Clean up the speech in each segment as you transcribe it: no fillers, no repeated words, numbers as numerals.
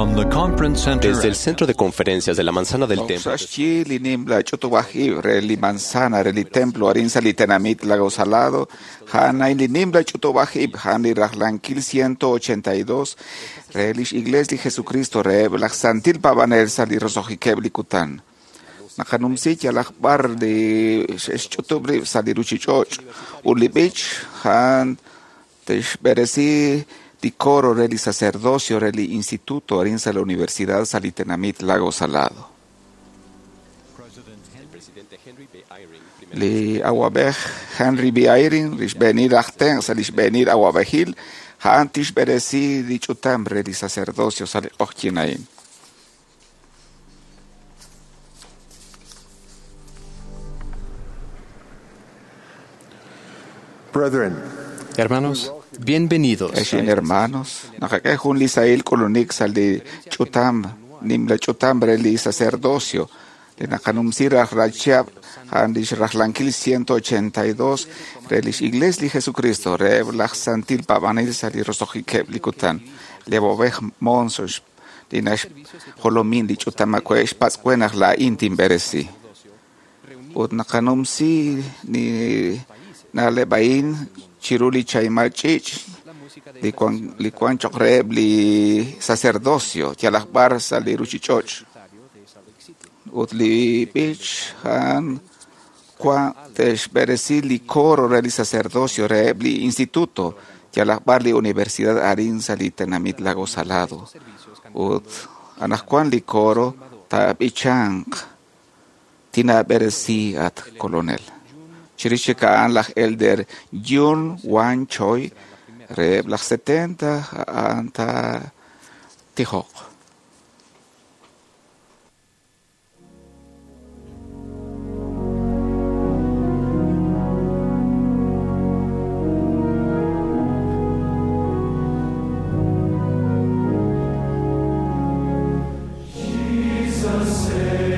From the conference center Desde el centro de conferencias de la Manzana del Templo, Oxaxchi li nimla ch'utub'aj ib' re li manzana re li templo arin sa li tenamit Lago Salado, jana li nimla ch'utub'aj ib' jan li rajlankil 182 re lix iglesia li Jesucristo re laj santil pavanel sa li rosojikeb' li kutan. Naqanumsi yalaj b'ar li xe'xch'utub' rib' sa li ruchich'och' ut li b'ich jan texb'eresi li coro re li sacerdocio re li instituto arin sa la Universidad sa li tenamit Lago Salado. el presidente Henry B. Eyring, primer Li awab'ej Henry B. Eyring li xb'eenil aj tenq' sa li xb'eenil awab'ejil a'an tixb'eresi li ch'utam re li sacerdocio sa li q'oqyin a'in. Brethren, Hermanos, bienvenidos. Exin hermanos, naqak'e jun li sahil k'ulunik sa li ch'utam nimla ch'utam re li sacerdocio li naqanumsi rajlal a'an lix rajlankil 182 re lix iglesia li Jesucristo re laj santil paab'anel sa li roso'jikeb' li kutan li awab'ej Monson li naxjolomin li ch'utam awe' xpatz'we naq laa'in tinb'eresi ut naqanumsi li na'leb' a'in chiru li chaymal ch'iich' li wan choq' reheb' li sacerdocio yalaq b'ar sa li ruchich'och' ut li b'ich a'an wan te'xb'eresi li coro re li sacerdocio reheb' li instituto yalaq b'ar li universidad arin sa li tenamit Lago Salado ut anaqwan li coro taab'ichanq tinaab'eresi at kolonel. Chirix chik a'an laj elder Jun Wan Choi reheb' laj 70 a'an taatijoq. Tempestuous sea.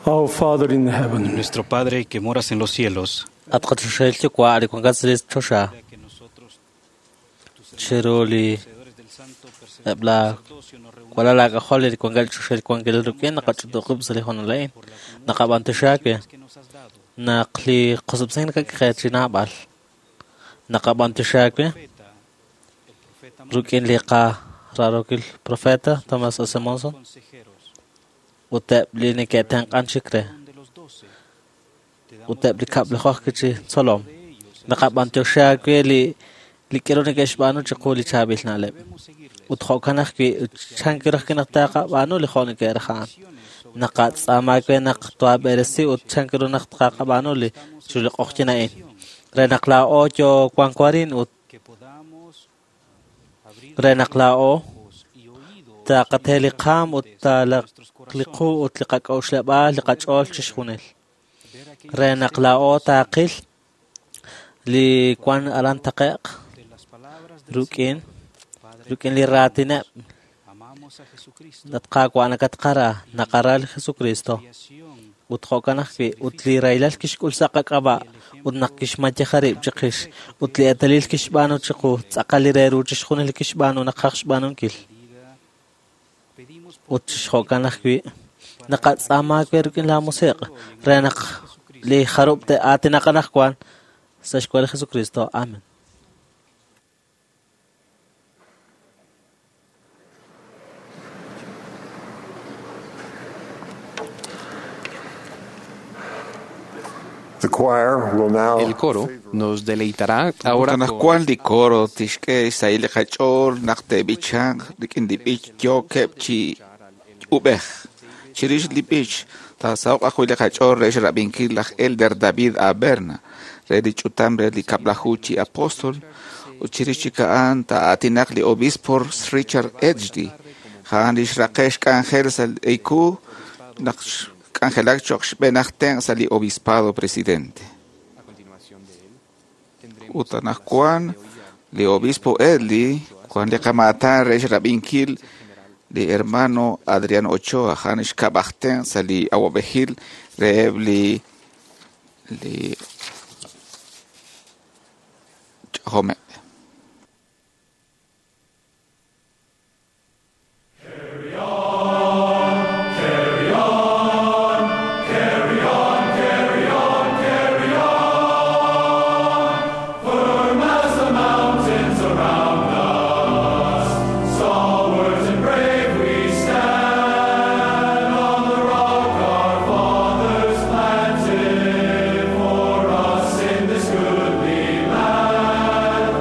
Our Father in heaven, Nuestro Padre que moras en los cielos, At qachoxahil yuwa' li wankat sa' li choxa chiru li eb' la walal aak'ajol li wankat li choxahil wankilal rik'in naqach'utuqib' sa' li hoonal a'in naqab'antioxi aawe naq li qosob'sink nakak'e chi naab'al naqab'antioxi aawe rik'in li qararokil profeta Thomas S. Monson ut eb' li neke'tenq'an chik re ut eb' li kab'lajoj chi tzolom naqab'antioxi aawe li li k'aru neke'xb'aanu chiqu li chaab'il na'leb' ut jo'kan ajwi' chan kiru ajwi' naq taqab'aanu li jo' neke'raj a'an naqatz'aama aawe naq toab'eresi ut chan kiru naq taqab'aanu li chiru li q'oqyin a'in re naq laa'o yoo wanko arin ut re naq laa'o taqate li qaam ut taalaq li qu ut li qak'a'uxleb'aal li qach'ool chixjunil re naq laa'o taqil li wan aran taqe'q rik'in rik'in li raatineb' naq Qaawa' nakatqara naqara li Jesucristo ut jo'kan ajwi' ut li rahilal kixk'ul sa' qak'ab'a' ut naq kixmayeja rib' chiqix ut li eetalil kixb'aanu chiqu tz'aqal li re ru chixjunil li kixb'aanu naqaj xb'aanunkil ut jo'kan ajwi' naqatz'aama aawe rik'in laa musiq' re naq li jarub' te'aatinaq anaqwan sa' xk'ab'a' li Jesucristo. Amen. The choir will now El coro nos deleitará ahora Ut con anaqwan li coro tixk'e xsahil li qach'ool naq te'b'ichanq rik'in li b'ich yookeb' chi ub'ej. Chirix li b'ich taasaho'q ajwi' li qach'ool re xrab'inkil laj Elder David A. Berna re li ch'utam re li kab'laju chi apóstol ut chirix chik a'an taa'aatinaq li obispo Richard Edgley a'an li xraqe' xk'anjel sa' li ku naq xk'anjelak cho'q xb'een aj tenq' sa' li obispado presidente. Ut anaqwan li obispo Edley wan li qamaatan re xrab'inkil li hermano Adrián Ochoa a'an xkab' aj tenq' sa' li awab'ejil reheb' li li ch'ojomeb'. For us in this goodly land.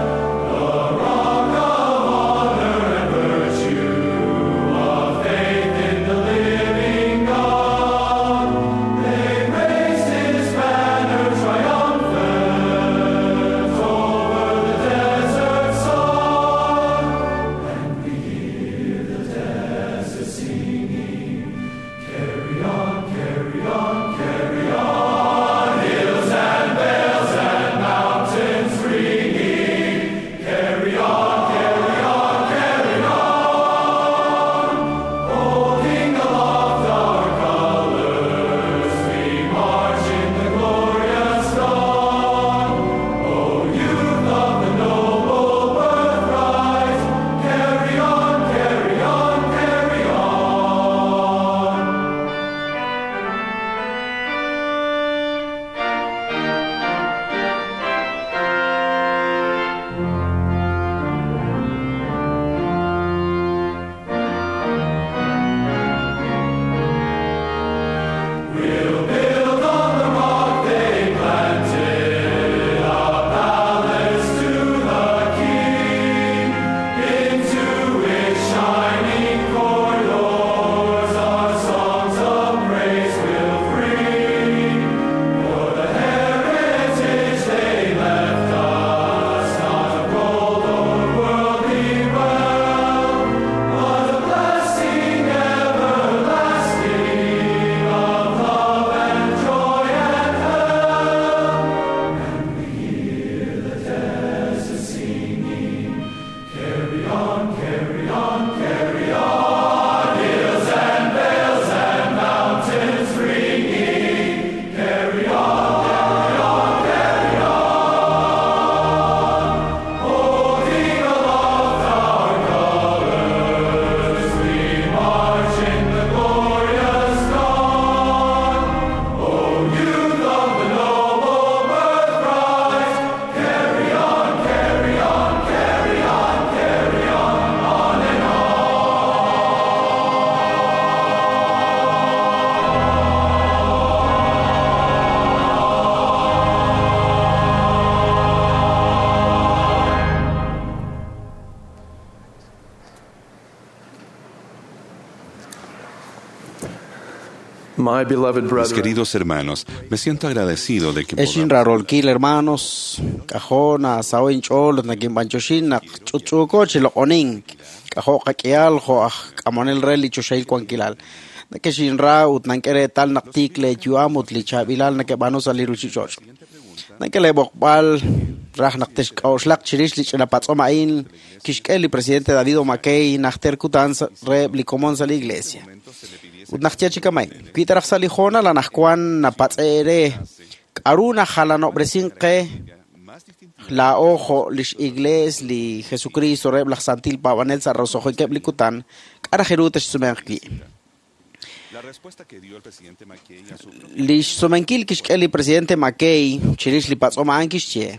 My beloved Mis brethren, queridos hermanos, me siento agradecido de que Exin podamos rarolkil hermanos, k'ajo nasaw inch'ool ut nakinb'anchoxin naq ch'utch'uuko chi loq'onink, k'ajo qak'ihal jo' aj k'amonel re li choxahil wankilal. Nakexinra ut nank'e reetal naq tiik leeyu'am ut li chaab'ilal nakeb'aanu sa' li ruuchich'och'. Nank'e leeb'oqb'al raj naq texk'a'uxlaq chirix li ch'ina patz'om a'in kixk'e li presidente David O. McKay najter kutan reheb' li komon sa' li iglesia. Ut naq ye chi kama'in, wi ta raj sa' li hoonal anaqwan napatz'e re k'aru najalanob'resin qe laa'o jo' lix iglees li Jesucristo reheb' laj santil paab'anel sa' roso'jikeb' li kutan, k'a raj ru texsumenq wi'. La respuesta que dio el presidente McKay a su Lix sumenkil kixk'e li presidente McKay chirix li patz'om a'an kixye,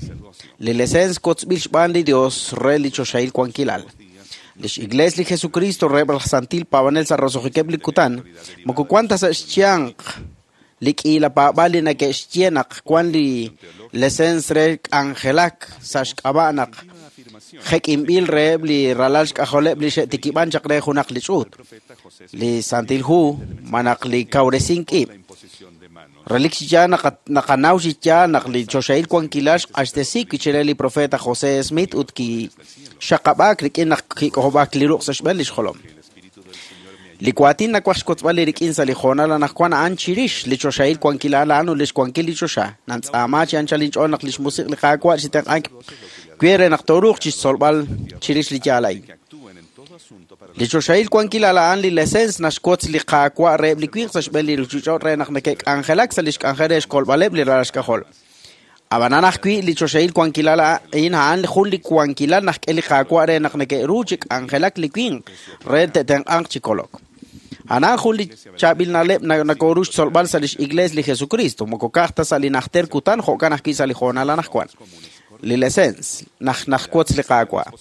li lesens kotzb'il xb'aan li Dios re li choxahil wankilal. Lix iglees li Jesucristo reheb' laj santil paab'anel sa' roso'jikeb' li kutan, moko wan ta sa' xyanq li k'iila paab'aal li nake'xye naq wan li lesens re k'anjelak sa' xk'ab'a' naq jek'inb'il reheb' li ralal xk'ajoleb' li xe'tikib'an chaq re junaq li ch'uut, li Santil Hu, malaj li kawresink ib'. Relik chi yaal naqanaw chi yaal naq li choxahil wankilal xq'axtesi wi' chire li profeta José Smith ut kixaqab'aak rik'in naq kik'ojob'aak li ruq' sa' xb'een lix jolom. Li waatin nawaj xkotzb'al li rik'in sa' li hoonal anaqwan a'an chirix li choxahil wankilal a'an ut lix wankil li choxa. Nantz'aama chi anchal inch'ool naq lix musiq' li Qaawa' chitenq'ank we re naq tooruuq chixtzolb'al chirix li yaal a'in. Li choxahil wankilal a'an li lesens naxwotz li Qaawa' reheb' li winq sa' xb'een li ruuchich'och' re naq neke'k'anjelak sa' lix k'anjel re xkolb'aleb' li ralal xk'ajol. Ab'anan ajwi' li choxahil wankilal a'in a'an jun li wankilal naxk'e li Qaawa' re naq neke'ru chi k'anjelak li winq re te'tenq'anq chi kolok. A'an jun li chaab'il na'leb' nakoru xtzolb'al sa' lix iglees li Jesucristo, moko ka'aj ta sa' li najter kutan jo'kan ajwi' sa' li hoonal anaqwan. Li lesens najwotz li Qaawa'.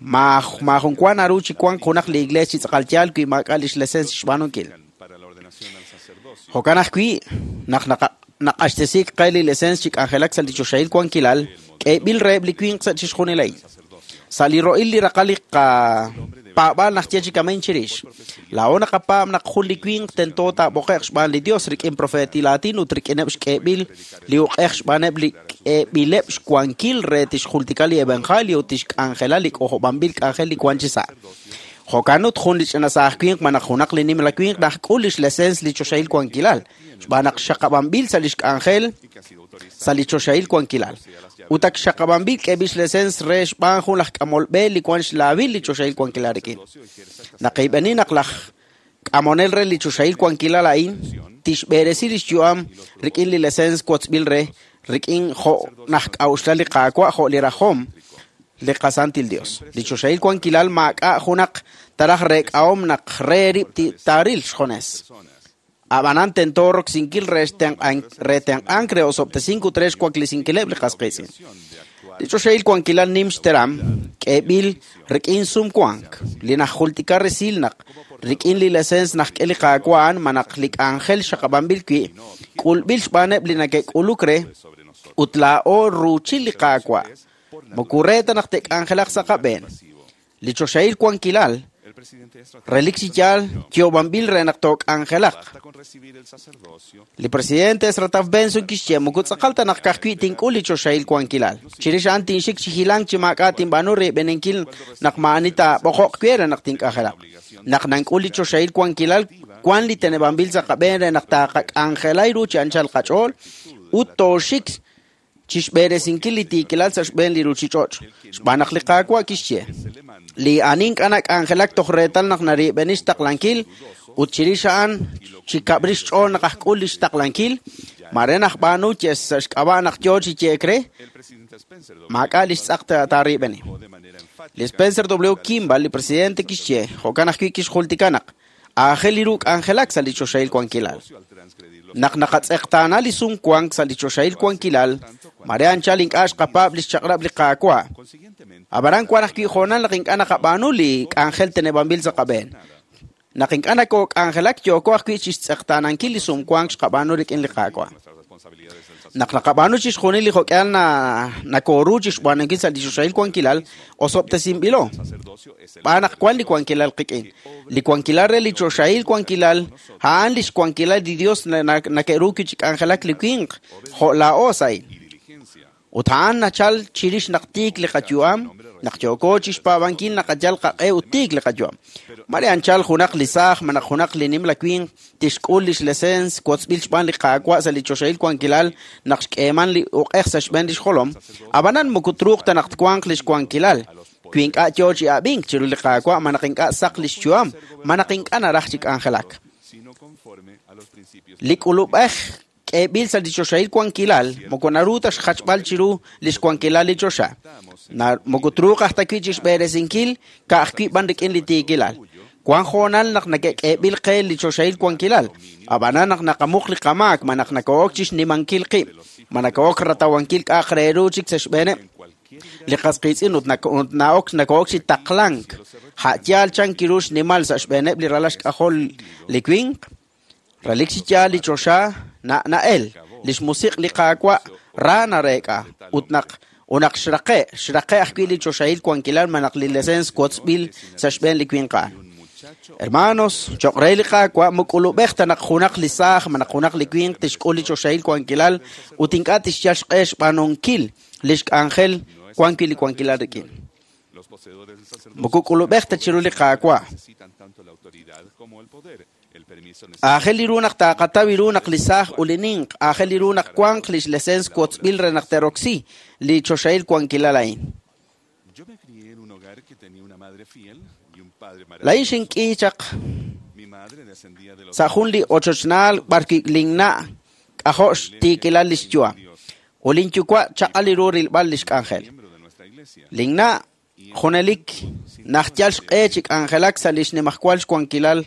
Maajun wa naru chi wank junaq li iglees chi tz'aqal yaal wi maak'a' lix lesens xb'aanunkil. para la ordenación al sacerdocio. Jo'kan ajwi' naq naq'axtesiik qe li lesens chi k'anjelak sa' li choxahil wankilal, k'eeb'il reheb' li winq sa' chixjunil a'in. Sa' li ro'il li raqal li qapaab'aal naq ye chi kama'in chirix. Laa'o naqapaab' naq jun li winq tento taab'oqe'q xb'aan li Dios rik'in profeetil aatin ut rik'ineb' xk'eeb'il li uq'ej xb'aaneb' li k'eeb'ileb' xwankil re tixjultika li evangelio ut tixk'anjela li k'ojob'anb'il k'anjel li wan chi sa'. Jo'kan ut jun li ch'ina saaj winq malaj junaq li nimla winq najk'ul lix lesens li choxahil wankilal, xb'aan naq xaqab'anb'il sa' lix k'anjel sa' li choxahil wankilal. Ut ak xaqab'anb'il k'eeb'il xlesens re xb'aan jun laj k'amol b'e li wan xlaawil li choxahil wankilal rik'in. Naqib'eni naq laj k'amonel re li choxahil wankilal a'in tixb'eresi lix yu'am rik'in li lesens wotzb'il re rik'in jo' najk'a'uxlal li Qaawa' jo' li rajom li qasantil Dios. Li choxahil wankilal maak'a' junaq taraj reek'ahom naq re rib' taaril xjones. Ab'anan tento roksinkil re tenq'ank re osob'tesink ut re xwaklesinkileb' li qas qiitz'in. Li choxahil wankilal nim xteram k'eeb'il rik'in sumwank li najjultika resil naq rik'in li lesens najk'e li Qaawa' a'an malaj li k'anjel xaqab'anb'il wi' k'ulb'il xb'aaneb' li nake'k'uluk re ut laa'o ruuchil li Qaawa'. Moko re ta naq te'k'anjelaq sa' qab'een. Li choxahil wankilal El presidente Ezra relik chi yaal yoob'anb'il re naq took'anjelaq. basta con recibir el sacerdocio Li presidente Ezra Taft Benson kixye moko tz'aqal ta naq ka'ajwi' tink'ul li choxahil wankilal. Chirix a'an tinxik chi hilank chi maak'a' tinb'aanu riib'eninkil naq maa'ani taab'oqoq we re naq tink'anjelaq. Naq nank'ul li choxahil wankilal wan li teneb'anb'il sa' qab'een re naq taaqak'anjelay ru chi anchal qach'ool ut tooxik chixb'eresinkil li tiikilal sa' xb'een li ruuchich'och'. Xb'aan naq li Qaawa' kixye, li ani ink'a' nak'anjelak toj reetal naq nariib'eni xtaqlankil ut chirix a'an chi kab'rix xch'ool naq ajk'ul lix taqlankil, mare najb'aanu ye sa' xk'ab'a' naq yoo chi yeek re, El presidente Spencer W. maak'a' lix tz'aq taariib'eni. de manera enfática Li Spencer W. Kimball, li presidente kixye, jo'kan ajwi' kixjultika naq aajel li ru k'anjelak sa' li choxahil wankilal. al transgredir los Naq naqatz'eqtaana li sumwank sa' li choxahil wankilal, mare anchal ink'a' xqapaab' lix chaq'rab' li Qaawa'. Consiguientemente, Ab'anan wan ajwi' hoonal naq ink'a' naqab'aanu li k'anjel teneb'anb'il sa' qab'een. Naq ink'a' nakok'anjelak yooko ajwi' chixtz'eqtaanankil li sumwank xqab'aanu rik'in li Qaawa'. nuestras Naq naqab'aanu chixjunil li jo'k'ihal nakoru chixb'aanunkil sa' li choxahil wankilal, osob'tesinb'ilo. Xb'aan naq wan li wankilal qik'in. Li wankilal re li choxahil wankilal, a'an lix wankilal li Dios nake'ru wi' chi k'anjelak li winq, jo' laa'o sa'in. Ut a'an nachal chirix naq tiik li qayu'am, naq yooko chixpaab'ankil naqayal qaq'e ut tiik li qayu'am. Mare anchal junaq li saaj malaj junaq li nimla winq tixk'ul lix lesens wotzb'il xb'aan li Qaawa' sa' li choxahil wankilal naq xk'eeman li uq'ej sa' xb'een lix jolom, ab'anan moko truuq ta naq twanq lix wankilal, wi ink'a' yoo chi ab'ink chiru li Qaawa' malaj ink'a' saq lix yu'am, malaj ink'a' naraj chi k'anjelak. Li k'ulub'ej k'eeb'il sa' li choxahil wankilal, moko naru ta xjachb'al chiru lix wankilal li choxa. Moko truuq aj ta wi' chixb'eresinkil ka'ajwi' b'an rik'in li tiikilal. Wan hoonal naq nake'k'eeb'il qe li choxahil wankilal, ab'anan naq naqamuq li qamaak malaj nako'ok chixnimankil qib', ma nako'ok ratawankil k'a'aq re ru chik sa' xb'eeneb' li qas qiitz'in ut nako'ok chi taqlank. A' yaal chan kiru xnimal sa' xb'eeneb' li ralal xk'ajol li winq, relik chi yaal li choxa na'el, lix musiq' li Qaawa' ra nareek'a, ut naq xraqe' ajwi' li choxahil wankilal malaj li lesens wotzb'il sa' xb'een li winq a'an. Hermanos, choq' re li Qaawa' muk'ulub'ej ta naq junaq li saaj malaj junaq li winq tixk'ul li choxahil wankilal ut ink'a' tixyal xq'e xb'aanunkil lix k'anjel wan wi' li wankilal rik'in. Moko k'ulub'ej ta chiru li Qaawa'. Aajel li ru naq taaqataw ru naq li saaj ut li ninq, aajel li ru naq wanq lix lesens wotzb'il re naq te'roksi li choxahil wankilal a'in. Laa'in xink'i chaq sa' jun li ochochnaal b'ar wi' linna' k'ajo' xtiikilal lix yu'am. Ut linyuwa' chaq'al li ru rilb'al lix k'anjel. Linna' junelik najyal xq'e chi k'anjelak sa' lix nimajwal xwankilal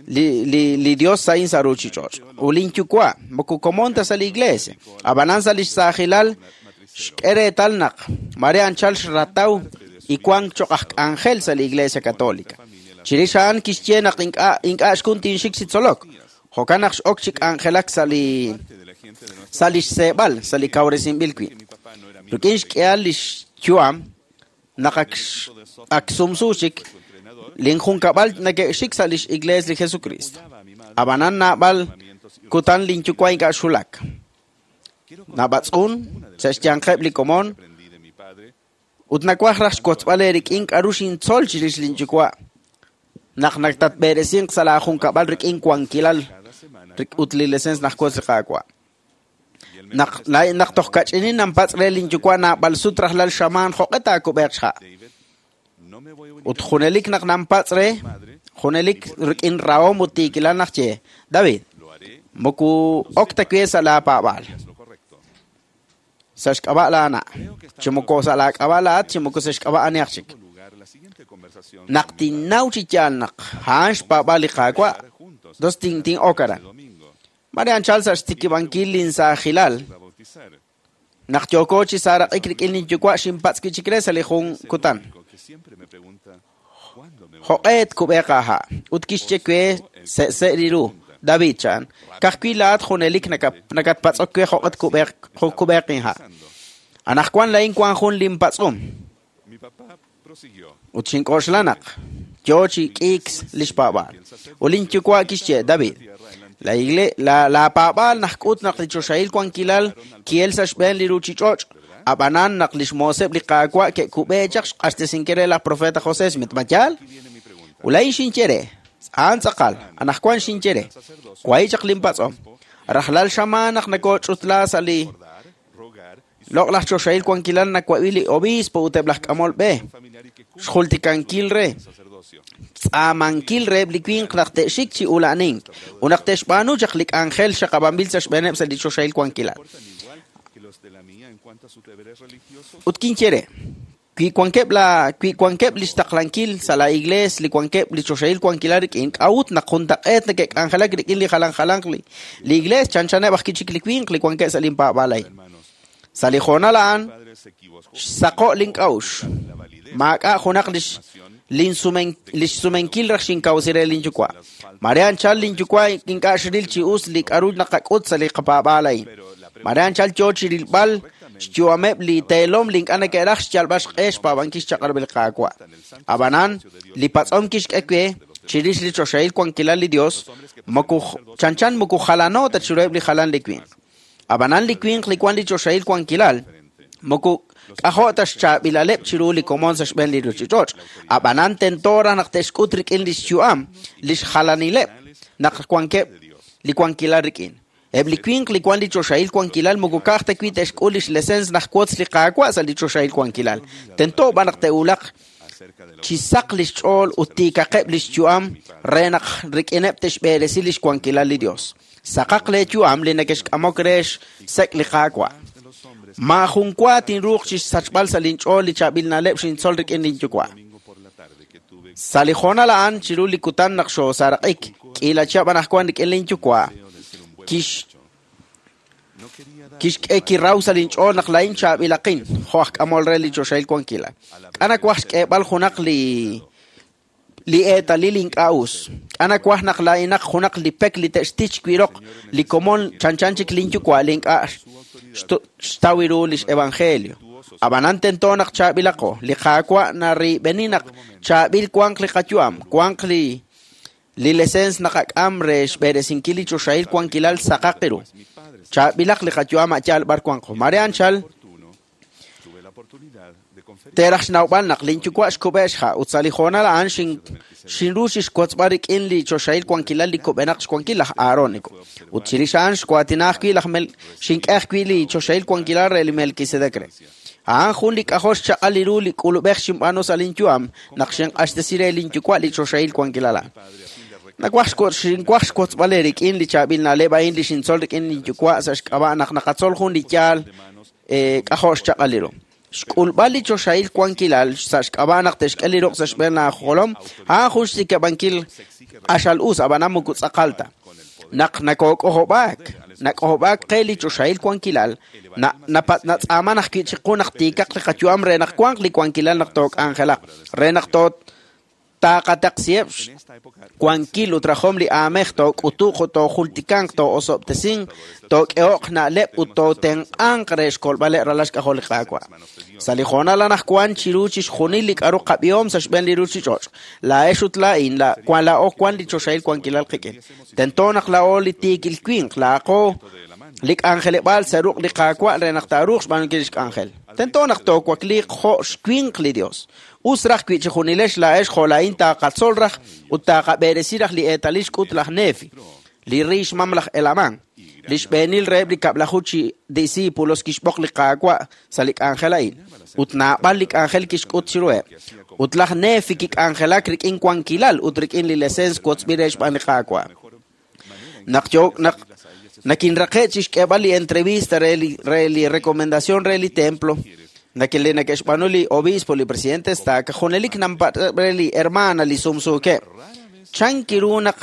li Dios sa'in sa' ruchich'och'. Ut linyuwa' moko komon ta sa' li iglesia, ab'anan sa' lix saajilal xk'e reetal naq mare anchal xrataw y wank choq' aj k'anjel sa' li Iglesia Católica. Chirix a'an kixye naq ink'a' xkun tinxik chi tzolok. Jo'kan naq x'ok chi k'anjelak sa' lix seeb'al, sa' li kawresinb'il wi'. Rik'in xk'ehal lix yu'am, naq ak sumsu chik, linjunkab'al nake'xik sa' lix Iglesia li Jesucristo. Ab'anan naab'al kutan linyuwa' ink'a' xulak. Nab'atz'un sa' xyanqeb' li komon ut nawaj raj xwotzb'al eerik'in k'aru xintzol chirix linyuwa' naq naktatb'eresinq sa' laajunkab'al rik'in wankilal ut li lesens najwotz li Qaawa'. Naq toj kach'inin nanpatz' re linyuwa' naab'al sut rajlal xamaan jo'q'e taakub'eeq xha'. Ut junelik naq nanpatz' re, junelik rik'in rahom ut tiikilal naq ye, David, moko ok ta we sa' laapaab'aal. Sa' xk'ab'a' laana', chi moko sa' laak'ab'a' laat, chi moko sa' xk'ab'a' anihaq chik. Naq tinnaw chi yaal naq a'an xpaab'aal li Qaawa', dos tin'ok aran. Mare anchal sa' xtikib'ankil linsaajilal, naq yooko chi saaraq'ik rik'in linyuwa' xinpatz' wi' chik re sa' li jun kutan. Jo'q'e tkub'eeq aaha', ut kixye we se'se' li ru, David chan, ka'ajwi' laat junelik nakatpatz'ok we jo'q'e tkub'eeq inha'. Anaqwan laa'in wan jun linpatz'um. Ut xink'oxla naq yoo chi k'iik lix paab'aal. Ut linyuwa' kixye, David, laapaab'aal najk'ut naq li choxahil wankilal ki'el sa' xb'een li ruchich'och', ab'anan naq lix mooseb' li Qaawa' ke'kub'e chaq xq'axtesinkil re laj profeta José Smith, ma yaal? Ut laa'in xinye re, a'an tz'aqal, anaqwan xinye re, wahi' chaq linpatz'om. Rajlal xamaan naq nakoch'utla sa' li loq'laj choxahil wankilal nawab'i li obispo ut eb' laj k'amol b'e, xjultikankil re, tz'aamankil reheb' li winq naq te'xik chi ula'nink ut naq te'xb'aanu chaq li k'anjel xaqab'anb'il sa' xb'eeneb' sa' li choxahil wankilal. Ut kinye re, wi wankeb' lix taqlankil sa' la iglees li wankeb' li choxahil wankilal rik'in, k'a'ut naq juntaq'eet neke'k'anjelak rik'in li jalan jalanq li iglees chanchaneb' aj kichik li winq li wankeb' sa' linpaab'aal a'in. Sa' li hoonal a'an, xsaqo' link'a'uxl. Maak'a' junaq lix sumenkil raj xinkawsi re linyuwa'. Mare anchal linyuwa' ink'a' xril chi us li k'aru naqak'ut sa' li qapaab'aal a'in. Mare anchal yo chi rilb'al xyu'ameb' li teelom li ink'a' neke'raj xyalb'al xq'e xpaab'ankil xchaq'rab' li Qaawa'. Ab'anan, li patz'om kixk'e we chirix li choxahil wankilal li Dios, moko chanchan moko jalano ta chiruheb' li jalan li winq. Ab'anan li winq li wan li choxahil wankilal, moko k'ajo' ta xchaab'ilaleb' chiru li komon sa' xb'een li ruuchich'och'. Ab'anan tento raj naq te'xk'ut rik'in li xyu'am, li xjalanileb' naq wankeb' li wankilal rik'in. Eb' li winq li wan li choxahil wankilal moko ka'aj ta wi' te'xk'ul li xlesens naq wotz li Qaawa' sa' li choxahil wankilal. Tento b'an naq te'wulaq chi saq li xch'ool ut tiikaqeb' li xyu'am re naq rik'ineb' te'xb'eresi li xwankilal li Dios. Saqaq leeyu'am li neke'xk'amok re xsek' li Qaawa'. Maajun wa tinruuq chi xsachb'al sa' linch'ool li chaab'il na'leb' xintzol rik'in linyuwa'. Sa' li hoonal a'an chiru li kutan naq xoosaaraq'ik, k'iila chihab' anaqwan rik'in linyuwa', kixk'e kiraw sa' linch'ool naq laa'in chaab'ilaqin, jo' aj k'amol re li choxahil wankilal. K'a nawaj xk'eeb'al junaq li eetalil ink'a' us. K'a nawaj naq laa'inaq junaq li pek li te'xtich wi' roq li komon chanchan chik linyuwa' li ink'a' xtaw ru li xevangelio. Ab'anan tento naq chaab'ilaqo. Li Qaawa' narib'eni naq chaab'il wanq li qayu'am, wanq li lesens naqak'am re xb'eresinkil li choxahil wankilal saqaq ru. Chaab'ilaq li qayu'am a' yaal b'ar wanqo. Mare anchal teeraj xnawb'al naq linyuwa' xkub'e xha' ut sa' li hoonal a'an xinru xixwotzb'al rik'in li choxahil wankilal li kub'enaq xwankil laj Aarónico. Ut chirix a'an xwaatina ajwi' laj xink'e ajwi' li choxahil wankilal re li Melquisedec re. A'an jun li k'ajo' xchaq'al li ru li k'ulub'ej xinb'aanu sa' linyu'am naq xinq'axtesi re linyuwa' li choxahil wankilal a'an. Nawaj xinwaj xwotzb'al rik'in li chaab'il na'leb' a'in li xintzol rik'in linyuwa' sa' xk'ab'a' naq naqatzol jun li yaal k'ajo' xchaq'al li ru. Xk'ulb'al li choxahil wankilal sa' xk'ab'a' naq te'xk'e li ruq' sa' xb'een laajolom, a'an jun xtikab'ankil q'axal us, ab'anan moko tz'aqal ta. Naq nakook'ojob'aak, nak'ojob'aak qe li choxahil wankilal, natz'aaman ajwi' chiqu naq tiikaq li qayu'am re naq wanq li wankilal naq took'anjelaq, re naq taaqataqsiheb' wankil ut rajom li aamej took'utuq ut toojultikanq too'osob'tesinq took'eho'q na'leb' ut tootenq'anq re xkolb'aleb' ralal xk'ajol li Qaawa'. Sa' li hoonal anaqwan chiru chixjunil li k'aru qab'ihom sa' xb'een li ruuchich'och', laa'ex ut laa'in laa'o wan li choxahil wankilal qik'in. Tento naq laa'o li tiikil winq, laa'aqo li k'anjeleb'aal sa' ruq' li Qaawa' re naq taaruuq xb'aanunkil li xk'anjel. Tento naq toowakliiq jo' xwinq li Dios. Us raj wi' chi junilex laa'ex jo' laa'in taaqatzol raj ut taaqab'eresi raj li eetalil xk'ut laj Nefi, li ri xmam laj Elamán. Li xb'eenil reheb' li kab'laju chi discípulos kixb'oq li Qaawa' sa' li k'anjel a'in, ut naab'al li k'anjel kixk'ut chiruheb'. Ut laj Nefi kik'anjelak rik'in wankilal ut rik'in li lesens wotzb'il re xb'aan li Qaawa'. Naq yo naq nakinraqe' chi xk'eeb'al li entrevista re li recomendación re li templo, nakele neke'xb'aanu li obispo, li presidente estaca, junelik nampa' re li hermana li sumsuukeb'. Chan kiru naq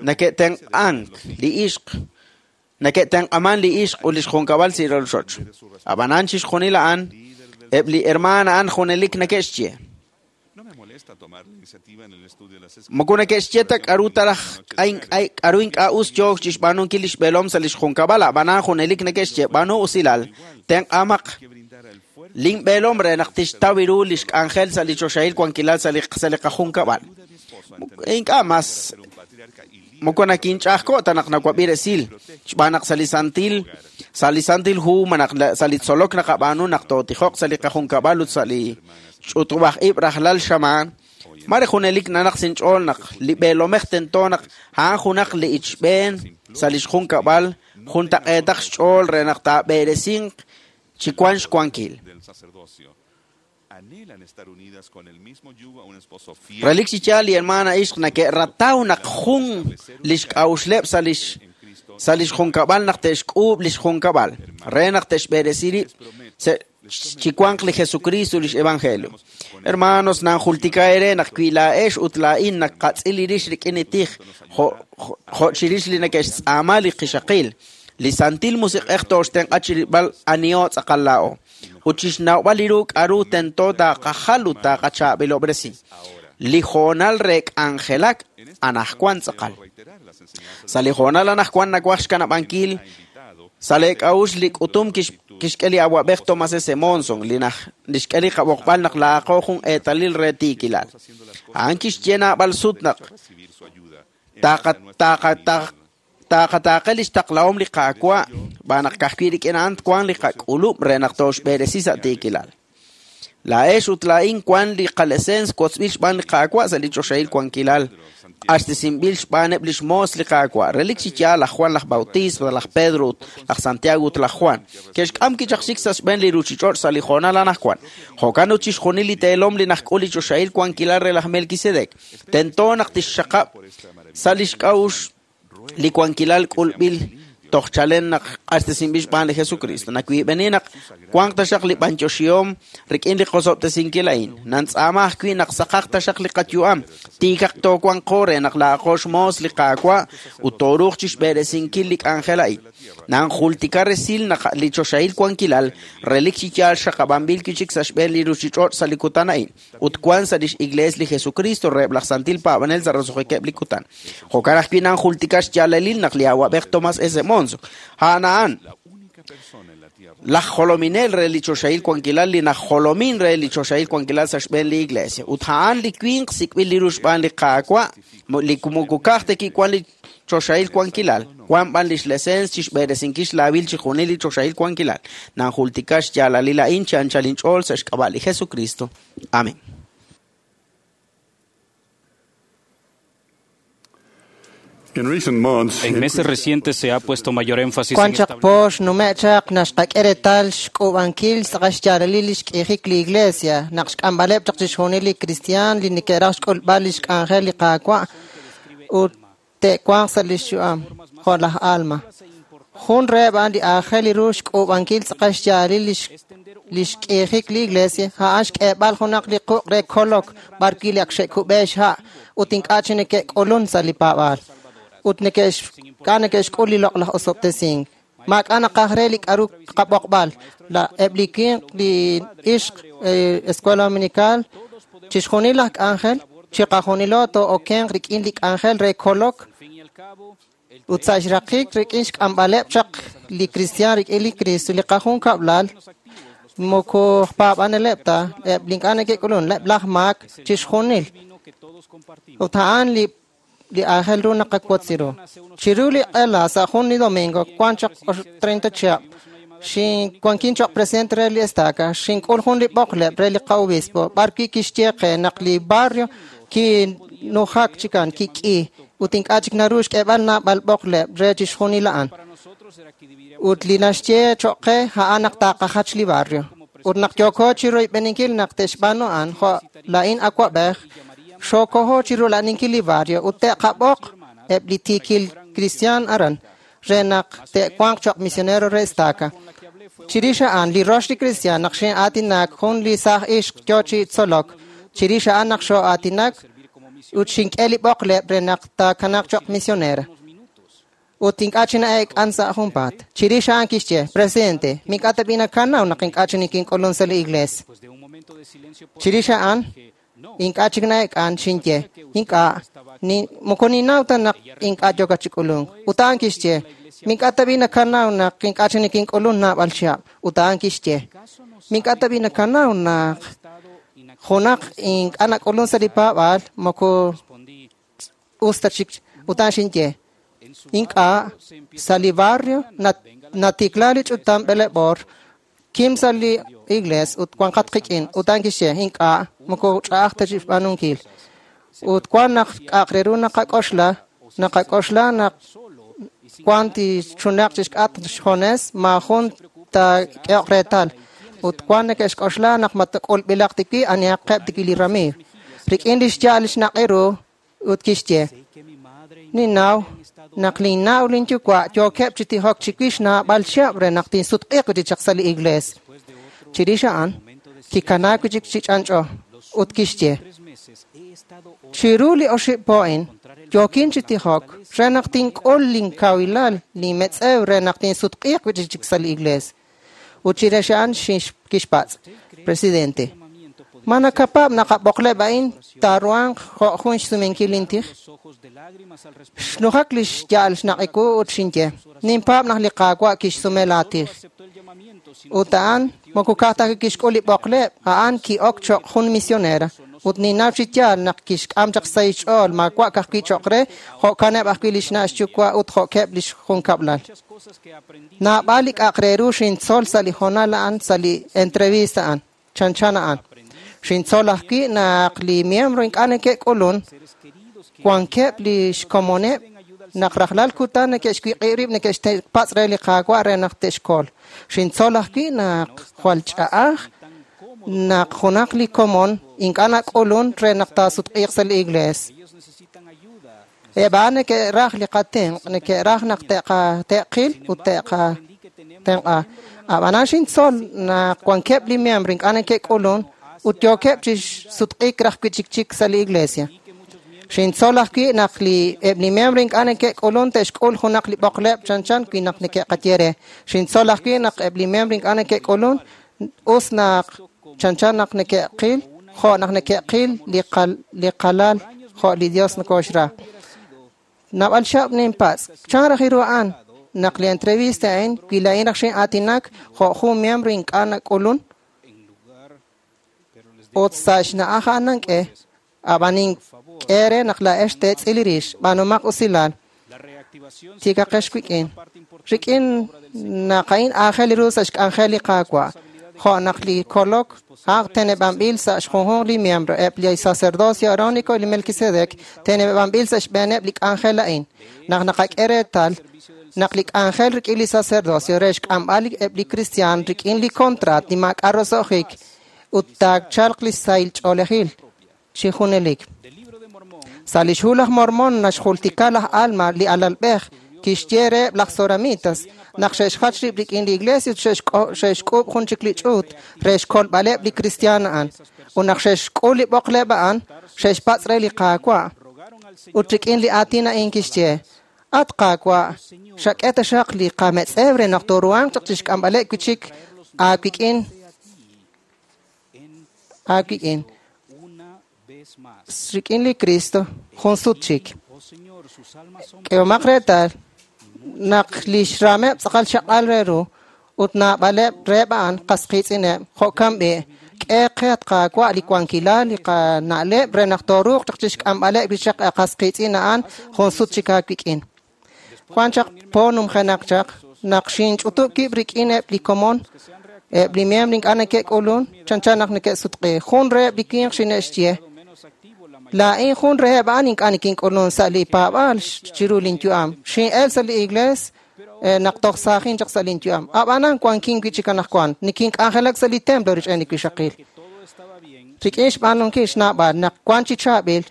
neke'tenq'ank li ixq, neke'tenq'aman li ixq ut li xjunkab'al sa' rochoch. Ab'anan chixjunil a'an, eb' li hermana a'an junelik neke'xye. Moko neke'xye ta k'aru taraj k'aru ink'a' us yook chi xb'aanunkil li xb'eelom sa' li xjunkab'al, ab'anan junelik neke'xye b'aanu usilal, tenq'amaq linb'eelom re naq tixtaw ru li xk'anjel sa' li choxahil wankilal sa' li qajunkab'al. Ink'a' mas moko nakinch'a'ajko' ta naq nawab'i resil, xb'aan naq sa' li santil hu malaj sa' li tzolok naqab'aanu naq tootijoq sa' li qajunkab'al ut sa' li ch'utub'aj ib' rajlal xamaan, mare junelik nanaq sinch'ool naq li b'eelomej tento naq a'an junaq li ichb'een sa' li xjunkab'al juntaq'eetaq xch'ool re naq taab'eresinq chi wan xwankil. Relik chi yaal li hermana ixq neke'rataw naq jun li xk'a'uxleb' sa' li xjunkab'al naq te'xk'uub' li xjunkab'al re naq te'xb'eresi rib' chi wanq li Jesucristo li xevangelio. Hermanos, nanjultika eere naq wi laa'ex ut laa'in naqatz'il li rix rik'in li tij jo' chirix li neke'xtz'aama li qixaqil, li Santil Musiq'ej tooxtenq'a chirilb'al aniho tz'aqal laa'o ut chixnawb'al li ru k'aru tento taaqajal ut taaqachaab'ilob'resi. Li hoonal re k'anjelak anaqwan tz'aqal. Sa' li hoonal anaqwan nawaj xkanab'ankil Sa' lee k'a'uxl li k'utum kixk'e li awa'b'ej Thomas S. Monson, li xk'e li qab'oqb'al naq laa'aqo jun eetalil re tiikilal. A'an kixye naab'al sut naq taaqataaqe li xtaqlahom li Qaawa' b'aan naq ka'ajwi' rik'in a'an twanq li qak'ulub' re naq tooxb'eresi sa' tiikilal. Laa'ex ut laa'in wan li qalesens wotzb'il xb'aan li Qaawa' sa' li choxahil wankilal, q'axtesinb'il xb'aaneb' lix moos li Qaawa'. Relik chi yaal laj Juan laj Bautista, laj Pedro ut laj Santiago ut laj Juan. Ke'xk'am kichaq xik sa' xb'een li ruuchich'och' sa' li hoonal anaqwan. Jo'kan ut chixjunil li teelom li najk'ul li choxahil wankilal re laj Melquisedec. Tento naq tixxaqab' sa' lix k'a'uxl li wankilal k'ulb'il toj chalen naq q'axtesinb'il xb'aan li Jesucristo. Nawiib'eni naq wanq taxaq li b'anyoxihom rik'in li qosob'tesinkil a'in. Nantz'aama ajwi' naq saqaq taxaq li qayu'am, tiikaq toowanqo re naq laa'aqo xmoos li Qaawa' ut tooruuq chixb'eresinkil li k'anjel a'in. Nanjultika resil naq li choxahil wankilal relik chi yaal xaqab'anb'il wi' chik sa' xb'een li ruuchich'och' sa' li kutan a'in ut wan sa' lix Iglees li Jesucristo reheb' laj Santil Paab'anel sa' roso'jikeb' li kutan. Jo'kan ajwi' nanjultika xyaalalil naq li awa'b'ej Thomas S. Monson a'an a'an laj jolominel re li choxahil wankilal li najjolomin re li choxahil wankilal sa' xb'een li Iglesia. Ut a'an li winq sik'b'il li ru xb'aan li Qaawa' li moko ka'aj ta kiwan li choxahil wankilal, wan b'an lix lesens chixb'eresinkil xlaawil chixjunil li choxahil wankilal. Nanjultika xyaalalil a'in chi anchal inch'ool sa' xk'ab'a' li Jesucristo. Amén. En meses recientes se ha puesto mayor énfasis en Wan chaq po xnume'chaq naxqak'e reetal xk'uub'ankil xyaalalil li xk'iijik li iglesia, naq xk'amb'aleb' chaq chixjunil li kristiaan li neke'raj xk'ulb'al li xk'anjel li Qaawa' ut te'wanq sa' li xyu'am, jo' laj Alma. Jun reheb' a'an li aajel ru xk'uub'ankil tz'aqal xyaalalil li xk'iijik li iglesia, a'an xk'eeb'al junaq li quq' re kolok b'arwi' li ak xe'kub'e xha' ut ink'a' chi neke'k'ulun sa' li paab'aal. Ut neke'xk'a neke'xk'ul li loq'laj osob'tesink. Maak'a' naqaj re li k'aru qab'oqb'al. Eb' li winq, li ixq, Escuela Dominical, chixjunil laj k'anjel, chiqajunilo too'okenq rik'in li k'anjel re kolok ut sa' xraqik rik'in xk'amb'aleb' chaq li kristiaan rik'in li Cristo, li qajunkab'lal, moko paab'aneleb' ta, eb' li ink'a' neke'k'ulun, eb' laj maak, chixjunil. Ut a'an li aajel ru naqawotzi ru. Chiru li q'ela sa' jun li domingo, wan chaq 30 chihab', xinwankin choq' presidente re li estaca, xink'ul jun li b'oqleb' re li qa'obispo, b'arwi' kixye qe naq li barrio kinujak chikan, kik'i, ut ink'a' chik naru xk'eeb'al naab'al b'oqleb' re chixjunil a'an. Ut li naxye choq' qe a'an naq taaqajach li barrio. Ut naq yooko chiroyb'eninkil naq te'xb'aanu a'an, jo' la'in awa'b'ej, xokoho chirula'aninkil li barrio ut te'qab'oq eb' li tiikil kristiaan aran re naq te'wanq choq' misionero re estaca. Chirix a'an li rox li kristiaan naq xin'aatinak jun li saaj ixq yo chi tzolok, chirix a'an naq xo'aatinak ut xink'e li b'oqleb' re naq taakanaq choq' misionera. Ut ink'a' chi na'eek'an sa' junpaat. Chirix a'an kixye, Presidente, mink'a' tab'i nakanaw naq ink'a' chi nikink'ulun sa' li iglees. Chirix a'an ink'a' chik na'eek'an xinye, ink'a' moko ninnaw ta naq ink'a' yoka chi k'ulunk. Ut a'an kixye, mink'a' tab'i nakanaw naq ink'a' chi nikink'ulun naab'al chihab'. Ut a'an kixye, mink'a' tab'i nakanaw naq junaq ink'a' nak'ulun sa' li paab'aal moko us ta chik. Ut a'an xinye, ink'a' sa' li barrio natikla li ch'utam b'eleb'or, kim sa' li iglees ut wanqat qik'in. Ut a'an kixye, ink'a' moko ch'a'aj ta chi xb'aanunkil. Ut wan naq k'a'aq re ru naqak'oxla, naqak'oxla naq wan tichunaq chixk'atq xjones, maajun taak'ehoq reetal. Ut wan neke'xk'oxla naq matak'ulb'ilaq tiwi anihaqeb' tiwi li ramiiw. Rik'in li xya'al li xnaq'i ru ut kixye, ninnaw naq linnaw linyuwa' yookeb' chi tijok chiwix naab'al chihab' re naq tinsutq'iiq wi' chaq sa' li iglees. Chirix a'an kikanaak wi' chik chi ch'anch'o ut kixye, chiru li oxib' po a'in yookin chi tijok re naq tink'ul linkawilal linmetz'ew re naq tinsutq'iiq wi' chik sa' li iglees. Ut chirix a'an kixpatz', Presidente, Ma nakapaab' naq a b'oqleb' a'in taaruhanq jo' jun xsumenkil lintij? Xnujak li xya'al xnaq'iku ut xinye, ninpaab' naq li Qaawa' kixsume laatij. Ut a'an moko ka'aj ta kixk'ul li b'oqleb', a'an ki'ok cho'q jun misionera. Ut ninnaw chi yaal naq kixk'am chaq xsahil xch'ool maawa' ka'ajwi' cho'q re, jo'kaneb' ajwi' li xna' xyuwa' ut jo'keb' li xjunkab'lal. Naab'al li k'a'aq re ru xintzol sa' li hoonal a'an sa' li entrevista a'an, chanchan a'an. Xintzol ajwi' naq li miembro ink'a' neke'k'ulun, wankeb' li xkomoneb' naq rajlal kutan neke'xwiq'ib' rib' neke'xpatz' re li Qaawa' re naq te'xkol. Xintzol ajwi' naq jwal ch'a'aj naq junaq li komon ink'a' nak'ulun re naq taasutq'iiq sa' li iglees. Eb' a'an neke'raj li qatenq', neke'raj naq te'qil ut te'qatenq'a. Ab'anan xintzol naq wankeb' li miembro ink'a' neke'k'ulun ut yookeb' chi sutq'iik raj wi' chik chik sa' li iglesia. Xintzol ajwi' naq eb' li miembro ink'a' neke'k'ulun te'xk'ul junaq li b'oqleb' chanchan wi naq neke'qaye re. Xintzol ajwi' naq eb' li miembro ink'a' neke'k'ulun us naq chanchan naq neke'qil jo' naq neke'qil li qalal jo' li Dios nokoxra. Naab'al xab' ninpatz', chan raj ru a'an naq li entrevista a'in wi laa'in raj xin'aatinak jo' jun miembro ink'a' nak'ulun ut sa' xna'aj a'an nank'e, ab'an nink'e re naq laa'ex teetz'il rix, b'aanumaq usilal, tiikaqex wik'in. Rik'in naq a'in aajel ru sa' xk'anjel li Qaawa', jo' naq li kolok a'an teneb'anb'il sa' xjunjunq li miembro, eb' li sacerdocio Aarónico y li Melquisedec teneb'anb'il sa' xb'eeneb' li k'anjel a'in. Naq naqak'e reetal naq li k'anjel rik'in li sacerdocio re xk'amb'al eb' li kristiaan rik'in li contrat li maak'a' roso'jik ut taachalq li sahil ch'oolejil chi junelik. Sa' li xhu laj Mormon naxjultika laj Alma li alalb'ej kixye reheb' laj Zoramitas naq xe'xjach rib' rik'in li iglesia ut xe'xk'uub' jun chik li ch'uut re xkolb'aleb' li kristiaan a'an. Ut naq xe'xk'ul li b'oqleb' a'an, xe'xpatz' re li Qaawa'. Ut rik'in li aatin a'in kixye, At Qaawa', xak'e taxaq li qametz'ew re naq tooruhanq chaq chixk'amb'aleb' wi' chik aawik'in aawik'in rik'in li Cristo jun sut chik. K'ehomaq reetal naq li xrameb' tz'aqal xaq'al re ru ut naab'aleb' reheb' a'an qas qiitz'ineb' jo'kan b'i' k'e qe at Qaawa' li wankilal li qana'leb' re naq tooruuq chaq chixk'amb'aleb' li chaq qas qiitz'in a'an jun sut chik aawik'in. Wan chaq po numjenaq chaq naq xinch'utub' wib' rik'in eb' li komon eb' li miembro ink'a' neke'k'ulun chanchan naq neke'sutq'i. Jun reheb' li winq xine'xye, laa'in jun reheb' a'an ink'a' nikink'ulun sa' li paab'aal chiru linyu'am. Xin'el sa' li iglees naq toj saajin chaq sa' linyu'am. Ab'anan wankin wi' chik anaqwan, nikink'anjelak sa' li templo rich'en li wixaqil. Rik'in xb'aanunkil xnaab'al naq wan chi chaab'il,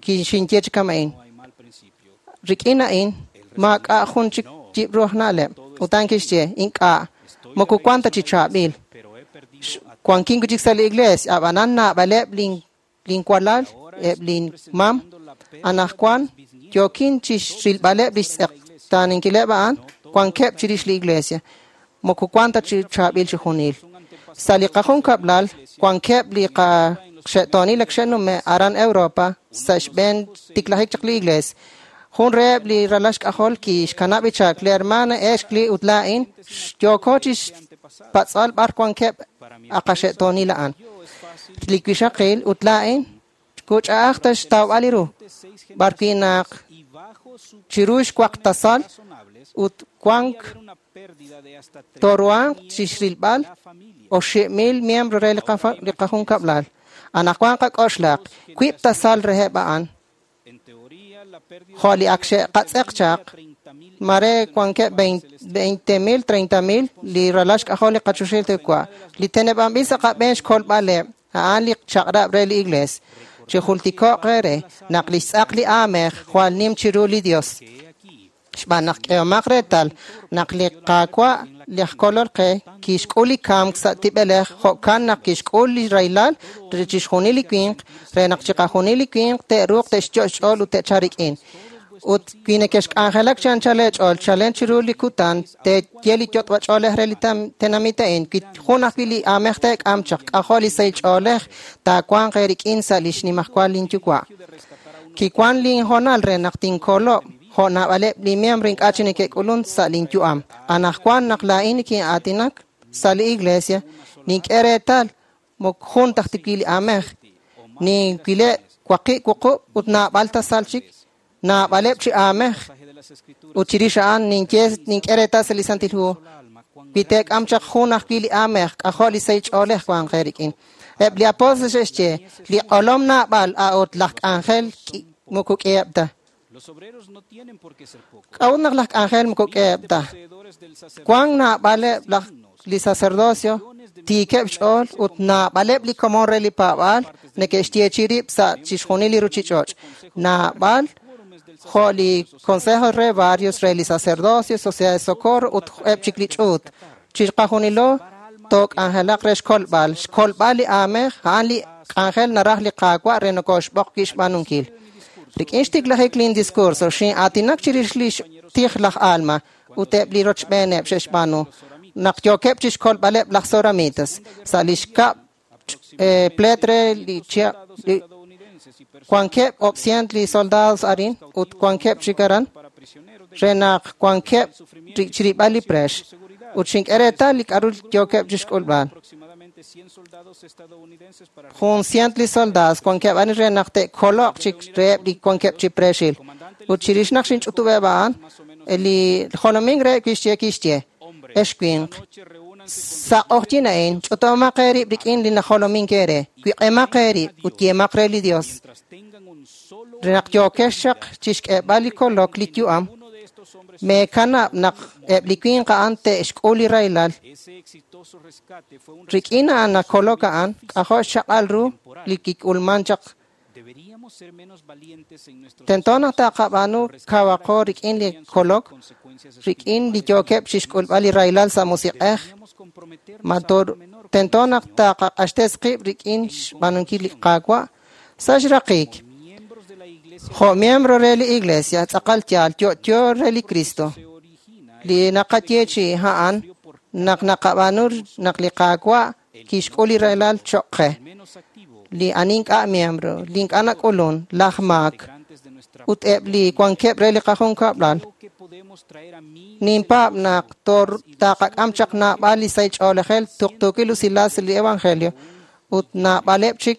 xinye chi kama'in. Rik'in a'in, maak'a' jun chik yib' ru aj na'leb'. Ut a'an kixye, ink'a', moko wan ta chi chaab'il. Wankin wi' chik sa' li iglees, ab'anan naab'aleb' linwalal, eb' linmam, anaqwan yookin chi xrilb'aleb' li xtz'eqtaaninkileb' a'an, wankeb' chirix li iglesia. Moko wan ta chi chaab'il chi junil. Sa' li qajunkab'lal, wankeb' li qaxe'toonil ak xe'nume' aran Europa sa' xb'een tiklajik chaq li iglees. Jun reheb' li ralal xk'ajol kixkanab' ichak, li hermana Ashley ut laa'in yooko chi xpatz'al b'ar wankeb' aqaxe'toonil a'an. Li wixaqil ut laa'in kuch'a'aj ta xtawb'al li ru, b'ar wi' naq chiru xwaqtasal ut wank tooruhanq chi xrilb'al 8,000 miembro re li qajunkab'lal. Anaqwan qak'oxlaq, wiib' tasal reheb' a'an jo' li ak xe'qatz'eq chaq, mare wankeb' 20,000, 30,000 li ralal xk'ajol li qachoxahil Yuwa'. Li teneb'anb'il sa' qab'een xkolb'aleb' a'an li chaq'rab' re li iglees. Chi jultiko'q re naq li xtz'aq li aamej jwal nim chiru li Dios. Xb'aan naq k'ehomaq reetal naq li Qaawa' li aj kolol qe kixk'ul li kamk sa' tib'elej jo'kan naq kixk'ul li rahilal re chixjunil li winq re naq chiqajunil li winq te'ruuq te'xyo' xch'ool ut te'chalq rik'in. Ut wi nekexk'anjelak chi anchal eech'ool chalen chiru li kutan teeye li yot'b'ach'oolej re li tenamit a'in, wi jun ajwi' li aamej teek'am chaq, k'ajo' li sahil ch'oolej taawanq eerik'in sa' li xnimajwal linyuwa'. Kiwan linhoonal re naq tinkolob' jo' naab'aleb' li miembro ink'a' chi neke'k'ulun sa' linyu'am. Anaqwan naq laa'in nikin'aatinak sa' li iglesia, nink'e reetal moko jun taj wi li aamej. Ninwileb' waqib' wuqub' ut naab'al tasal chik, naab'aleb' chi aamej. Ut chirix a'an ninye nink'e reetal sa' li Santil Hu, wi teek'am chaq jun ajwi' li aamej, k'ajo' li sahil ch'oolej wanq eerik'in. Eb' li apóstol xe'xye, li q'olom naab'al a'ut laj k'anjel moko k'iheb' ta. K'a'ut naq laj k'anjel moko k'iheb' ta? Wank naab'aleb' laj li sacerdocio tiikeb' xch'ool ut naab'aleb' li komon re li paab'aal neke'xyeechi rib' sa' chixjunil li ruchich'och'. Naab'al jo' li Consejo re Barrios re li Sacerdocio, Sociedad de Socorro ut eb' chik li ch'uut. Chiqajunilo took'anjelaq re xkolb'al. Xkolb'al li aamej a'an li k'anjel naraj li Qaawa' re nokoxb'oq wi' xb'aanunkil. Rik'in xtiklajik lin discurso, xin'aatinak chirix li xtij laj Alma ut eb' li rochb'eeneb' xe'xb'aanu naq yookeb' chixkolb'aleb' laj Zoramitas sa' li xkab' pleet re li chihab' wankeb' 800 li soldados arin ut wankeb' chik aran re naq wankeb' chirib'al li preex ut xink'e reetal li k'a'ru yookeb' chixk'ulb'al. 100 li soldados wankeb' arin re naq te'koloq chik reheb' li wankeb' chi preexil. Ut chirix naq xinch'utub'eb' a'an, li jolomink reheb' kixye, ex winq, sa' q'ojyin a'in, ch'utomaq eerib' rik'in li najolomink eere, wiq'emaq eerib' ut yeemaq re li Dios. Re naq yookex chaq chixk'eeb'al li kolok li yu'am, meekanab' naq eb' li winq a'an te'xk'ul li rahilal. Rik'in a'an naq kolok a'an, k'ajo' xchaq'al ru li kik'ulman chaq. Tento naq taqab'aanu kawaqo rik'in li kolok, rik'in li yookeb' chixk'ulb'al li rahilal sa' musiq'ej. Tento naq taqaq'axtes qib' rik'in xb'aanunkil li Qaawa' sa' xraqik. Jo' miembro re li Iglesia, tz'aqal yaal yo'yo re li Cristo. Li naqayeechi a'an naq naqab'aanu naq li Qaawa' kixk'ul li rahilal choq' qe. Li ani ink'a' miembro, li ink'a' nak'ulun, laj maak, ut eb' li wankeb' re li qajunkab'lal. Ninpaab' naq taqak'am chaq naab'al li sahil ch'oolejel tuqtuukil usilal sa' li Evangelio ut naab'aleb' chik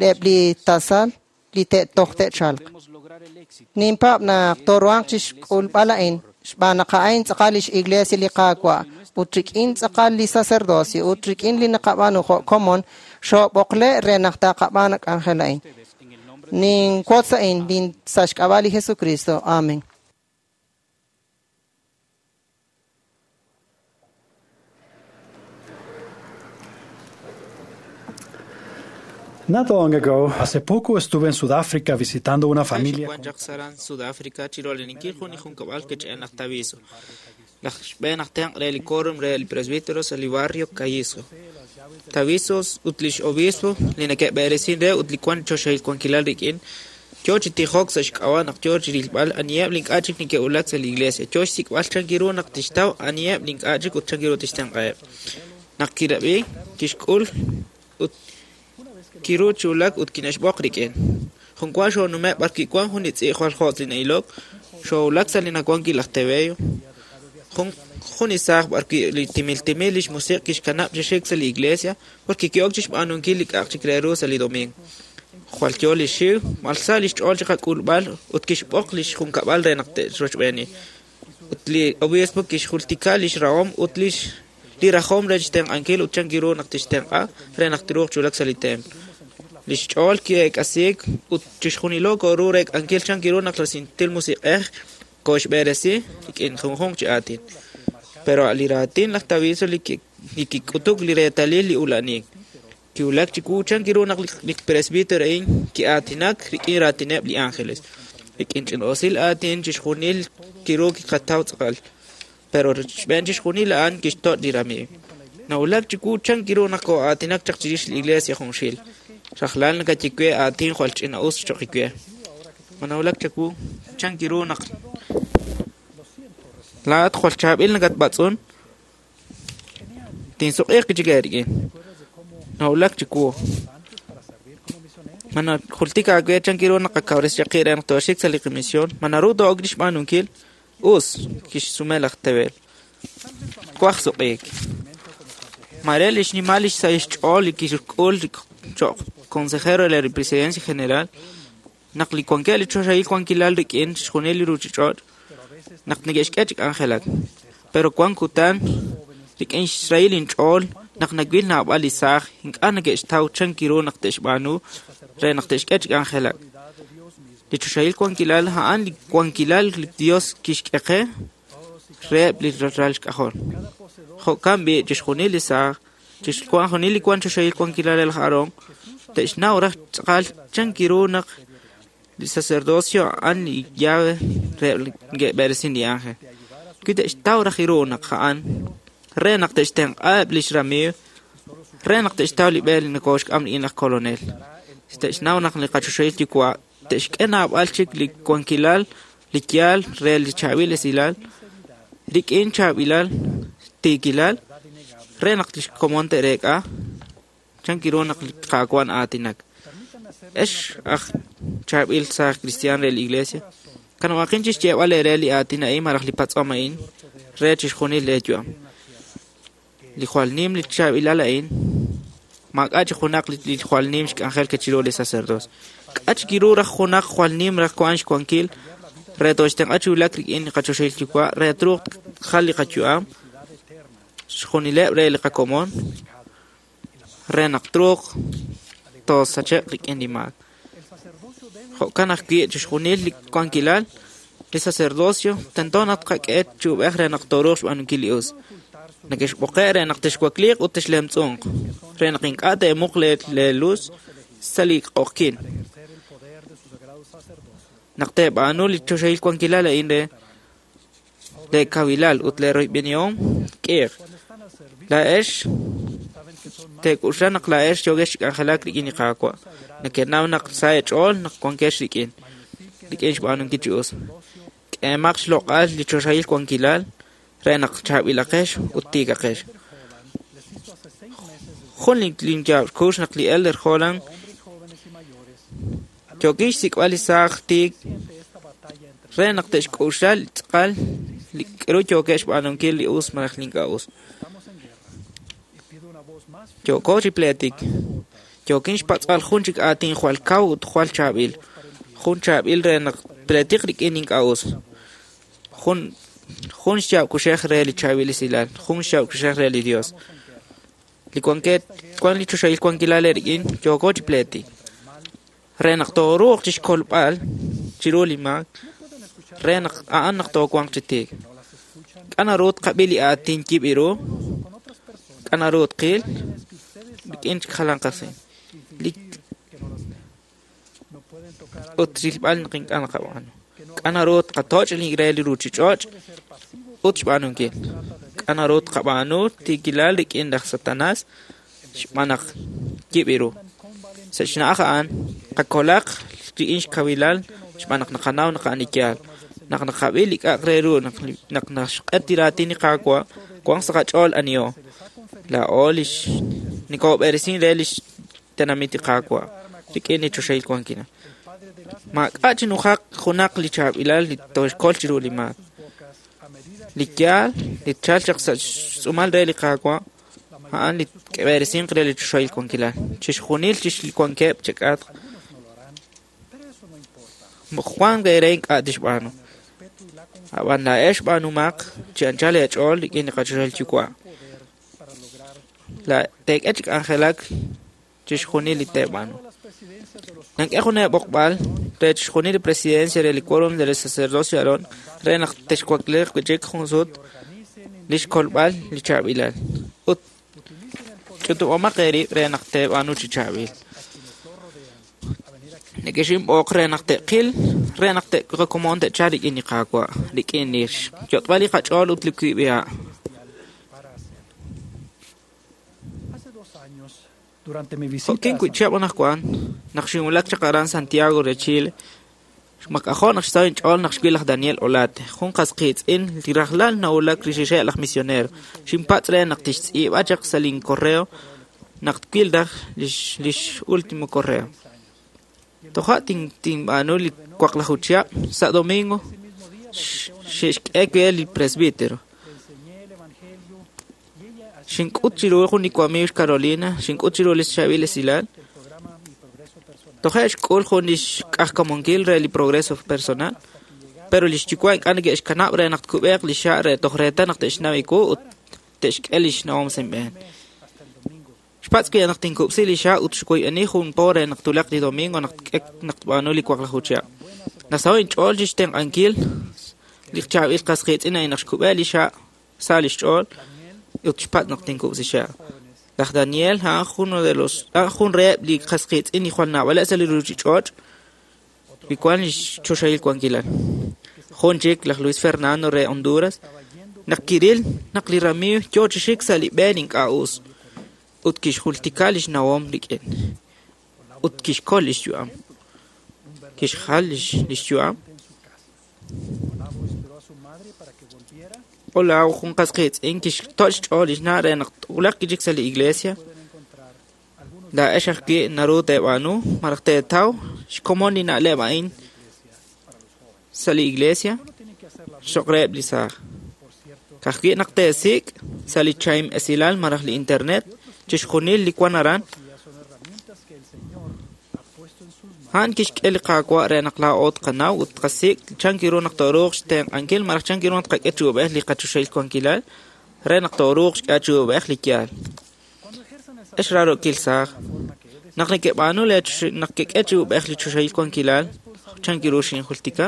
eb' li tasal li te'toj te'chalq. Ninpaab' naq tooruhanq chixk'ulb'al a'in xb'aan naq a'in tz'aqal lix Iglesia li Qaawa' ut rik'in tz'aqal li sacerdocio ut rik'in li naqab'aanu jo' komon xoob'oqle' re naq taqab'aan k'anjel a'in. Ninwotz a'in sa' xk'ab'a' li Jesucristo. Amen. Not long ago, hace poco estuve en Sudáfrica visitando una familia. Sudáfrica, barrio Callizo. Tavisos ut lix obispo li neke'b'eresin re ut li wan choxahil wankilal rik'in yo chi tijok sa' xk'ab'a' naq yo chi rilb'al aniheb' li ink'a' chik neke'wulak sa' li iglesia, yo xsik'b'al chan ru naq tixtaw aniheb' li ink'a' chik ut chan ru tixtenq'aheb'. Naq kirab'i, kixk'ul ut kiru chi wulak ut kinexb'oq rik'in. Junwa xoonumeb' b'ar kiwan jun li tz'i' jwal jotz' li na'ilok, xoowulak sa' li nawan wi' laj Tebeo. Jun isaaj b'ar wi' li timil timil lix musiq' kixkanab' chi xik sa' li iglesia porque ki'ok chixb'aanunkil li k'a'aq chik re ru sa' li domingo. Jwal yo li xiw, malsa lix ch'ool chiqak'ulb'al ut kixb'oq lix junkab'al re naq te'rochb'eeni. Ut li obispo kixjultika lix rahom ut lix li rajom re xtenq'ankil ut chan kiru naq tixtenq'a re naq tiruuq chi wulak sa' li templo. Lix ch'ool ki'eek'asiik ut chixjunilo koru reek'ankil chan kiru naq la santil musiq'ej kooxb'eresi rik'in junjunq chi aatin. Pero li raatin laj Taviso li kik'utuk li reetalil li ula'nik. Kiwulak chiwu chan kiru naq li presbítero a'in ki'aatinak rik'in raatineb' li ángeles. Rik'in ch'in'osil aatin chixjunil kiru kiqataw tz'aqal. Pero xb'een chixjunil a'an kixtoch' li ramiiw. Nawulak chiwu chan kiru naq koo'aatinak chaq chirix li iglesia junxil. Rajlal nakaye we aatin jwal ch'ina'us choq' we. Ma nawulak chawu chan kiru naq laa'at jwal chaab'il nakatb'atz'un? Tinsuq'iiq chik eerik'in. Nawulak chiwu. Ma najultik aawe chan kiru naq qakawresi chaq qib' re naq tooxik sa' li qamisión? Ma naru too'ok xb'aanunkil? Us, kixsume laj Tebel. Twaj suq'iik. Mare li xnimal li xsahil xch'ool li kixk'ul cho'q consejero re la presidencia general naq li wankeb' li choxahil wankilal rik'in chixjunil li ruuchich'och' naq neke'xk'e chi k'anjelak. Pero wan kutan rik'in xrahil inch'ool naq nawil naab'al li saaj ink'a' neke'xtaw chan kiru naq te'xb'aanu re naq te'xk'e chi k'anjelak. Li choxahil wankilal a'an li wankilal li Dios kixk'e qe reheb' li ralal xk'ajol. Jo'kan b'i' chixjunil li saaj, chixjunil li wan choxahil wankilal re laj Aarón, te'xnaw raj tz'aqal chan kiru naq li sacerdocio a'an li llave reheb' li neke'b'eresin li ángel. Wi te'xtaw raj ru naq a'an re naq te'xtenq'aheb' lix ramiiw, re naq te'xtaw li b'e li nokoxk'am rik'in laj kolonel. Te'xnaw naq li qachoxahil yuwa' te'xk'e naab'al chik li wankilal, li yaal re li chaab'il esilal, rik'in chaab'ilal, tiikilal, re naq lix komon te'reek'a chan kiru naq li Qaawa' na'aatinak. Ex aj chaab'il saaj cristian re li iglesia, kanab'aqin chixyeeb'al eere li aatin a'in malaj li patz'om a'in re chixjunil leeyu'am. Li jwal nim li chaab'ilal a'in, maak'a' chi junaq li jwal nim xk'anjel ke chiru li sacerdocio. K'a' chi kiru raj junaq jwal nim raj wan xwankil re tooxtenq'a chi wulak rik'in li qachoxahil yuwa' re truuq tjal li qayu'am xjunileb' re li qakomon re naq truuq toosache'q rik'in li maak. Jo'kan ajwi' chixjunil li wankilal li sacerdocio tento naq tqak'e chi ub'ej re naq tooruuq xb'aanunkil li us. Neke'xb'oqe' re naq texwakliiq ut texlemtz'unq, re naq ink'a' teemuq leeluz sa' li q'oqyink. Naq teeb'aanu li choxahil wankilal a'in re leekawilal ut leeroyb'enihom k'iiq. Laa'ex teek'uxla naq laa'ex yookex chi k'anjelak rik'in li Qaawa'. Nekenaw naq sa eech'ool naq wankex rik'in, rik'in xb'aanunkil chi us. K'eemaq xloq'al li choxahil wankilal re naq chaab'ilaqex ut tiikaqex. Jun li yaab' naq li Elder Holland yookin xsik'b'al li saaj tiik re naq te'xk'uxla li tz'aqal li k'aru yookeb' xb'aanunkil li us malaj li ink'a' us. Yooko chi pleetik. Yookin xpatz'b'al jun chik aatin jwal kaw ut jwal chaab'il. Jun chaab'il re naq pleetiq rik'in ink'a' us. Jun xyaab' kuxej re li chaab'il esilal, jun xyaab' kuxej re li Dios. Li wanket wan li choxahil wankilal rik'in yooko chi pleetik. Re naq tooruuq chixkolb'al chiru li maak, re naq a'an naq toowanq chi tiik. K'a naru tqab'i li aatin yib' ru, k'a naru tqil, rik'in chik jalan qasi. Ut rilb'al naq ink'a' naqab'aanu. K'a naru tqatoch' li re li ruuchich'och' ut xb'aanunkil. K'a naru tqab'aanu tiikilal rik'in laj Satanas xb'aan naq yib' ru. Sa' xna'aj a'an qakolaq rik'in xkawilal xb'aan naq naqanaw naq a'an li yaal. Naq naqab'i li k'a'aq re ru naq naxq'et li raatin li Qaawa' wanq sa' qach'ool aniho. Laa'o lix nikob'eresin re lix tenamit li Qaawa' rik'in li choxahil wankilal. Maak'a' chi nujaq junaq li chaab'ilal li tooxkol chiru li maak. Li yaal li tchalq chaq sa' xtz'uumal re li Qaawa' a'an li k'eb'eresinq re li choxahil wankilal. Chixjunil chixwankeb' chak'atq Juan re ink'a' tixb'aanu. Ab'an laa'ex b'aanumaq chi anchal eech'ool rik'in li qachoxahil yuwa'. Teek'e chi k'anjelak chixjunil li teeb'aanu. Nank'e jun eeb'oqb'al re chixjunil li presidencia re li quórum del sacerdocio Aarón re naq texwakliiq wi' chik jun sut li xkolb'al li chaab'ilal. Ut ch'utub'omaq eerib' re naq teeb'aanu chi chaab'il. Neke'xinb'oq re naq te'qil, re naq te'qakomon te'chalq rik'in li Qaawa', rik'in li xyot'b'al li qach'ool ut li kub'iha'. Durante mi visita Jo'kin wi' chihab' anaqwan, naq xinwulak chaq aran Santiago re Chile, Xmak'ajo' naq xsaho' inch'ool naq xwil laj Daniel Olate, jun qas qiitz'in li rajlal nawulak rixixeb' laj misionero. Xinpatz' re naq tixtz'iib'a chaq sa' lincorreo naq twil raj lix último correo. Toja' tinb'aanu li waqlaju chihab' sa' domingo xe'xk'e we li presbítero. Xink'ut chiru jun li wamiiw xCarolina, xink'ut chiru li xchaab'il esilal. Toje' xk'ul jun lix k'ajk'amonkil re li progreso personal, pero lix yuwa' ink'a' neke'xkanab' re naq tkub'eeq li xa' re toj reetal naq te'xnaw iwu ut te'xk'e lix nawom sa' inb'een. Xpatz' wi' naq tinkub'si li xa' ut xwoyb'eni jun po re naq tulaq li domingo naq tk'ek naq tb'aanu li waqlaju chihab'. Nasaho' inch'ool chixtenq'ankil li chaab'il qas qiitz'in a'in naq xkub'e li xa' sa lix ch'ool ut xpatz' naq tinkub'si xa'. Laj Daniel a'an jun reheb' li qas qiitz'in li jwal naab'aleb' sa' li ruuchich'och' li wan lix choxahil wankilal. Jun chik laj Luis Fernando re Honduras naq kiril naq li ramiiw yoo chi xik sa' li b'e ink'a' us ut kixjultika lix nawom rik'in ut kixkol lix yu'am. Kixjal lix yu'am. Olao jun qas qiitz'in kixto' xch'ool lix na' re naq twulaq chik sa' li iglesia. Laa'ex ajwi' naru teeb'aanu malaj teetaw xkomon li na'leb' a'in sa' li iglesia cho'q reheb' li saaj. Ka'ajwi' naq teesik' sa' li chaim esilal malaj li internet chixjunil li wan aran. A'an kixk'e li Qaawa' re naq laa'o tqanaw ut tqasik' chan kiru naq tooruuq xtenq'ankil malaj chan kiru naq tqak'e chi ub'ej li qachoxahil wankilal re naq tooruuq xk'e chi ub'ej li yaal. Ex raarokil saaj, naq nekeb'aanu naq kek'e chi ub'ej li choxahil wankilal chan kiru xinjultika,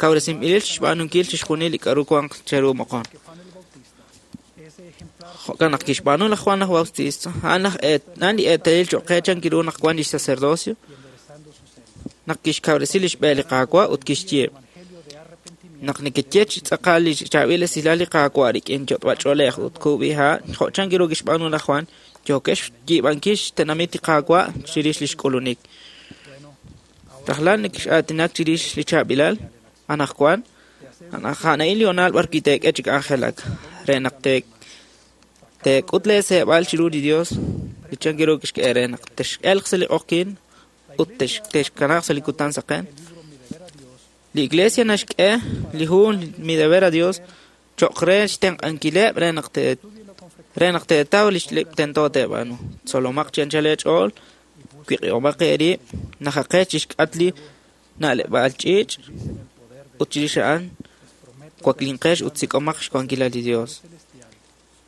kawresinb'ilil xb'aanunkil chixjunil li k'aru wanq cheru moqon. Jo'kan naq kixb'aanu laj Juan laj Bautista, a'an li eetalil cho'q qe chan kiru naq wan lix sacerdocio, naq kixkawresi lix b'e li Qaawa' ut kixye naq nekeye chi tz'aqal li chaab'il esilal li Qaawa' rik'in yot'b'ach'oolej ut kub'iha' jo' chan kiru kixb'aanu laj Juan, yookex xyiib'ankil xtenamit li Qaawa' chirix lix k'ulunik. Rajlal nekex'aatinak chirix li chaab'ilal anaqwan, a'an li honal b'ar wi' teek'e chi k'anjelak re naq teek'ut leeseeb'al chiru li Dios li chan kiru kixk'e re naq tex'elq sa' li q'oqyink ut texkanaaq sa' li kutan saqen. Li iglesia naxk'e li hu Mi Deber a Dios cho'q re xtenq'ankileb' re naq teetaw li tento teeb'aanu. Tzolomaq chi anchal eech'ool, wiq'ihomaq eerib', najaqex chixk'at li na'leb'aal ch'iich' ut chirix a'an waklinqex ut sik'omaq xwankilal li Dios.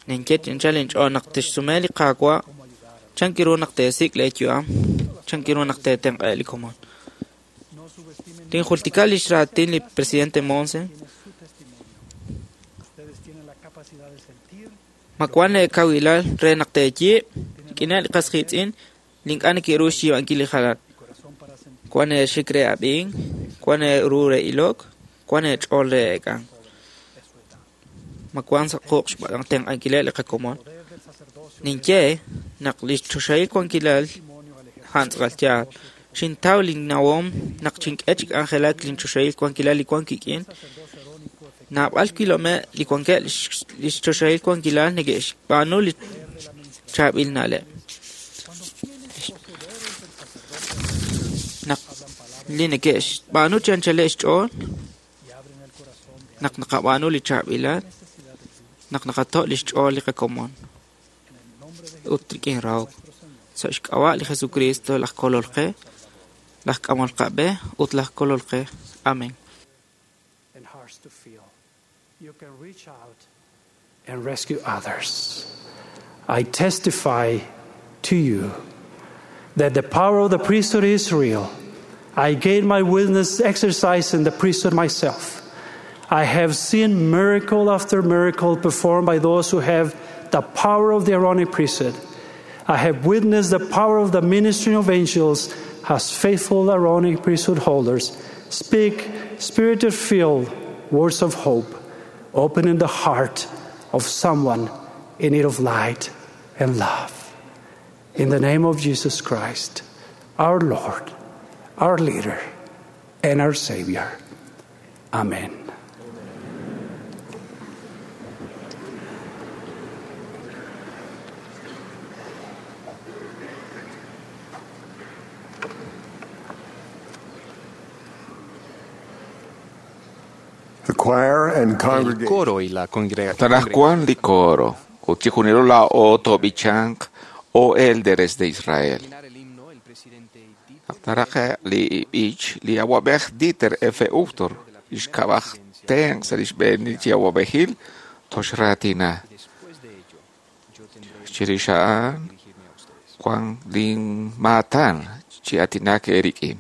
Ninye chi anchal inch'ool naq texsume li Qaawa' chan kiru naq teesik' leeyu'am, chan kiru naq teetenq'e li komon. Tinjultika lix raatin li presidente Monson. Ma wan leekawilal re naq teeyiib' rik'ineb' li qas qiitz'in li ink'a' neke'ru xyiib'ankil li jalan. Wan eexik re ab'ink, wan eeru re ilok, wan eech'ool re eek'ank. Ma wan sa' quq' xtenq'ankileb' li qakomon. Ninye naq li choxahil wankilal a'an tz'aqal yaal. Xintaw linnawom naq xink'e chi k'anjelak linchoxahil wankilal li wan kik'in. Naab'al kilome' li wankeb' lix choxahil wankilal neke'xb'aanu li chaab'il na'leb'. Naq li neke'xb'aanu chi anchaleb' xch'ool, naq naqab'aanu li chaab'ilal, naq naqato' lix ch'ool li qakomon ut rik'in rahok. Sa' xk'ab'a' li Jesucristo laj Kolol qe, laj k'amol qab'e ut laj Kolol qe. Amén. And hearts to feel. You can reach out and rescue others. I testify to you that the power of the priesthood is real. I gained my witness exercising the priesthood myself. I have seen miracle after miracle performed by those who have the power of the Aaronic priesthood. I have witnessed the power of the ministry of angels as faithful Aaronic priesthood holders speak spirit filled words of hope, opening the heart of someone in need of light and love. In the name of Jesus Christ, our Lord, our leader. and our Savior. Amen. The choir and El congregation. coro y la congregación. Tanajcuan li coro, ut chijunilo la o tobichank o élderes de Israel. Taraje li ich li awabej Dieter F. Uchtdorf, ixkabaj ten sa lix b'een chi awabejil toxratina. Chirix a'an Juan lin matan chi atinak erikin.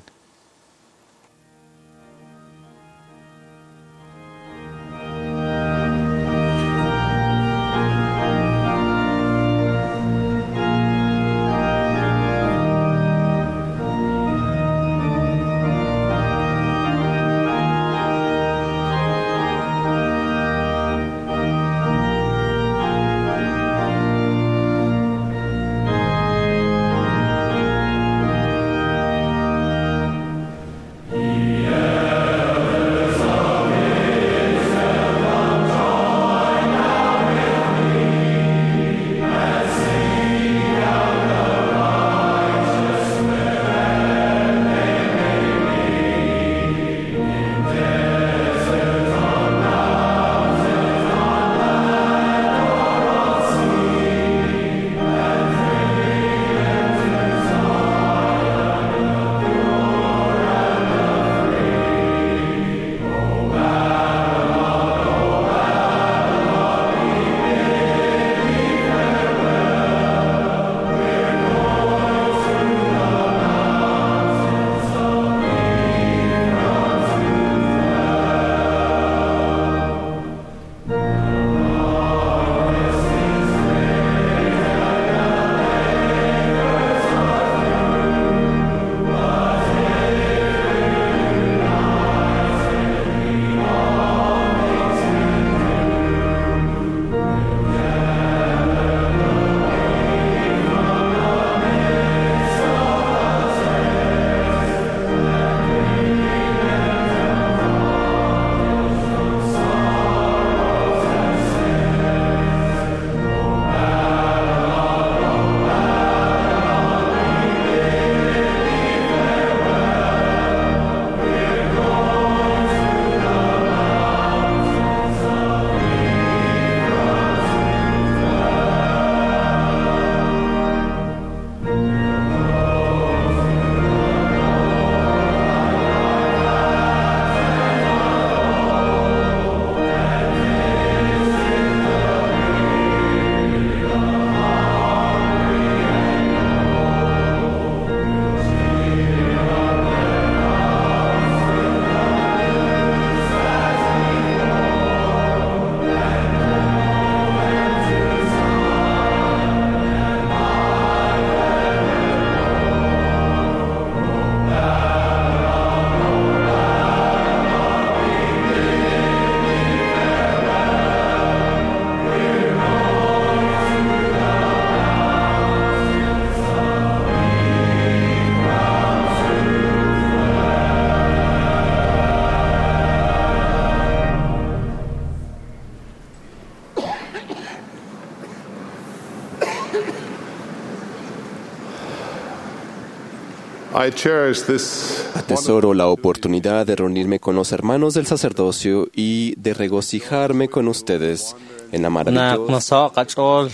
I cherish this Atesoro la oportunidad de reunirme con los hermanos del sacerdocio y de regocijarme con ustedes en la Naq maravillosa nasaho' qach'ool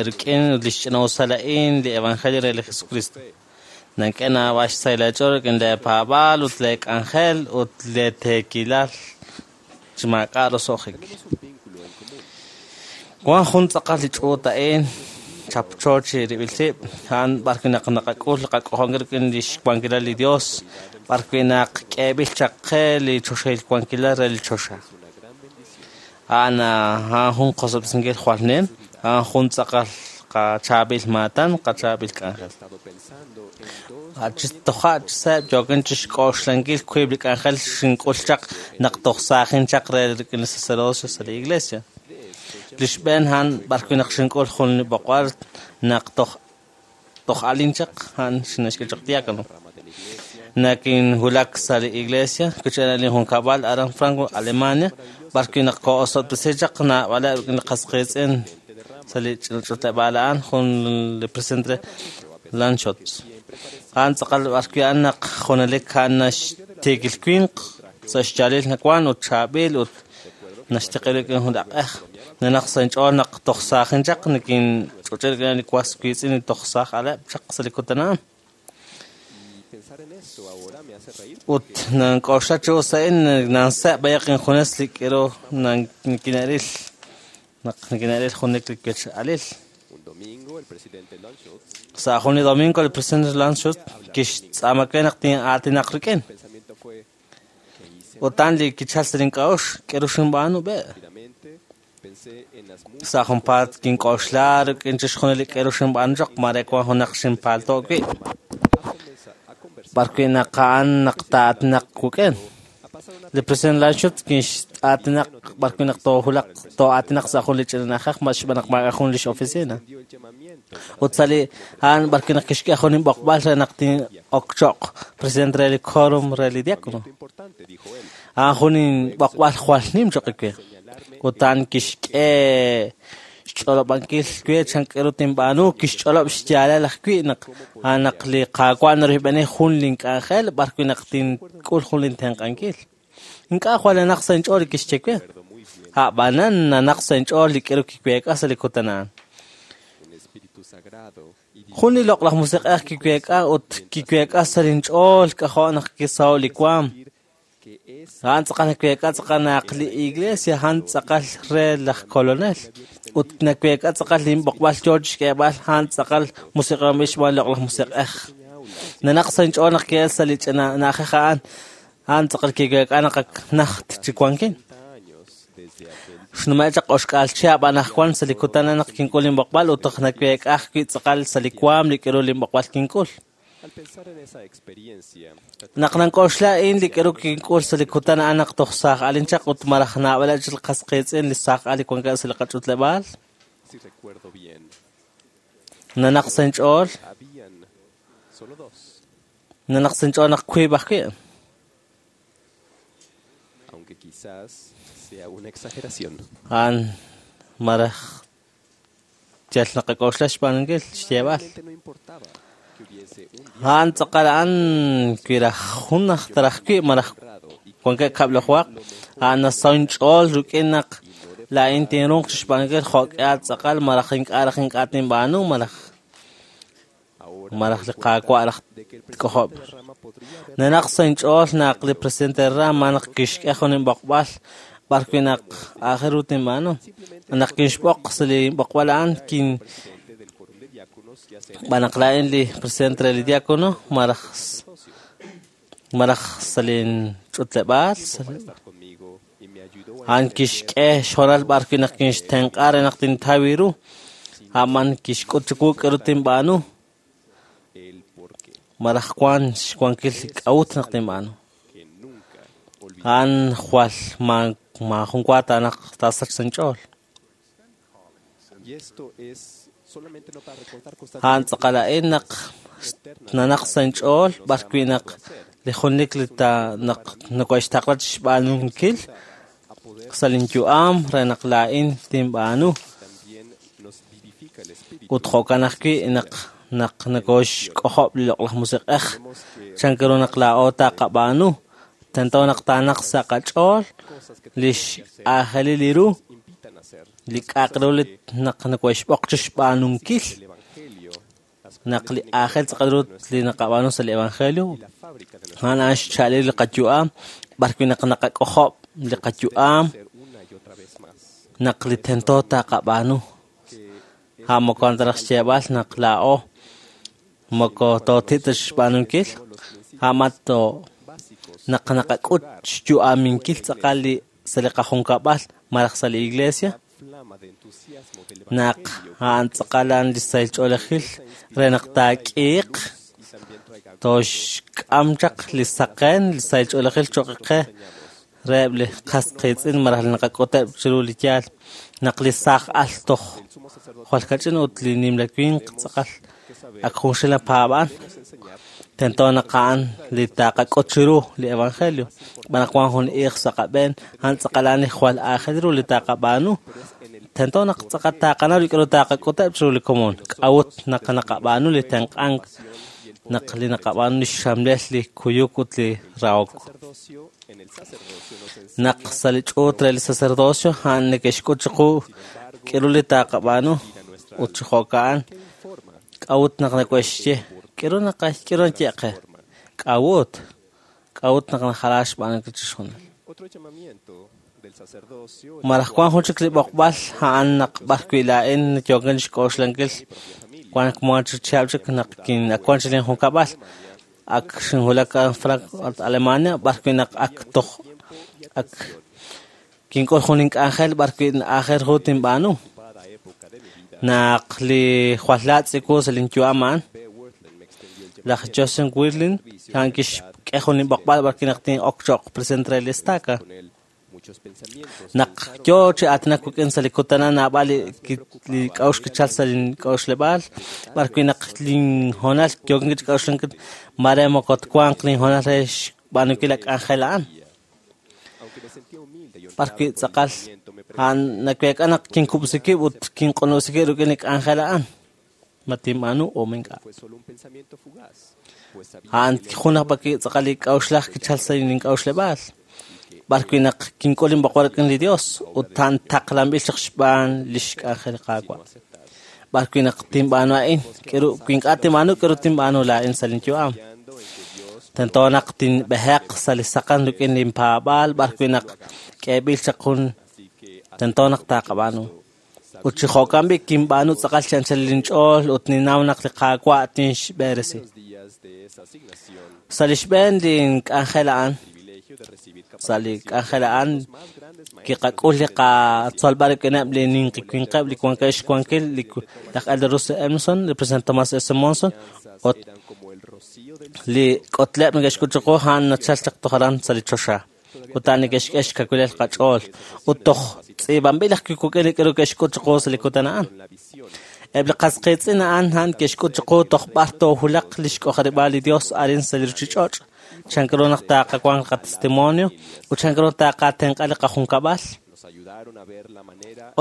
rik'in li xch'ina'usil li Evangelio re li Jesucristo. Nak'e naab'al xsahil aach'ool rik'in le paab'aal ut le k'anjel ut le teekilal chi maak'a' roso'jik. Wan jun tz'aqal li ch'uut a'in chapcho chi rib'il rib', a'an b'ar wi' naq naqak'ul qak'ojonkil rik'in li xwankilal li Dios, b'ar wi' naq k'eeb'il chaq qe li choxahil wankilal re li choxa. A'an a'an jun qosob'sinkil jwal nim, a'an jun tz'aqal qachaab'il maatan, qachaab'il k'anjel. Toja' chiseb' yookin chixk'oxlankil wiib' li k'anjel xink'ul chaq naq toj saajin chaq re rik'in li sacerdocio sa' li iglesia. Li xb'een a'an b'ar wi' naq xink'ul jun li b'oqb'al naq toj alin chaq a'an xinnaxk'e chaq diácono. Nakinwulak sa' li iglesia kochb'een li junkab'al aran Frankfurt, Alemania, b'ar wi' naq koo'osob'tesi chaq naab'aleb' li qas qiitz'in sa' li ch'utleb'aal a'an jun li presidente Landschutz. A'an tz'aqal b'ar wi' a'an naq junelik a'an naxtiikil winq sa' xyaalil nawan ut chaab'il ut naxtiq'i rik'in jun aq'ej. Nanaq sa' inch'ool naq toj saajin chaq nikinch'uch'il rik'in li was wiitz'in li toj saaj aleb' chaq sa' li kutan a'an. Ut nank'oxla chi us a'in nanseb' b'ayaq injunes li k'iru nikine'ril naq nikine'ril junelik li wech'alil. Sa' jun li domingo li presidente Landschutz kixtz'aama we naq tin'aatinaq rik'in. Ut a'an li kichal sa' link'a'uxl k'iru xinb'aanu b'e. Sa' junpaat kink'oxla rik'in chixjunil li k'iru xinb'aanu chaq mare wan junaq xinpalto' wi'. B'ar wi' naq a'an naq taa'aatinaq wik'in. Li presidente Landschutz kinx'aatinaq b'ar wi' naq toohulaq too'aatinaq sa' jun li ch'ina na'ajej xb'aan naq maak'a' jun lix oficina. Ut sa' li a'an b'ar wi' naq kixk'e jun inb'oqb'al re naq tin'ok cho'q presidente re li quórum re li diácono. A'an jun inb'oqb'al jwal nim cho'q we. Ut a'an kixk'e xch'olob'ankil we chan k'iru tinb'aanu kixch'olob' xyaalal ajwi' naq a'an naq li Qaawa' naroyb'eni jun link'anjel b'ar wi' naq tink'ul jun lintenq'ankil. Ink'a' jwal nanaq sa' inch'ool li kixye we. A'b'anan nanaq sa' inch'ool li k'iru kiweek'a sa' li kutan a'an. Jun li loq'laj musiq'ej kiweek'a ut kiweek'a sa' linch'ool k'ajo' naq kisaho' li waam. A'an tz'aqal naweek'a tz'aqal naq li iglesia a'an tz'aqal re laj kolonel. Ut naweek'a tz'aqal linb'oqb'al yoo chixk'eeb'al a'an tz'aqal musiq'anb'il xb'aan loq'laj musiq'ej. Nanaq sa' inch'ool naq ki'el sa' li ch'ina na'ajej a'an, a'an tz'aqal kiweek'a naq ak najt chi wankin. Xnume' chaq oxk'aal chihab' anaqwan sa' li kutan naq kink'ul linb'oqb'al ut toj naweek'a ajwi' tz'aqal sa' li waam li k'iru linb'oqb'al kink'ul. Naq nank'oxla a'in li k'iru kink'ul sa' li kutan a'an naq toj saaj alin chaq ut malaj naab'aleb' chik li qas qiitz'in li saaj al li wankeb' sa' li qach'utleb'aal. Nanaq sa' inch'ool. Nanaq sa' inch'ool naq wiib' ajwi'. A'an malaj yal naqak'oxla xb'aanunkil xyeeb'al. A'an tz'aqal a'an wiraj jun aj taraj wi' malaj wankeb' kab'lajwaq a'an nasaho inch'ool rik'in naq laa'in tinruuq chixb'aanunkil jo'k'ihal tz'aqal malaj ink'a' raj ink'a' tinb'aanu malaj malaj li Qaawa' raj tk'ojob'. Nanaq sa' inch'ool naq li presidente Rama naq kixk'e jun inb'oqb'al b'ar wi' naq aajel ru tinb'aanu. Naq kinxb'oq sa' li b'oqb'al a'an kin b'an naq laa'in li presidente re li diácono malaj malaj sa' linch'utleb'aal a'an kixk'e xhoonal b'ar wi' naq kinxtenq'a re naq tintaw ru a'man kixk'ut chiwu k'aru tinb'aanu malaj wan xwankil li k'a'ut naq tinb'aanu. A'an jwal maajun wa taanaq taasach sa' inch'ool. A'an tz'aqal a'in naq nanaq sa' inch'ool b'ar wi' naq li junelik li ta naq nakoxtaqla chixb'aanunkil sa' linyu'am re naq laa'in tinb'aanu. Ut jo'kan ajwi' naq naq nakoxk'ojob' li loq'laj musiq'ej chan ru naq laa'o taqab'aanu tento naq taanaq sa' qach'ool li x'aajelil li ru li k'a'aq ru li naq nakoxb'oq chixb'aanunkil naq li aajel tz'aqal ru li naqab'aanu sa' li evangelio a'an a'an xcha'alil li qayu'am b'ar wi' naq naqak'ojob' li qayu'am naq li tento taqab'aanu a'an moko taraj xyeeb'al naq laa'o moko tooti' ta xb'aanunkil a'an to naq naqak'ut xyu'aminkil tz'aqal li sa' li qajunkab'al malaj sa' li iglesia naq a'an tz'aqal a'an li sahil ch'oolejil re naq taak'iiq toxk'am chaq li saqen li sahil ch'oolejil cho'q qe reheb' li qas qiitz'in malaj li naqak'uteb' chiru li yaal naq li saaj al toj jwal kach'in ut li nimla winq tz'aqal Ak junxil napaab'an, tento naq a'an li taqak'ut chiru li evangelio. Xb'aan naq wan jun iiq sa' qab'een, a'an tz'aqal a'an li jwal aajel ru li taqab'aanu. Tento naq tz'aqal taqanaw li k'a'ru taqak'uteb' chiru li komon. K'a'ut naq naqab'aanu li tenq'ank, naq li naqab'aanu li xxamlel li kuyuk ut li rahok. Naq sa' li ch'uut re li sacerdocio, a'an neke'xk'ut chiqu k'a'ru li taqab'aanu ut chi jo'ka'an. K'a'ut naq nakoxye, k'a'ru naye qe? K'a'ut? K'a'ut naq najala xb'aanunkil chixjunil? Malaj wan jun chik li b'oqb'al a'an naq b'ar wi' laa'in yookin xk'oxlankil wan k'amon chi chihab' chik naq wan chik lin junkab'al. Ak xinwulak Frankfurt, Alemania, b'ar wi' naq ak toj ak kink'ul jun ink'anjel b'ar wi' aajel ru tinb'aanu. Naq li jwal laatz' iwu sa' lin yu'am a'an, laj Joseph Wirthlin a'an kixk'e jun inb'oqb'al b'ar wi' naq tin'ok cho'q presidente re li estaca. Naq yoo chi aatinak wik'in sa' li kutan a'an naab'al li k'a'uxl kichal sa' lin k'a'uxleb'aal, b'ar wi' naq lin hoonal yookin chi k'a'uxlankil mare moko twanq lin hoonal re xb'aanunkil la k'anjel a'an. B'ar wi' tz'aqal a'an naweek'a naq kinkub'si wib' ut kinq'unob'resi wib' rik'in li k'anjel a'an. Ma tinb'aanu o ma ink'a'. A'an jun aj b'ar wi' tz'aqal li k'a'uxlaj kichal sa' lin k'a'uxleb'aal. B'ar wi' naq kink'ul inb'oqb'al rik'in li Dios ut a'an taqlanb'il chaq xb'aan lix k'anjel li Qaawa'. B'ar wi' naq tinb'aanu a'in, k'a'ru wi ink'a' tinb'aanu, k'a'ru tinb'aanu laa'in sa' lin yu'am. Tento naq tinb'eheq sa' li saqen rik'in lin paab'aal, b'ar wi' naq k'eeb'il chaq jun tento naq taqab'aanu. Ut chi jo'kan b'i' kinb'aanu tz'aqal chi anchal lin ch'ool ut ninnaw naq li Qaawa' tinxb'eresi. Sa' li xb'een lin k'anjel a'an, sa' li k'anjel a'an kiqak'ul li qatzolb'al rik'ineb' li ninqi winqeb' li wankeb' xwankil li laj Elder Russell Emerson, li President Thomas S. Monson, ut li k'otleb' neke'xk'ut chiqu a'an nachal chaq toj aran sa' li choxa. Ut a'an neke'xk'e xkawilal qach'ool. Ut toj tz'iib'anb'il ajwi' wik'in li k'a'ru ke'xk'ut chiqu sa' li kutan a'an. Eb' li qas qiitz'in a'an a'an ke'xk'ut chiqu toj b'ar toowulaq lix k'ojarib'aal li Dios arin sa' li ruchich'och'. Chan ru naq taqawanq qatestimonio ut chan ru taqatenq'a li qajunkab'al.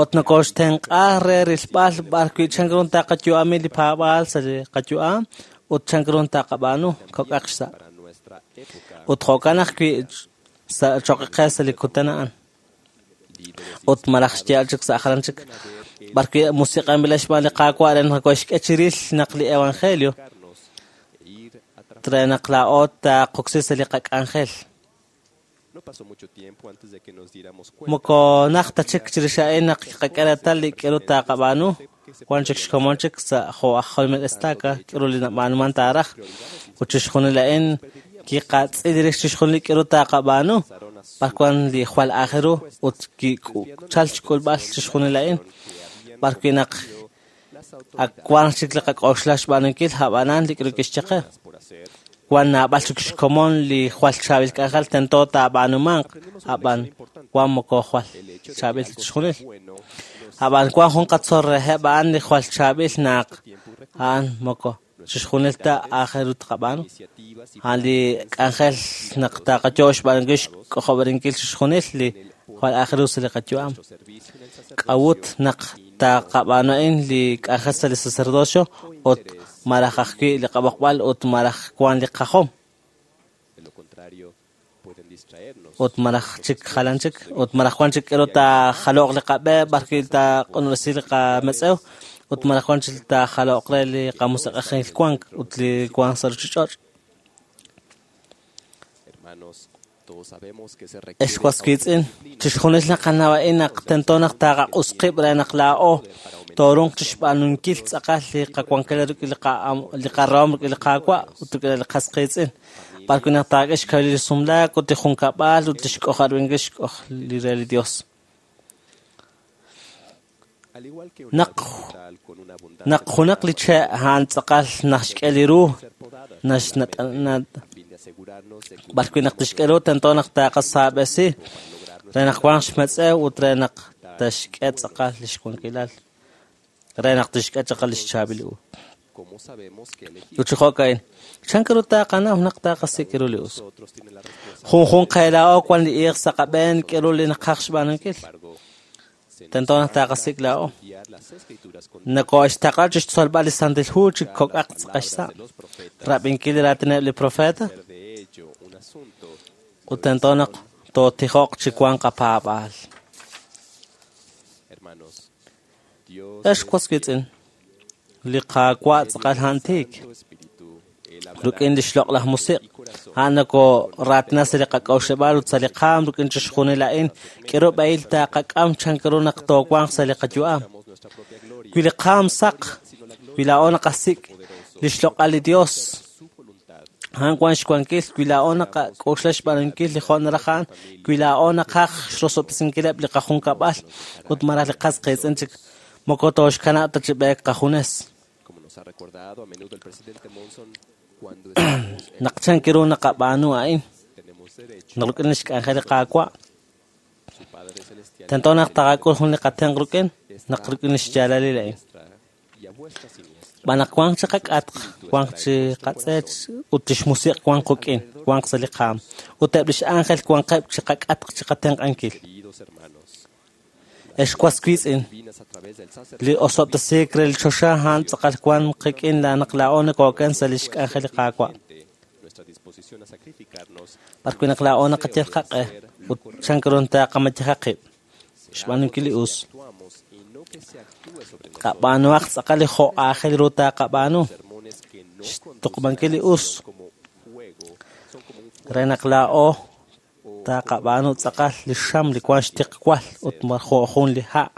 Ut nokoxtenq'a re rilb'al b'ar wi' chan ru taqayu'ami li paab'aal sa' li qayu'am ut chan ru taqab'aanu kok'aq xsa'. Ut jo'kan ajwi' sa' choq' qe sa' li kutan a'an. Ut malaj xyaal chik sa' jalan chik b'ar wi' musiq'anb'il xb'aan li Qaawa' re naq koxk'e chiril naq li evangelio re naq laa'o taqoksi sa' li qak'anjel. Moko najt ta chik chirix a'in naq qak'e reetal li k'a'ru taqab'aanu, wan chik xkomon chik sa' jo' aj jolomil estaca k'a'ru li nab'aanuman taaraj. Ut chixjunil a'in kiqatz'il rix chixjunil li k'a'ru taqab'aanu, b'ar wan li jwal aajel ru ut kichal xk'ulb'al chixjunil a'in. B'ar wi' naq ak wan chik li qak'oxla xb'aanunkil ab'anan li k'a'ru kixye qe. Wan naab'al chik xkomon li jwal chaab'il k'anjel tento taab'aanumanq, ab'an wan moko jwal chaab'il chixjunil. Ab'an wan jun qatzol reheb' a'an li jwal chaab'il naq a'an moko chixjunil ta aajel ru taqab'aanu. A'an li k'anjel naq taqayo xb'aanunkil xk'ojob'arinkil chixjunil li jwal aajel ru sa' li qayu'am. K'a'ut naq taqab'aanu a'in li k'anjel sa' li sacerdocio ut malaj ajwi' li qab'oqb'al ut malaj wan li qajom. Ut malaj chik jalan chik ut malaj wan chik k'a'ru taajaloq li qab'e b'ar wi' taaq'unob'resi li qametz'ew ut malaj wan chik taajaloq re li qamusiq'ejil wank ut li wank sa' ruchich'och'. Ex was wiitz'in, chixjunil naqanaw a'in naq tento naq taqaq'us qib' re naq laa'o toorunq chixb'aanunkil tz'aqal li qawankil rik'in li qarahom rik'in li Qaawa' ut rik'in li qas qiitz'in. B'ar wi' naq taak'e xkawil li sumlaak ut li junkab'al ut li xk'ojarib'inkil xk'oj li re li Dios. Naq junaq li che' a'an tz'aqal naxk'e li ru, b'ar wi' naq tixk'e ru tento naq taqasaab'esi re naq wanq xmetz'ew ut re naq tixk'e tz'aqal lix wankilal, re naq tixk'e tz'aqal lix chaab'il u. Ut chi jo'ka'in, chan ru taqanaw naq taqasik' ru li us? Junjunq qe laa'o wan li iiq sa' qab'een k'eru li naqaj xb'aanunkil. Tento naq taqasik' laa'o. Nakoxtaqla chi xtzolb'al li Santil Hu chi kok'aq tz'aqal xsa'. Rab'inkil li raatineb' li profeta. Ut tento naq tootijoq chi wanq qapaab'aal. Ex was wiitz'in, li Qaawa' tz'aqal a'an tiik. Rik'in li xloq'laj musiq', a'an nakoraatina sa' li qak'a'uxleb'aal ut sa' li qaam rik'in chixjunil a'in, k'eru b'ehil taqak'am chan ru naq toowanq sa' li qayu'am. Wi li qaam saq, wi laa'o naqasik' li xloq'al li Dios, a'an wan xwankil, wi laa'o naqak'oxla xb'aanunkil li jo' naraj a'an, wi laa'o naqaj xrosob'tesinkileb' li qajunkab'al ut malaj li qas qiitz'in chik, moko tooxkanab' ta chi b'eek qajunes. Naq chan ru naqab'aanu a'in, naq rik'in li xk'anjel li Qaawa', tento naq taqak'ul jun li qatenq' rik'in, naq rik'in li xyaalalil a'in. B'an naq wanq chi qak'atq, wanq chi qatz'eech ut li xmusiq' wanq quk'in, wanq sa' li qaam. Ut eb' li x'ánjel wanqeb' chi qak'atq chi qatenq'ankil. Ex was wiitz'in, li osob'tesiik re li choxa a'an tz'aqal wan qik'in naq laa'o nakooken sa' li xk'anjel li Qaawa'. B'arwi' naq laa'o naqayal qaq'e ut chan ru taqamayeja qib' xb'aanunkil li us. Qab'aanuhaq tz'aqal li jo' aajel ru taqab'aanu, xtuqub'ankil li us re naq laa'o taqab'aanu tz'aqal li xam li wan xtiqwal ut jo' jun li ha'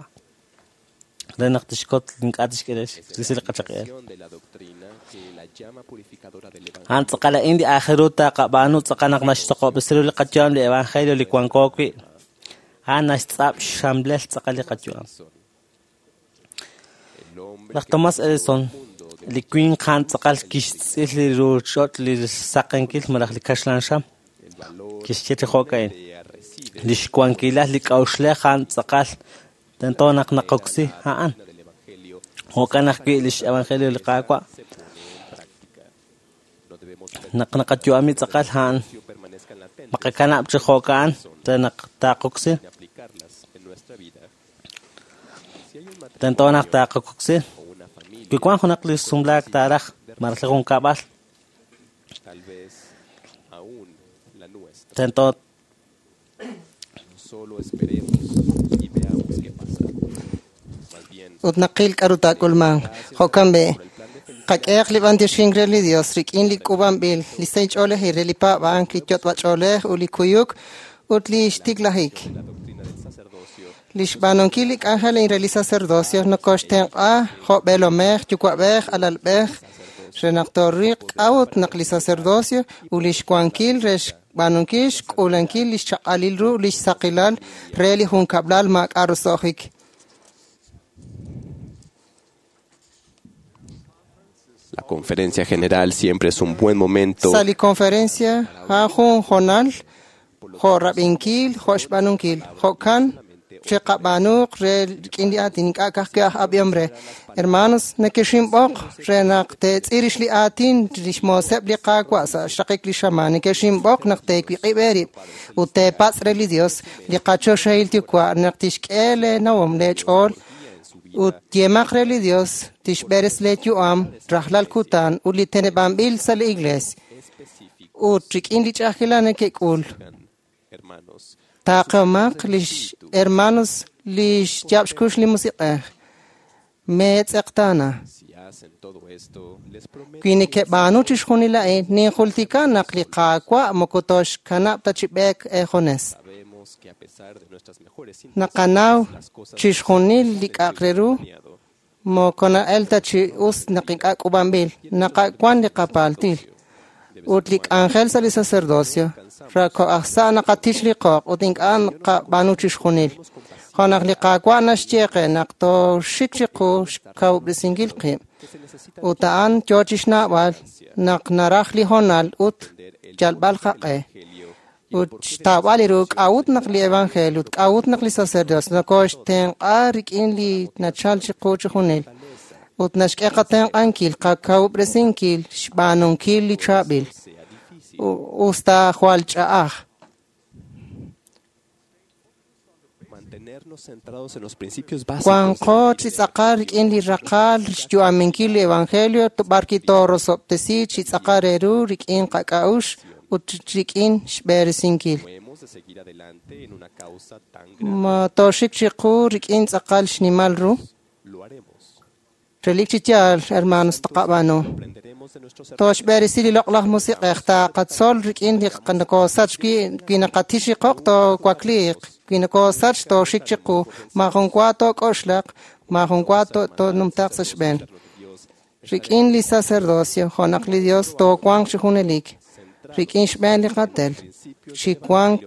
re naq tixkot ink'a' tixk'e risi li qachaq'eel. A'an tz'aqal a'in li aajel ru taqab'aanu tz'aqal naq naxtoqob'resi ru li qayu'am li evangelio li wanko wi'. A'an naxtz'ab' xxamlel tz'aqal li qayu'am. Laj Thomas Edison, li winq a'an tz'aqal kixtz'il li ruuch'och' li saqenkil malaj li kaxlan xam, kixye chi jo'ka'in, li xwankilal li k'a'uxlej a'an tz'aqal tento naq naqoksi a'an. Jo'kan ajwi' li x-evangelio li Qaawa'. Naq naqayu'ami tz'aqal a'an, maqakanab' chi jo'ka'an re naq taqoksi. Tento naq taqoksi. Wi wan junaq li sumlaak taaraj malaj li junkab'al, tento ut naqil k'aru taak'ulmanq. Jo'kan b'i, qak'ehaq li b'antioxink re li Dios rik'in li k'uub'anb'il, li sahil ch'oolejil re li paab'ank, li yot'b'ach'oolej ut li kuyuk ut li xtiklajik. Li xb'aanunkil li k'anjel a'in re li sacerdocio nokoxtenq'a jo' b'eelomej, yuwa'b'ej, alalb'ej, re naq tooriq k'a'ut naq li sacerdocio ut li xwankil re xb'aanunkil xk'uulankil li xchaq'alil ru li xsaqilal re li junkab'lal maak'a' roso'jik. La conferencia general siempre es un buen momento Sa' li conferencia a'an jun hoonal jo' rab'inkil, jo' xb'aanunkil. Jo'kan chiqab'aanuq re rik'in li aatin ink'a' ka'ajwi' aj ab'ihom re. Hermanos, nekexinb'oq re naq teetz'il rix li aatin li xmooseb' li Qaawa' sa' xraqik li xamaan. Nekexinb'oq naq teewiq'ib' eerib' ut teepatz' re li Dios li qachoxahil Yuwa' naq tixk'e leenawom leech'ool ut yeemaq re li Dios tixb'eres leeyu'am rajlal kutan ut li teneb'anb'il sa' li iglees. Ut rik'in li ch'a'ajkilal nekek'ul, taqehomaq lix hermanos li xyaab' xkux li musiq'ej. Meetz'eqtaana. Wi nekeb'aanu chixjunil a'in, ninjultika naq li Qaawa' moko tooxkanab' ta chi b'eek eejunes. Naqanaw chixjunil li k'a'aq re ru moko na'el ta chi us naq ink'a' k'uub'anb'il. Naqawan li qapaaltil ut li k'anjel sa' li sacerdocio rako' aj sa' naqatich li qoq ut ink'a' naqab'aanu chixjunil. Jo' naq li Qaawa' naxye qe naq tooxik chiqu xkawub'resinkil qib' ut a'an yoo chixnawb'al naq naraj li hoonal ut yalb'al qaq'e. Ut xtawb'al li ru k'a'ut naq li evangelio ut k'a'ut naq li sacerdocio nokoxtenq'a rik'in li nachal chiqu chixjunil. Ut naxk'e qatenq'ankil qakawub'resinkil xb'aanunkil li chaab'il. Usta jwal ch'a'aj. Wanqo chi tz'aqal rik'in li raqal xyu'aminkil li evangelio b'ar toorosob'tesi chi tz'aqal re ru rik'in qak'a'uxl ut rik'in xb'eresinkil. Ma tooxik chiqu rik'in tz'aqal xnimal ru. Relik chi yaal, hermanos, taqab'aanu. Tooxb'eresi li loq'laj musiq'ej taqatzol rik'in li nokosach wi naqatix riqoq toowakliiq wi nokosach tooxik chiqu maajun wa took'oxlaq maajun wa toonumtaaq sa' xb'een. Rik'in li sacerdocio jo' naq li Dios toowanq chi junelik rik'in xb'een li qatel chi wank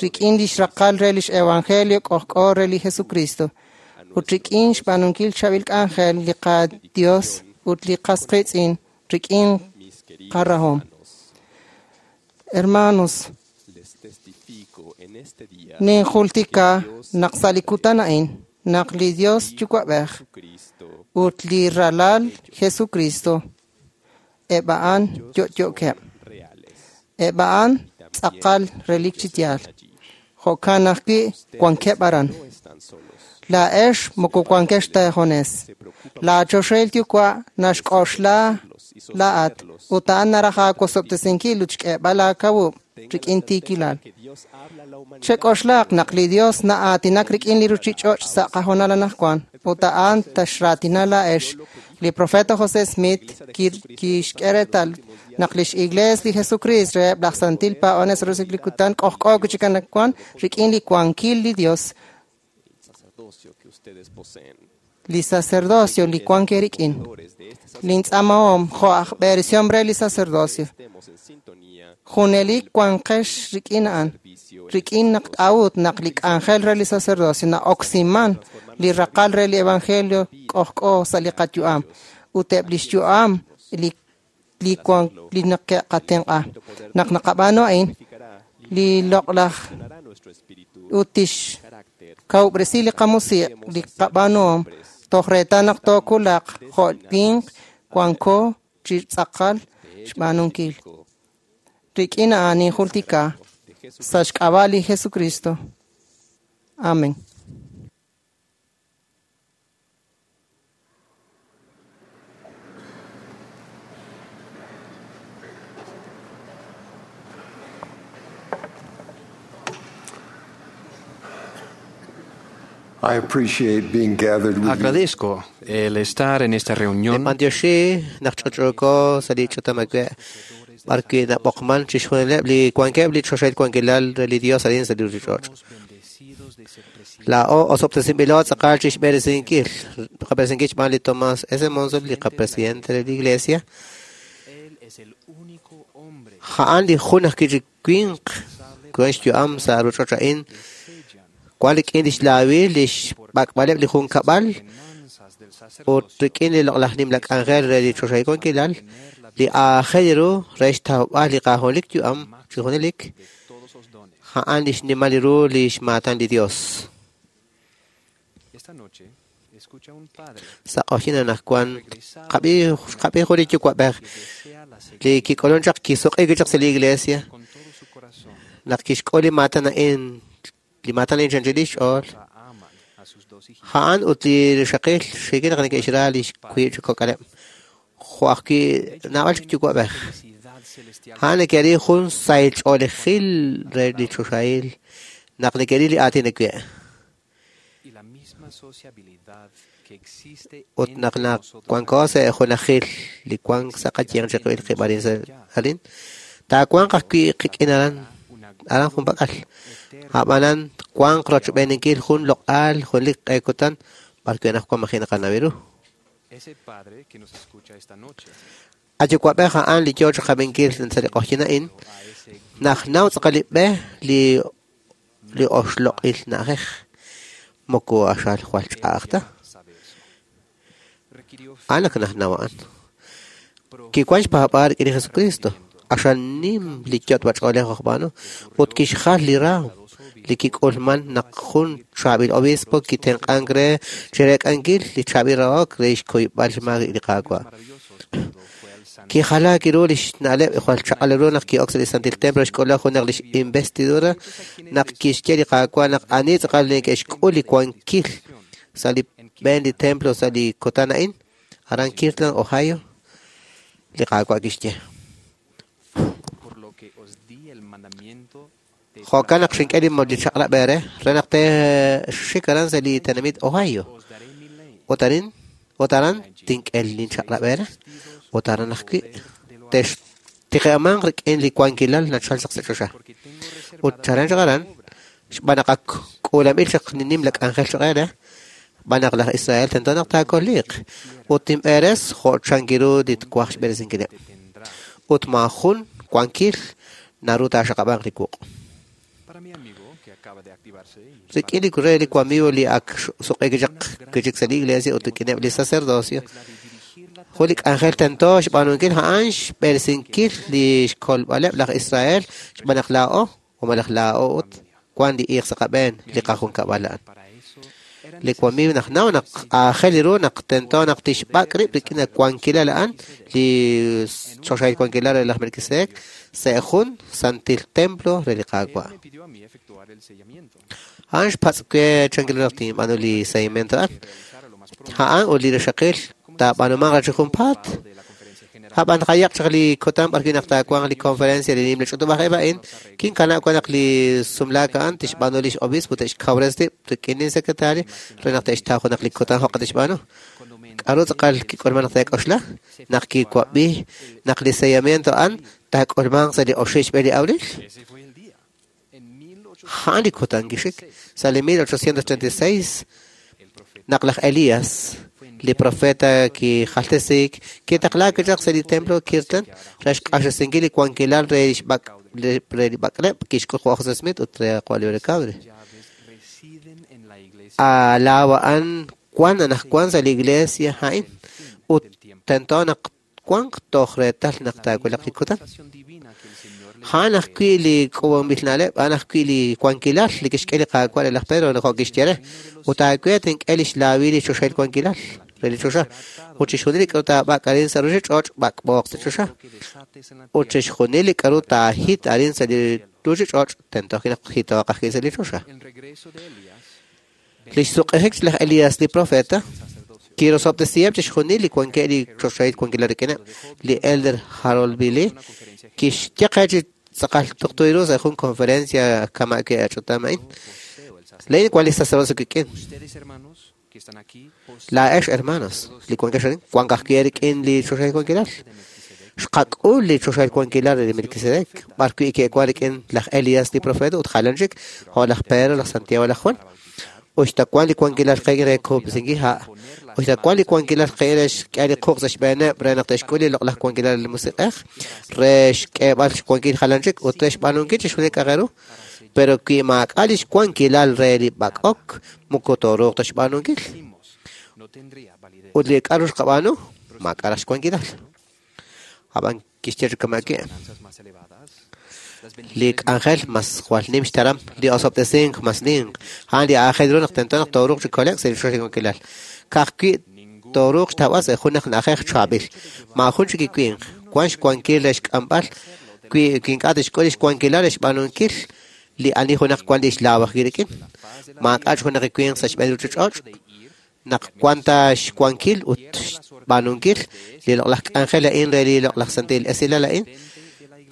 rik'in li xraqal re lix evangelio k'ojk'o re li Jesucristo ut rik'in xb'aanunkil chaab'il k'anjel li qaDios ut li qas qiitz'in rik'in qarahom. Hermanos, ninjultika naq sa' li kutan a'in naq li Dios Yuwa'b'ej ut li Ralal Jesucristo eb' a'an yo'yo'keb'. Eb' a'an tz'aqal relik chi yaal. Jo'kan ajwi' wankeb' aran. Laa'ex moko wankex ta eejunes. Laachoxahil Yuwa' naxk'oxla laa'at ut a'an naraj aawosob'tesinkil ut xk'eeb'al aakawub' rik'in tiikilal. Chek'oxlaq naq li Dios na'aatinak rik'in li ruchich'och' sa' qahoonal anaqwan ut a'an taxraatina laa'ex. Li profeta José Smith kixk'e reetal naq lix Iglees li Jesucristo reheb' laj Santil Paab'anel sa' li kutan k'ojk'o chik anaqwan rik'in li wankil li Dios. Li sacerdocio li wank eerik'in. Lintz'amahom jo' aj b'eresihom re li sacerdocio. Junelik wanqex rik'in a'an. Rik'in naq k'a'ut naq li k'anjel re li sacerdocio na'oksiman li raqal re li evangelio k'ojk'o sa' li qayu'am ut eb' li xyu'am li wank li neke'qatenq'a. Naq naqab'aanu a'in li loq'laj ut tixkawub'resi li qamusiq' li qab'aanuhom toj reetal naq tookulaq jo' winq wanko chi tz'aqal xb'aanunkil. Rik'in a'an ninjultika sa' xk'ab'a' li Jesucristo. Amén. I appreciate being gathered with you. Agradezco el estar en esta reunión. Mandioxi naq ch'och'oko sa' li ch'utam awe' b'ar wi' nab'oqman chixjunileb' li wankeb' li choxahil wankilal re li Dios arin sa' li ruchich'och'. Laa'o osob'tesinb'ilo tz'aqal chixb'eresinkil qab'eresinkil xb'aan li Tomás S. Monson, li qapresidente de la Iglesia. A'an li jun ajwi' chi winq wan xyu'am sa' ruch'och' a'in wan rik'in lix laawil lix b'ak'b'aleb' li junkab'al ut rik'in li loq'laj nimla k'anjel re li choxahil wankilal li aajel ru re xtawb'al li qajunelik yu'am chi junelik a'an lix nimal ru lix maatan li Dios. Sa' q'oxin anaqwan qab'i jun li yuwa'b'ej li kik'ulun chaq kisuq'i chaq sa' li iglesia naq kixk'ul li maatan a'in li maatan a'in chanchil lix ch'ool a'an ut li rixaqil xiikil naq neke'xra lix wiib' chi kok'aleb' jo' ajwi' naab'al chik yuwa'b'ej a'an neke'ril jun sahil ch'oolejil re li choxahil naq neke'ril li aatin awe' ut naq wanko sa' junajil li wank sa' qayanq chiqib'il qib' arin sa' arin taawanq ajwi' qik'in aran aran junpak'al ab'anan wanq rochb'eeninkil jun loq'al junelik q'e kutan b'ar wi' anaqwan maji' naqanaw ru. Ayuwa'b'ej a'an li yoo chiqab'inkil sa' li q'oqyink a'in naq naw tz'aqal li b'e li oxloq'il na'ajej moko axal jwal ch'a'aj ta. A'an ak najnaw a'an. Kiwan xpaab'aal rik'in li Jesucristo. Axal nim li yot'b'ach'oolej ojb'aanu ut kixjal li raam li kik'ulman naq jun chaab'il obispo kitenq'ank re chireek'ankil li chaab'il rahok re xkuyb'al xmaak li Qaawa'. Kijalaak ru lix na'leb' jwal chaq'al ru naq ki'ok sa' li Santil Templo xk'ulaj junaq lix investidura naq kixye li Qaawa' naq ani tz'aqal neke'xk'ul li wankil sa' li b'een li templo sa' li kutan a'in, aran Kirtland, Ohio, li Qaawa' kixye. Jo'kan naq xink'e li chaq'rab' eere re naq te'xik aran sa' li tenamit Ohio. Ut aran tink'e linchaq'rab' eere. Ut aran ajwi' textiqe'manq rik'in li wankilal nachal chaq sa' choxa. Ut chalen chaq aran, xb'aan naq ak k'uulanb'il chaq li nimla k'anjel choq' eere, xb'aan naq laj Israel tento naq taakoliiq. Ut tinb'eres jo' chankiru li twaj xb'eresinkileb'. Ut maajun wankil naru taaxaqab'anq li wuq'. Rik'in li re li wamigo li ak suq'e chaq kichik sa' li iglesia ut rik'ineb' li sacerdocio, jun li k'anjel tento xb'aanunkil a'an xb'eresinkil li xkolb'aleb' laj Israel xb'aan naq laa'o o malaj laa'o ut wan li iiq sa' qab'een li qajunkab'al a'an. Li wamigo naq naw naq aajel ru naq tento naq tixb'ak' rib' rik'in wankilal a'an li choxahil wankilal re laj Melquisedec sa' jun santil templo re li Qaawa'. A'an xpatz' we chankil naq tinb'aanu li seguimiento a'an. A'an ut li rixaqil taab'anumanq chi junpaat. Ab'an qayaq chaq li kutan b'arwi' naq taawanq li conferencia li nimla ch'utub'aj a'in, kinkanab' wan naq li sumlaak a'an tixb'aanu lix obispo te'xkawres rib' rik'in li secretario re naq te'xtaw junaq li kutan jo'qa tixb'aanu. K'aru tz'aqal kik'ulman naq te'k'oxla? Naq kiwab'i naq li sellamiento a'an taak'ulmanq sa' li oxib' xb'e li abril. A'an li kutan kixik sa' li 1836 naq laj Elías li profeta kijaltesik kitaqlaak chaq sa' li templo Kirtland re xq'axtesinkil li wankilal re li b'ak'leb' kixk'ul José Smith ut re Oliver Cowdery. Laaw a'an wan anaqwan sa' li iglesia a'in ut tento naq wanq toj reetal naq taawulaq li kutan. A'an ajwi' li k'uub'anb'il na'leb', a'an ajwi' li wankilal li kixk'e li Qaawa' re laj Pedro jo' kixye re. Ut aawe tink'e lix laawil li choxahil wankilal re li choxa. Ut chixjunil li k'aru taab'ak' arin sa' ruuchich'och' b'ak'b'ooq sa' choxa. Ut chixjunil li k'aru taahit arin sa' li ruuchich'och' tento naq hitooq ajwi' sa' li choxa. Lix suq'ejik laj Elías li profeta kirosob'tesiheb' chixjunil li wankeb' li choxahil wankilal rik'ineb'. Li Elder Harold B. Lee kixye qe chi tz'aqal tuqtu ru sa' jun conferencia kama' ke'ach'utam a'in. Laa'in wan li sacerdocio kik'in. Laa'ex hermanos li wankex arin wank ajwi' rik'in li choxahil wankilal. Xqak'ul li choxahil wankilal re li Melquisedec b'arwi' ke'wan rik'in laj Elías li profeta ut jalan chik jo' laj Pedro, laj Santiago, laj Juan. Uxta wan li wankilal qe re kub'sinkil ha'. Uxta wan li wankilal qe re xk'e li quq' sa' xb'eeneb' re naq te'xk'ul li loq'laj wankilal li musiq'ej re xk'eeb'al xwankil jalan chik ut re xb'aanunkil chixjunil k'a'aq ru. Pero wi maak'a' lix wankilal re li b'ak'ok moko tooruuq ta xb'aanunkil. Ut li k'aru xqab'aanu maak'a' raj xwankilal. Ab'an kixye chi kama'ki'. Li k'anjel mas jwal nim xtaram, li osob'tesink mas ninq. A'an li aajel ru naq tento naq tooruuq chi kole'k sa' li choxahil wankilal. Ka'ajwi' tooruuq xtawb'al sa' jun naq na'ajej chaab'il. Maajun chik iwinq wan xwankil re xk'amb'al wi ink'a' tixk'ul lix wankilal re xb'aanunkil li ani junaq wan lix laaw ajwi' rik'in. Maak'a' junaq iwinq sa' xb'een ruuchich'och' naq wan ta xwankil ut xb'aanunkil li loq'laj k'anjel a'in re li loq'laj santil esilal a'in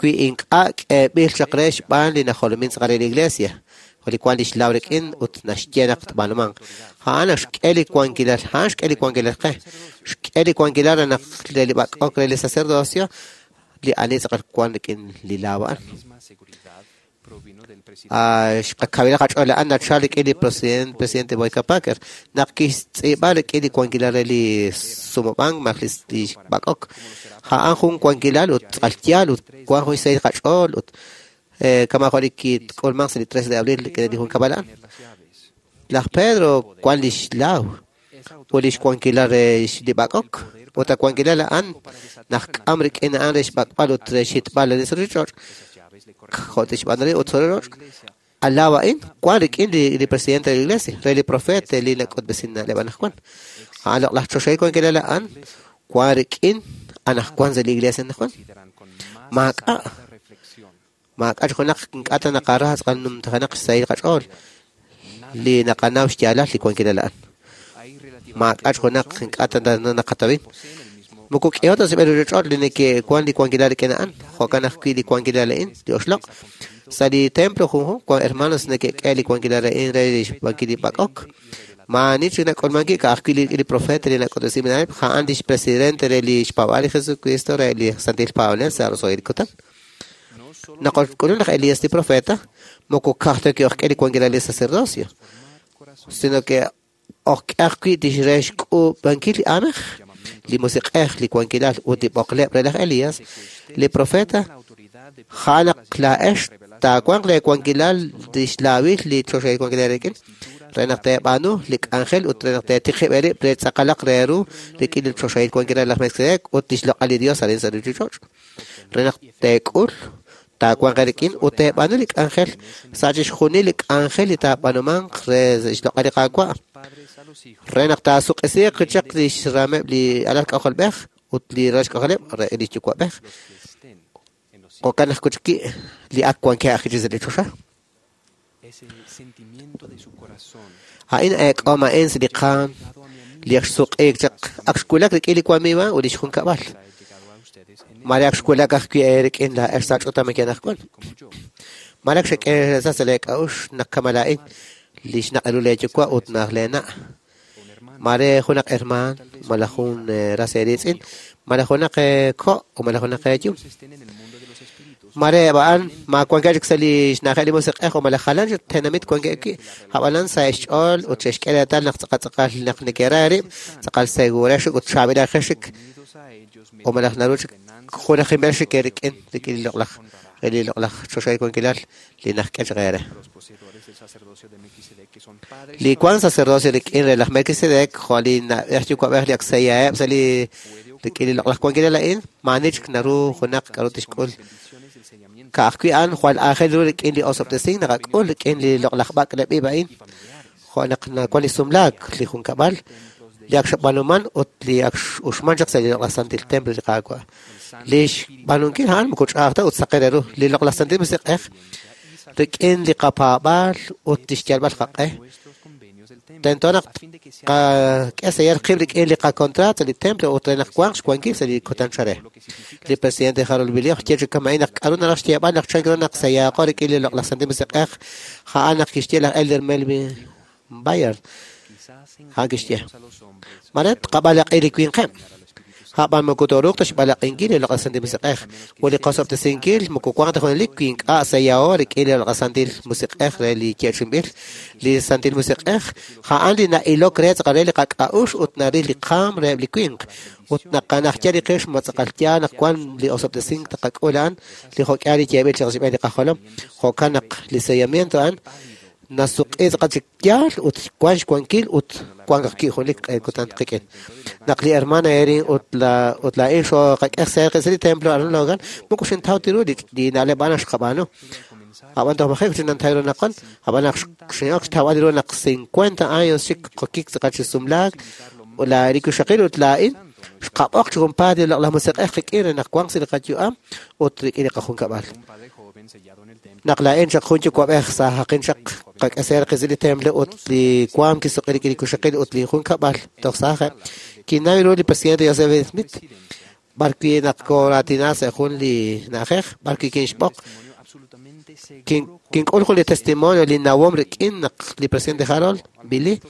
wi ink'a' k'eeb'il chaq re xb'aan li najolomin tz'aqal re li iglesia jo' li wan lix laaw rik'in ut naxye naq tb'aanumanq. A'an xk'e li wankilal, a'an xk'e li wankilal qe. Xk'e li wankilal re naq re li b'ak'ok re li sacerdocio li ani tz'aqal wan rik'in li laaw a'an. Xqakawila qach'ool a'an nachal rik'in li presidente Boyd K. Packer naq kixtz'iib'a rik'in li wankilal re li sumub'ank malaj li b'ak'ok. A'an jun wankilal ut tz'aqal yaal ut wan jun xsahil qach'ool ut kama' jo' li kik'ulmanq sa' li 3 de abril rik'in li junkab'al a'an. Laj Pedro wan lix laaw ut lix wankilal re li b'ak'ok ut a wankilal a'an naq k'am rik'in a'an re xb'ak'b'al ut re xhitb'al li ruuchich'och' jo' tixb'aanu ut ruuchich'och'. Alaw a'in wan rik'in li presidente de la iglesia, re li profeta li nak'utb'esin na'leb' anaqwan. A'an loq'laj choxahil wankilal a'an wan rik'in anaqwan sa' li iglesia anaqwan. Maak'a' maak'a' junaq ink'a' ta naqara tz'aqal numtajenaq xsahil qach'ool li naqanaw xyaalal li wankilal a'an. Maak'a' junaq ink'a' ta naqatawin. Moko k'iho ta sa' ruchich'och' li neke'wan li wankilal rik'in a'an, jo'kan ajwi' li wankilal a'in li oxloq'. Sa' li templo junjunq wan hermanos neke'k'e li wankilal a'in re li xwankil li b'ak'ok. Maani chik nak'ulmanki ka'ajwi' li profeta li nak'utb'esin na'leb', a'an lix presidente re li xpaab'aal li Jesucristo re li Santil Paab'anel sa' roso'jil kutan. Naq k'ulun laj Elías li profeta, moko ka'aj ta ki'ojk'e li wankilal li sacerdocio, sino que ojk'e ajwi' tix re xk'uub'ankil li aamej, li musiq'ej, li wankilal ut li b'oqleb' re laj Elías, li profeta a'an naq laa'ex taawanq le wankilal lix laawil li choxahil wankilal rik'in, re naq teeb'aanu li k'anjel ut re naq teetiqib' eerib' re tz'aqalaq re ru rik'in li choxahil wankilal laj Melquisedec ut lix loq'al li Dios arin sa' ruchich'och'. Re naq teek'ul taawanq eerik'in ut teeb'aanu li k'anjel sa' chixjunil li k'anjel li taab'anumanq re xloq'al li Qaawa'. Re naq taasuq'isiiq chaq lix rameb' li alal k'ajolb'ej ut li ral xk'ajoleb' re li yuwa'b'ej. Jo'kan ajwi' chik li ak wankeb' ajwi' sa' li choxa. A'in eek'om a'in sa' li qaam li ak xsuq'iik chaq ak xwulak rik'in li wamiiwa ut lix junkab'al. Mare ak xwulak ajwi' eerik'in laa'ex sa' ch'utam anaqwan. Mare ak xek'e sa' lee k'a'uxl naq kama laa'in li xnaq' ru lee yuwa' ut naq lee na'. Mare junaq hermaan, malaj jun ras eeriitz'in, malaj junaq ko' o malaj junaq eeyum. Mare a'an ma wankeb' chik sa' li xna'ajeb' li musiq'ej o malaj jalan chik tenamit wankeb' wi', ab'anan sa' xch'ool ut xe'xk'e reetal naq tz'aqal naq neke'ra eerib', tz'aqal segurex ut chaab'ilajex chik o malaj naru chik junajinb'el chik eerik'in rik'in li loq'laj re li loq'laj choxahil wankilal li najk'e chaq eere. Li wan sacerdocio rik'in re laj Melquisedec, jo' li na'b'ej yuwa'b'ej li ak seyaheb' sa' li rik'in li loq'laj wankilal a'in, maani chik naru junaq k'a'ru tixk'ul. Ka'ajwi' a'an jwal aajel ru rik'in li osob'tesink naqak'ul rik'in li loq'laj b'ak'leb' ib' a'in, jo' naq nawan li sumlaak, li junkab'al, li ak xb'aanuman ut li ak uxman chaq sa' li loq'laj santil templo li Qaawa'. Li xb'aanunkil a'an moko ch'a'aj ta ut saqen ru. Li loq'laj santil musiq'ej rik'in li qapaab'aal ut lix yalb'al qaq'e. Tento naq qak'e sa' qib' rik'in li qakontrato sa' li templo ut re naq wanq xwankil sa' li kutan chare. Li presidente Harold B. Lee xye chi kama'in naq k'a'ru naraj xyeeb'al naq chan ru naq sayaaqo rik'in li loq'laj santil musiq'ej a'an naq kixye laj Elder Melvin Bayard. A'an kixye. Mare tqab'alaq'i li winqeb'. A'b'an moko tooruuq ta xb'alaq'inkil li loq'laj santil musiq'ej. Ut li qosob'tesinkil moko wanq ta junelik wi ink'a' sayaho rik'in li loq'laj santil musiq'ej re li yeechi'inb'il. Li santil musiq'ej a'an li na'ilok re tz'aqal re li qak'a'uxl ut naril li qaam reheb' li winq. Ut naqanajya li qix ma tz'aqal yaal naq wan li osob'tesink taqak'ul a'an li jo'k'ihal li yeeb'il chaq xb'een li qajolom. Jo'kan naq li sellamiento a'an nasuq'i tz'aqal chik yaal ut wan xwankil ut wan ajwi' junelik kutan qik'in. Naq li hermana Erin ut laa'in xoqak'e sa' li templo aran Logan, moko xintaw ta ru li na'leb' a'an xqab'aanu. Ab'an toj maji' xinantaw ru naqwan, ab'an naq xin'ok xtawb'al ru naq 50 años chik qokik tz'aqal chi sumlaak, ut la rikuxaqil ut laa'in xqab'oq chi junpaat li loq'laj musiq'ej qik'in re naq wanq sa' li qayu'am ut rik'in li qajunkab'al. Naq laa'in chaq jun yuwa'b'ej saajaqin chaq qak'eser qis li templo ut li waam kisuq'i rik'in li kuxaqil ut li junkab'al toj saajeb', kinaw ru li presidente Joseph Smith, b'arwi' naq kooraatina sa' jun li na'ajej, b'arwi' kinxb'oq, kink'ul jun li testimonio li nawom rik'in naq li presidente Harold B. Lee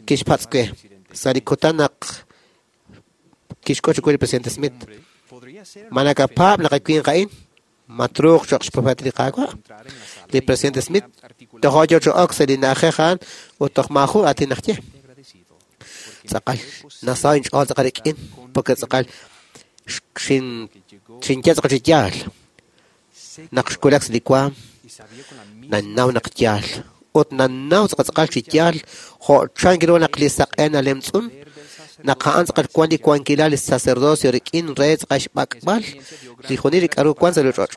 kixpatz' we sa' li kutan naq kixk'ut chiwu li presidente Smith. Ma nakapaab' naq winq a'in? Ma truuq cho'q xprofeta li Qaawa'? Li presidente Smith tojo yo cho'ok sa' li na'ajej a'an ut toj maajun aatin najye. Tz'aqal nasaw inch'ool tz'aqal rik'in porque tz'aqal xinye tz'aqal chi yaal. Naq xwulak sa' li waam, nannaw naq yaal. Ut nannaw tz'aqal tz'aqal chi yaal jo' chan ru naq li saq'e nalemtz'un, naq a'an tz'aqal wan li wankilal li sacerdocio rik'in re tz'aqal xb'ak'b'al li junil li k'a'ru wan sa' li ch'och'.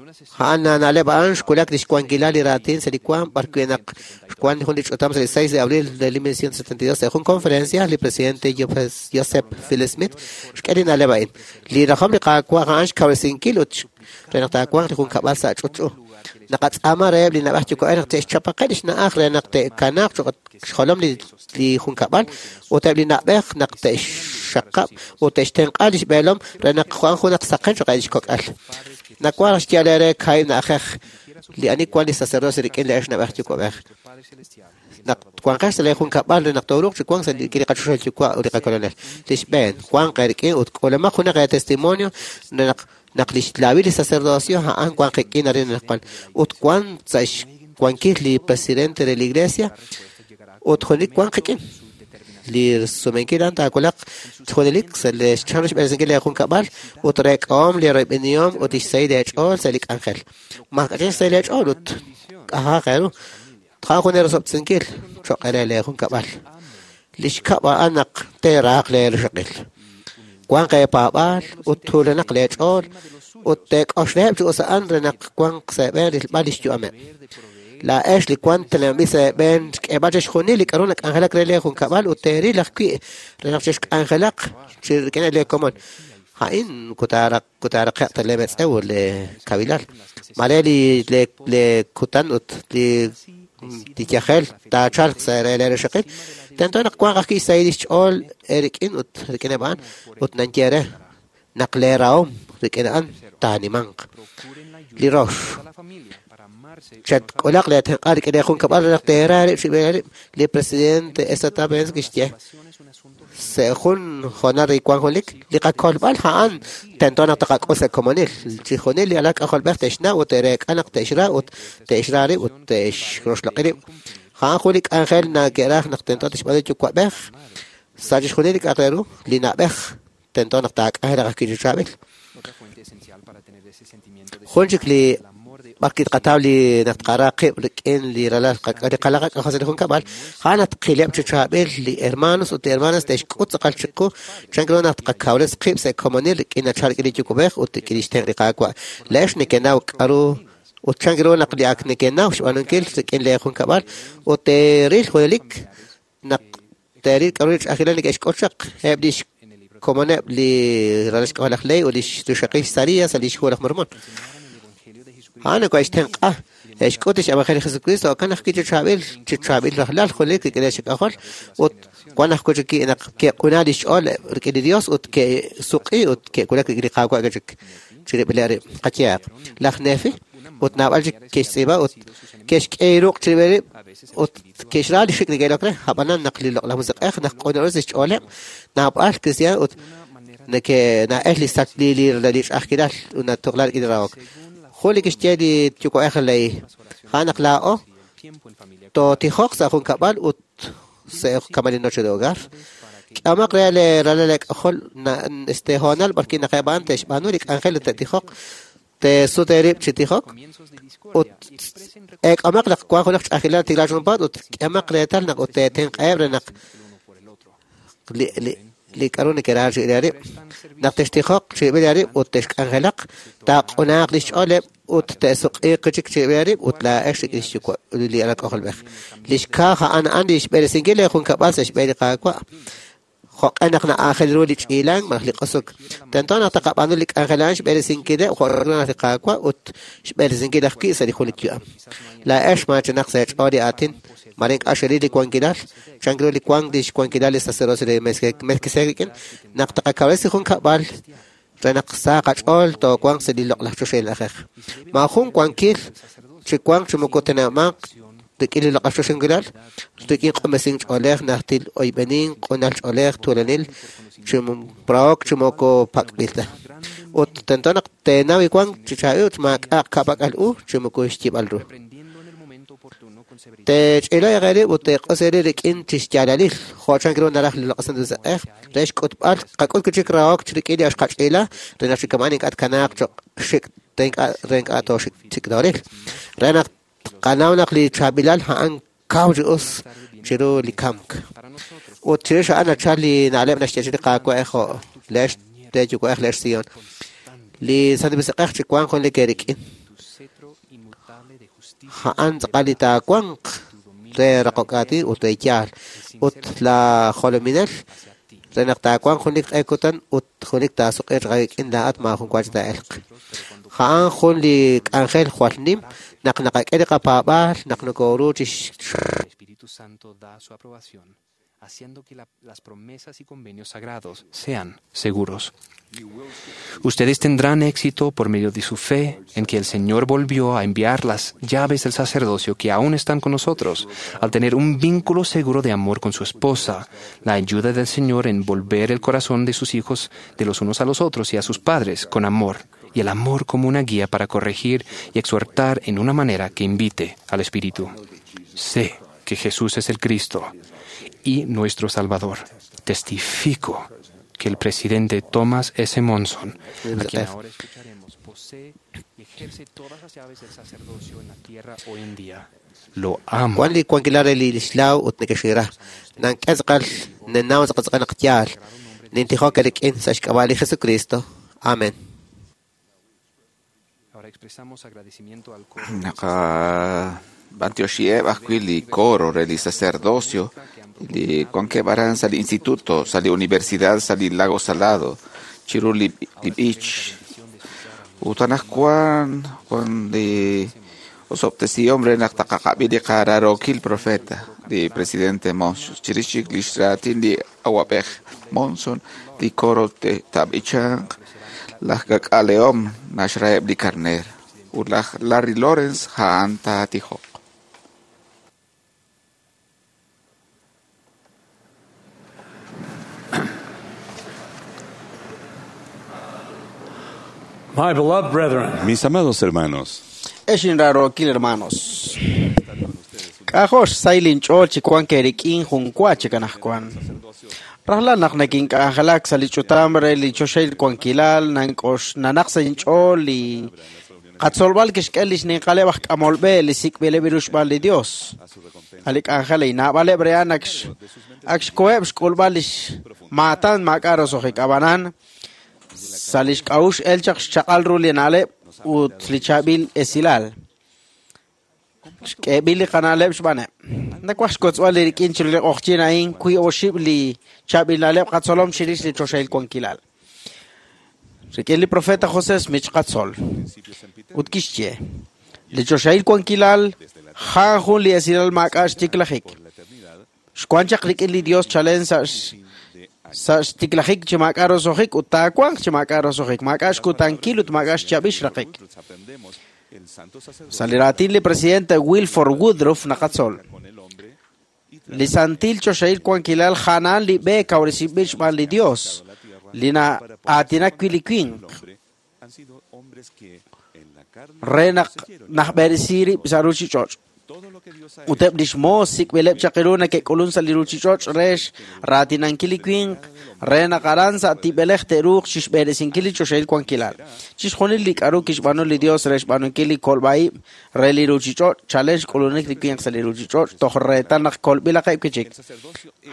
A'an na'leb' a'an xwulak lix wankilal li raatin sa' li waam b'ar wi' naq xwan jun li ch'utam sa' li 6 de abril de 1972 sa' jun conferencia li presidente Joseph Phil Smith xk'e li na'leb' a'in. Li rajom li Qaawa' a'an xkawresinkil ut re naq taawanq li junkab'al sa' ch'utch'u. Naqatz'aama reheb' li na'b'ej yuwa'b'ej naq te'xchapaqe' lix na'aj re naq te'kanaaq cho'q xjolom li junkab'al ut eb' li na'b'ej naq te'xxaqab' ut te'xtenq'a lix b'eelom re naq wan junaq saqen cho'q lix kok'al. Nawaj xyeeb'al eere kaahib' na'ajej li ani wan li sacerdocio rik'in li ex na'b'ej yuwa'b'ej. Naq wanqex sa' lee junkab'al re naq tooruuq chi wank sa' li qachoxahil yuwa' ut li qakolonel. Li xb'een, wanq eerik'in ut k'uulamaq junaq eetestimonio re naq lix laawil li sacerdocio a'an wan qik'in arin anaqwan ut wan sa' xwankil li presidente de la iglesia ut junelik wan qik'in. Li sumenkil a'an taawulaq junelik sa' li chan xb'eresinkil li junkab'al ut reek'ahom li royb'enihom ut lix sahil eech'ool sa' li k'anjel. Maak'a'ch'in xsahil eech'ool ut k'ajaq eeru. Tqaj jun eerosob'tesinkil cho'q re lee junkab'al. Li xkab' a'an naq teeraaq lee rixaqil. Wanq eepaab'aal ut tuulanaq leech'ool ut teek'oxlaheb' chi us a'an re naq wanq sa' eeb'een rilb'al lix yu'ameb'. Laa'ex li wank teneb'anb'il sa' eeb'een xk'eeb'al chixjunil li k'a'ru nak'anjelak re lee junkab'al ut teeril ajwi' re naq chexk'anjelaq chi rik'ineb' lee komon. A'in kutaaraqe'q ta lee metz'ew ut lee kawilal. Mare li le kutan ut li yajel taachalq sa' re lee rixaqil. Tento naq wanq ajwi' xsahil lix ch'ool eerik'in ut rik'ineb' a'an ut nanye re naq lee rahom rik'in a'an taanimanq. Li rox, chatk'ulaq lee tenq'a rik'in lee junkab'al re naq teera rib' chi rib' li presidente Ezra Benz kixye sa' jun hoonal re wank junelik li qakolb'al a'an tento naq taqak'ul sa' komonil. Chixjunil li alal k'ajolb'ej te'xnaw ut te'reek'a naq te'xra ut te'xra rib' ut te'xroxloq'i rib'. A'an jun li k'anjel nake'raj naq tento te'xb'aanu yuwa'b'ej sa' chixjunil li k'a'aq re ru li na'b'ej tento naq taak'anjelaq ajwi' chi chaab'il. Jun chik li b'ar kitqataw li naq tqara qib' rik'in li ralal li qalaq k'ajol sa' li junkab'al, a'an naq tqileb' chi chaab'il li hermanos ut li hermanas te'xk'ut tz'aqal chiqu chan ru naq tqakawres qib' sa' komonil rik'in nachal rik'in li yuwa'b'ej ut rik'in lix tenq' li Qaawa'. Laa'ex nekenaw k'a'ru ut chan ru naq li ak nekenaw xb'aanunkil rik'in lee junkab'al ut teeril junelik naq teeril k'a'ru li ch'a'ajkilal neke'xk'ut chaq eb' lix komoneb' li ralal xk'ajol laj Ley ut lix rixaqil Saria sa' lix hu laj Mormon. A'an nakohe'xtenq'a e'xk'ut lix evangelio Jesucristo jo'kan ajwi' chi chaab'il rajlal junelik rik'in lix k'ajol ut wan ajwi' chik naq ke'q'una lix ch'ool rik'in li Dios ut ke'suq'i ut ke'wulak rik'in li Qaawa' chik chirib'ileb' rib'. Qayehaq, laj Nefi ut naab'al chik ke'xtz'iib'a ut ke'xk'e ruq' chirib'il rib' ut ke'xra li xik neke'ilok re. Ab'anan naq li loq'laj musiq'ej naq q'una'us lix ch'ooleb' naab'al kristiaan ut neke'na'el li sak li ch'a'ajkilal ut natuqla rik'in li rahok. Jun li kixye li yuwa'ej ley a'an naq laa'o tootijoq sa' junkab'al ut sa' kamali noche de hogar. K'amaq re le ralal k'ajol este hoonal b'ar wi' naq eb' a'an te'xb'aanu li k'anjel ut te'tijoq te'sut eerib' chi tijok ut eek'amaq naq wank junaq ch'a'ajkilal tiklaak junpaat ut k'amaq reetal naq ut teetenq'aheb' re naq li k'a'ru neke'ra chi rib' naq te'xtijoq chirib'il rib' ut te'xk'anjelaq taaq'unaaq lix ch'ooleb' ut te'suq'iiq chik chirib'il rib' ut laa'ex rik'in xyuwa' li alal k'ajolb'ej. Lix kaaj a'an a'an li xb'eresinkil li junkab'al sa' xb'een li Qaawa'. Jo'q'e naq na'aajel ru li ch'iilank malaj li q'osok. Tento naq taqab'aanu li k'anjel a'an xb'eresinkileb' jo' naq li Qaawa' ut xb'eresinkil ajwi' sa' li junelik yu'am. Laa'ex maachanaq sa' eech'ool li aatin, mare ink'a' xeril li wankilal, chan ru li wank lix wankilal li sacerdocio re Melquisedec rik'in, naq taqakawresi junkab'al re naq sa qach'ool toowanq sa' li loq'laj choxahil na'ajej. Maajun wankil chi wanq chi moko teneb'amanq rik'in li loq'laj choxahil, rik'in q'unb'esink ch'oolej, najtil oyb'enin, q'unal ch'oolej, tuulanil, chi rahok chi moko pak'b'il ta. Ut tento naq teenaw wank chi chaab'il ut maak'a'aq ka'pak'al u chi moko xyib'al ru. Teech'ila eerib' ut teeq'os eerib' rik'in chixyaalalil, jo' chan ru naraj li loq'laj Santil Musiq'ej re xk'utb'al qak'ut chik rahok rik'in li xqach'ila re naq chikama'an ink'a' tkanaaq cho'q xik' re ink'a' tooxik chik tooril. Re naq tqanaw naq li chaab'ilal a'an kaw chi us chiru li kamk. Ut chirix a'an nachal li na'leb' naxye li Qaawa' jo' leex teeyuwa'ej leex Sion. Li Santil Musiq'ej chi wank junelik eerik'in. A'an tz'aqal li taawanq re raqok aatin ut re yaal. Ut la jolominel re naq taawanq jun li q'e kutan ut jun li taasuq'iiq rik'in laa'at maajun wa chi taa'elq. A'an jun li k'anjel jwal nim naq naqak'e li qapaab'aal naq nokoru chi Espíritu Santo da su aprobación, haciendo que las promesas y convenios sagrados sean seguros. Ustedes tendrán éxito por medio de su fe en que el Señor volvió a enviar las llaves del sacerdocio que aún están con nosotros, al tener un vínculo seguro de amor con su esposa, la ayuda del Señor en volver el corazón de sus hijos de los unos a los otros y a sus padres con amor, y el amor como una guía para corregir y exhortar en una manera que invite al Espíritu. Sé que Jesús es el Cristo y nuestro Salvador. Testifico que el presidente Thomas S. Monson, a quien ahora escucharemos, posee y ejerce todas las llaves del sacerdocio en la tierra hoy en día. Lo amo. Wan li wankilal re li lixlaw ut neke'xira. Nank'e tz'aqal nenaw tz'aqal tz'aqal naq yaal. Nintijok rik'in sa' xk'ab'a' li Jesucristo. Amen. Ahora expresamos agradecimiento al coro. Naqab'antioxieb' ajwi' li coro re li sacerdocio li wankeb' aran sa' li instituto, sa' li universidad, sa' li Lago Salado, chiru li b'ich. Ut anaqwan wan li osob'tesihom re naq taqaqab'i li qararokil profeta, li presidente Monson. Chirix chik lix raatin li awab'ej Monson, li coro taab'ichanq laj k'ak'alehom naxraheb' li karneer. Ut laj Larry Lawrence a'an taatijoq. My beloved brethren, Mis amados hermanos, Ex inrarokil hermanos. K'ajox saylin ch'ool chi wan kerik'in jun wa chi kanajkuan. Rajlal naq nakink'anjelak sa' li ch'utam re li choxahil wankilal nank'ox nanaq sa' inch'ool li qatzolb'al kixk'e lix ninqaleb' aj k'amolb'e li sik'b'ileb' ru xb'aan li Dios. A li k'anjel inaab'aleb' re'an ak xkoheb' xk'ulb'al lix maatan maak'a' roso'jik ab'anan sa' lix k'a'uxl el chaq xchaq'al ru li na'leb' ut li chaab'il esilal. Xk'eeb'il li qana'leb' xb'aaneb'. Nawaj xkotz'b'al li rik'in chiru li q'oqyin a'in kui oxib' li chaab'il na'leb' qatzolom chirix li choxahil wankilal. Rik'in li profeta José Smith xqatzol. Ut kixye, li choxahil wankilal jan jun li esilal maak'a' xtiklajik. Xwan chaq rik'in li Dios chalen sa' xtiklajik chi maak'a' roso'jik ut taawanq chi maak'a' roso'jik, maak'a' xkutankil ut maak'a' xchab'il xraqik. Sa' li raatin li presidente Wilford Woodruff naqatzol. Li santil choxahil wankilal janaan li b'e kawresinb'il xb'aan li Dios, li na'aatinak wi' li winq re naq najb'eresi rib' sa' ruchich'och'. Ut eb' lix moos sik'b'ileb' chaq ru neke'k'ulun sa' li ruchich'och' re xraatinankil li winq re naq aran sa' tib'elej te'ruuq chixb'eresinkil li choxahil wankilal. Chixjunil li k'a'ru kixb'aanu li Dios re xb'aanunkil li kolb'a'ib' re li ruchich'och' chalen xk'ulunik li winq sa' li ruchich'och' toj reetal naq kolb'ilaqeb' wi' chik.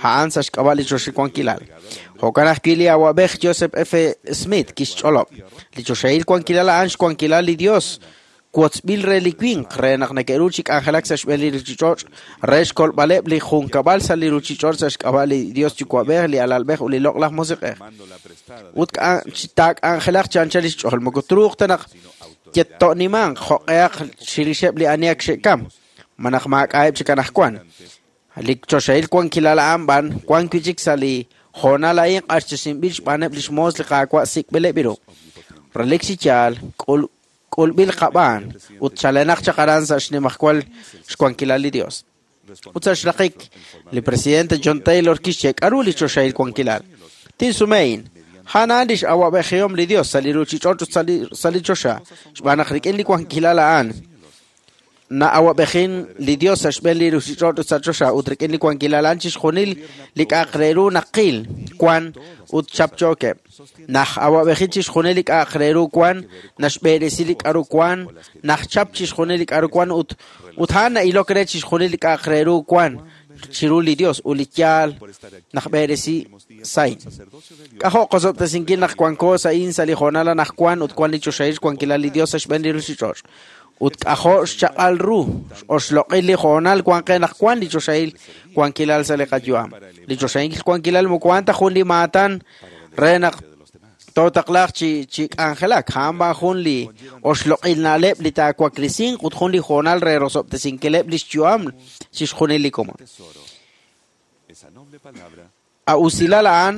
A'an sa' xk'ab'a' li choxahil wankilal. Jo'kan ajwi' li awab'ej Joseph F. Smith kixch'olob'. Li choxahil wankilal a'an xwankilal li Dios wotzb'il re li winq re naq neke'ru chi k'anjelak sa' xb'een li ruchich'och' re xkolb'aleb' li junkab'al sa' li ruchich'och' sa' xk'ab'a' li Dios Yuwa'b'ej, li Alalb'ej ut li Loq'laj Musiq'ej. Ut taak'anjelaq chi anchal lix ch'ool moko truuq ta naq yetto'nimanq jo'q'ehaq chirixeb' li ani ak xe'kam, ma naq maak'a'eb' chik anaqwan. Li choxahil wankilal a'an b'an wan wi' chik sa' li hoonal a'in q'axtesinb'il xb'aaneb' lix moos li Qaawa' sik'b'ileb' ru. Relik chi yaal k'ulb'il qab'aan ut chalenaq chaq aran sa' xnimajwal xwankilal li Dios. Ut sa' xraqik, li presidente John Taylor kixye k'a'ru li choxahil wankilal. Tinsumein, a'an lix awab'ejihom li Dios sa' li ruchich'och' ut sa' li choxa, xb'aan naq rik'in li wankilal a'an na'awab'ejin li Dios sa' xb'een li ruchich'och' ut sa' choxa ut rik'in li wankilal a'an chixjunil li k'a'aq re ru naqil wan ut chapchookeb'. Naj awab'ejin chixjunil li k'a'aq re ru wan, naxb'eresi li k'a'ru wan, najchap chixjunil li k'a'ru wan ut a'an na'ilok re chixjunil li k'a'aq re ru wan chiru li Dios ut li yaal najb'eresi sain. K'ajo' qosob'tesinkil naq wanko sa'in sa' li hoonal anaqwan ut wan li choxahil xwankilal li Dios sa' xb'een li ruchich'och'. Ut k'ajo' xchaq'al ru oxloq'il li hoonal wan qe naq wan li choxahil wankilal sa' li qayu'am. Li choxahil wankilal moko wan ta jun li maatan re naq tootaqlaaq chi chi k'anjelak. A'an b'an jun li oxloq'il na'leb' li taawaklisinq ut jun li hoonal re rosob'tesinkileb' lix yu'am chixjunil li komon. A usilal a'an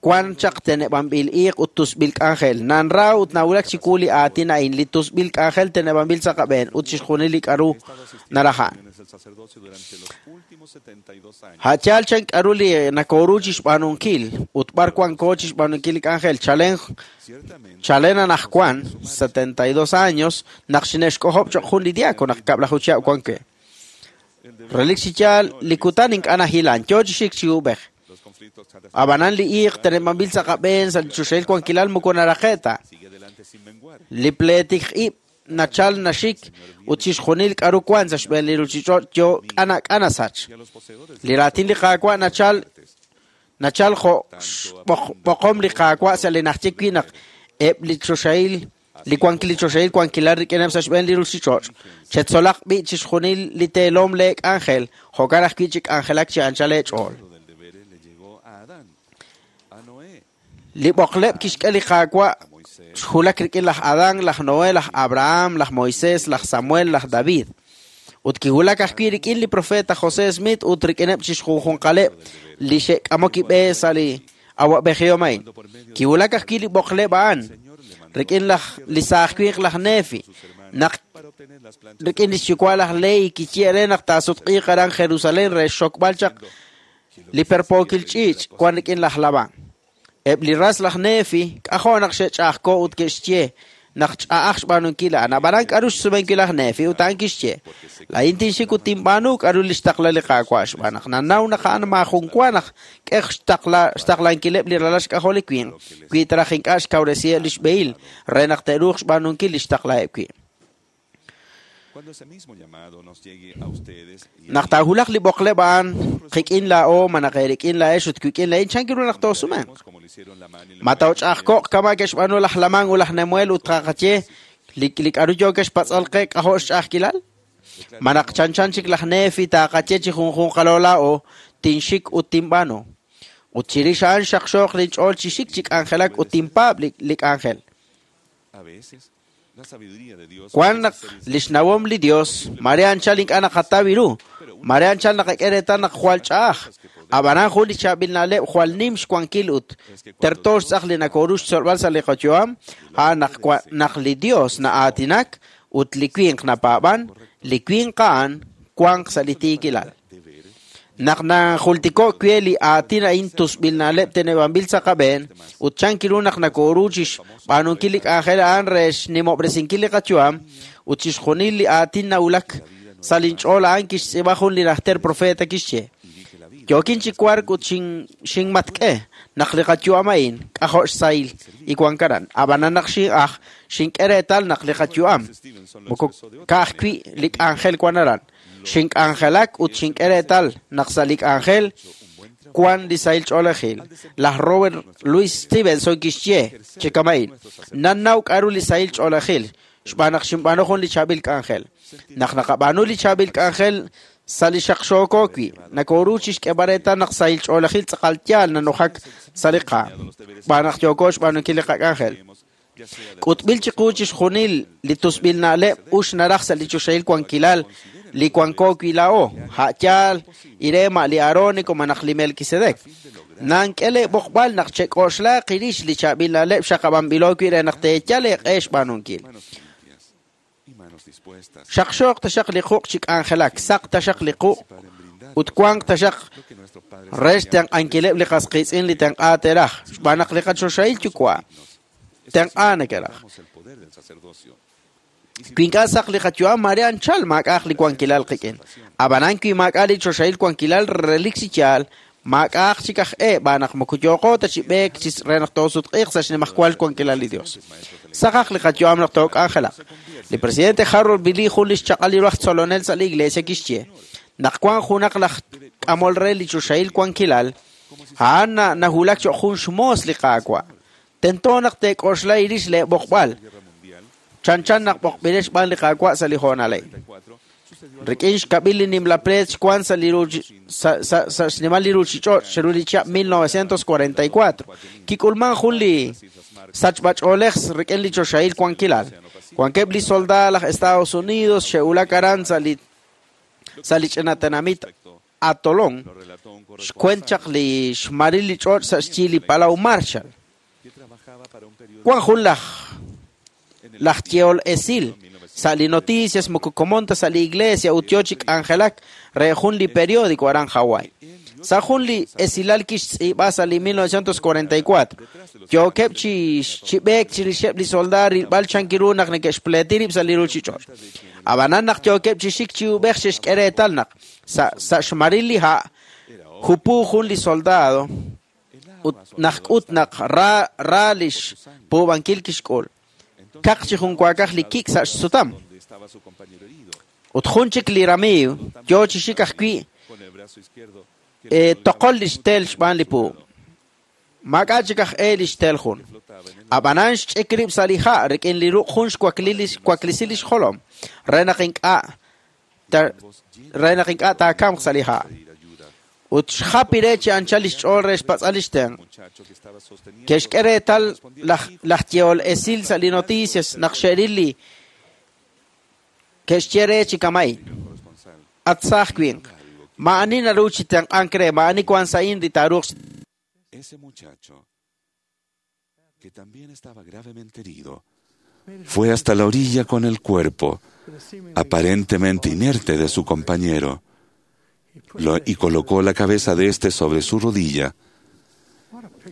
wan chaq teneb'anb'il iiq ut tusb'il k'anjel. Nanra ut nawulak chiwu li aatin a'in, li tusb'il k'anjel teneb'anb'il sa' qab'een ut chixjunil li k'aru naraj a'an. A' yaal chan k'aru li nakoru chixb'aanunkil ut b'ar wanko chixb'aanunkil li k'anjel. Chalen chalen anajwan 72 años naq xine'xk'ojob' choq' jun li diácono naq kab'laju chihab' wan we. Relik chi yaal li kutan ink'a' nahilan, yo chi xik chi ub'ej. Ab'anan li iiq teneb'anb'il sa' qab'een sa' li choxahil wankilal moko naraqe' ta. Li pleetik ib' nachal naxik ut chixjunil k'aru wan sa' xb'een li ruuchich'och' yo k'ana k'ana sach. Li raatin li Qaawa' nachal nachal jo' xb'oqom li Qaawa' sa' li najye wi' naq eb' li choxahil li wankil li choxahil wankilal rik'ineb' sa' xb'een li ruuchich'och'. Chetzolaq b'i' chixjunil li teelom lee k'anjel, jo'kan ajwi' chi k'anjelak chi anchal eech'ool. Li b'oqleb' kixk'e li Qaawa' xwulak rik'in laj Adán, laj Noé, laj Abraham, laj Moisés, laj Samuel, laj David. Ut kiwulak ajwi' rik'in li profeta José Smith ut rik'ineb' chixjunjunqaleb' li xe'k'amok ib'e sa' li awab'ejihom a'in. Kiwulak ajwi' li b'oqleb' a'an rik'in laj li saaj winq laj Nefi, naq rik'in lix yuwa' laj Lehi kixye re naq taasutq'iiq aran Jerusalén re xxokb'al chaq li perpookil ch'iich' wan rik'in laj Labán. Eb' li ras laj Nefi k'ajo' naq xe'ch'a'ajko ut ke'xye naq ch'a'aj xb'aanunkil a'an. Ab'anan k'aru xsumenkil laj Nefi ut a'an kixye: Laa'in tinxik ut tinb'aanu k'aru li xtaqla li Qaawa' xb'aan naq nannaw naq a'an maajun wa naq k'e xtaqlankileb' li ralal xk'ajol li winq wi ta raj ink'a' xkawresiheb' li xb'ehil re naq te'ruuq xb'aanunkil li xtaqlaheb' wi'. Naq taawulaq li b'oqleb' a'an qik'in laa'o malaj eerik'in laa'ex ut wik'in laa'in, chan ru naq toosumenq? Ma tooch'a'ajko'q kama' ke'xb'aanu laj Lamán ut laj Nemuel ut taqaye li li k'aru yo ke'xpatz'al qe k'ajo' xch'a'ajkilal? Ma naq chanchan chik laj Nefi taqaye chi junjunqalo laa'o tinxik ut tinb'aanu. Ut chirix a'an xaqxooq linch'ool chi xik chi k'anjelak ut tinpaab' li li k'anjel. Wan naq lix nawom li Dios, mare anchal ink'a' naqataw ru, mare anchal naqak'e reetal naq jwal ch'a'aj. Ab'anan jun li chaab'il na'leb' jwal nim xwankil ut terto xtz'aq li nakoru xtzolb'al sa' li qayu'am, a'an naq naq li Dios na'aatinak ut li winq napaab'an, li winq a'an wanq sa' li tiikilal. Naq najultiko' we li aatin a'in tusb'il na'leb' teneb'anb'il sa' qab'een ut chan ru naq nakoru chixb'aanunkil li k'anjel a'an re xnimob'resinkil li qayu'am ut chixjunil li aatin nawulak sa' linch'ool a'an kixtz'iib'a jun li najter profeta kixye: Yookin chi wark ut xinmatk'e naq li qayu'am a'in k'ajo' xsahil y wank aran. Ab'anan naq xin'aj xink'e reetal naq li qayu'am moko ka'ajwi' li k'anjel wan aran. Xink'anjelak ut xink'e reetal naq sa' li k'anjel wan li sahil ch'oolejil. Laj Robert Louis Stevenson kixye chi kama'in: Nannaw k'aru li sahil ch'oolejil xb'aan naq xinb'aanu jun li chaab'il k'anjel. Naq naqab'aanu li chaab'il k'anjel sa' li xaqxooko wi', nakoru chixk'eeb'al reetal naq sahil ch'oolejil tz'aqal yaal nanujak sa' li qaam xb'aan naq yooko xb'aanunkil li qak'anjel. K'utb'il chiqu chixjunil li tusb'il na'leb' ux naraj sa' li choxahil wankilal li wanko wi' laa'o, a' yaal irema li Aarónico malaj li Melquisedec. Nank'e leeb'oqb'al naq chek'oxlaaq irix li chaab'il na'leb' xaqab'anb'ilo wi' re naq teeyal eeq'e xb'aanunkil. Xaqxooq taxaq li quq' chi k'anjelak, saq taxaq li quq' ut wanq taxaq re xtenq'ankileb' li qas qiitz'in li tenq'a teeraj, xb'aan naq li qachoxahil yuwa' tenq'a nekeraj. Wi ink'a' saq li qayu'am, mare anchal maak'a'aq li wankilal qik'in. Ab'anan wi maak'a' li choxahil wankilal relik chi yaal, maak'a'aq chik aj e b'aan naq moko yooqo ta chi b'eek chi re naq toosutq'iiq sa' xnimajwal wankilal li Dios. Saqaq li qayu'am naq took'anjelaq. Li presidente Harold Billy jun li xchaq'al li ru aj tzolonel sa' li iglesia kixye naq wan junaq laj k'amol re li choxahil wankilal, a'an nawulak cho'q jun xmoos li Qaawa'. Tento naq teek'oxla irix leeb'oqb'al. Chanchan naq b'oqb'ilex xb'aan li Qaawa' sa' li hoonal a'in. Rik'in xkab'il li nimla pleet xwan sa' li sa' xnimal li ruuchich'och' chiru li chihab' 1944. Kik'ulman jun li sachb'ach'oolej rik'in li choxahil wankilal. Wankeb' li soldaad laj Estados Unidos xe'wulak aran sa' li ch'ina tenamit Atolón, xkwent chaq li xmaril li ch'och' sa' xyi li Palau Marshall. Wan jun laj yehol esil sa' li noticias moko komon ta sa' li iglesia ut yo chi k'anjelak re jun li periódico aran Hawaii. Sa' jun li esilal kixtz'iib'a sa' li 1944. Yookeb' chi b'eek chirixeb' li soldaad rilb'al chankiru naq neke'xpleeti rib' sa' li ruuchich'och'. Ab'anan naq yookeb' chi xik chi ub'ej xe'xk'e reetal naq sa' xmaril li ha' jupu jun li soldado ut naq k'ut naq ra li xpuub'ankil kixk'ul. Kaq chi junwaakaj li kik' sa' xsutam. Ut jun chik li ramiiw yo chi xik ajwi' toqol li xtel xb'aan li puub'. Maak'a' chik aj e li xtel jun. Ab'anan xch'ik rib' sa' li ha' rik'in li ruq' jun xwaklisi li xjolom re naq ink'a' taakamq sa' li ha'. Ut xjapi re chi anchal li xch'ool re xpatz'al li xtenq'. Ke'xk'e reetal laj yehol esil sa' li noticias naq xe'ril li ke'xye re chi kama'in. At saaj winq, ma'ani naru chi tenq'ank re, ma'ani wan sa'in li taaruuq. Ese muchacho, que también estaba gravemente herido, fue hasta la orilla con el cuerpo, aparentemente inerte, de su compañero, y colocó la cabeza de éste sobre su rodilla.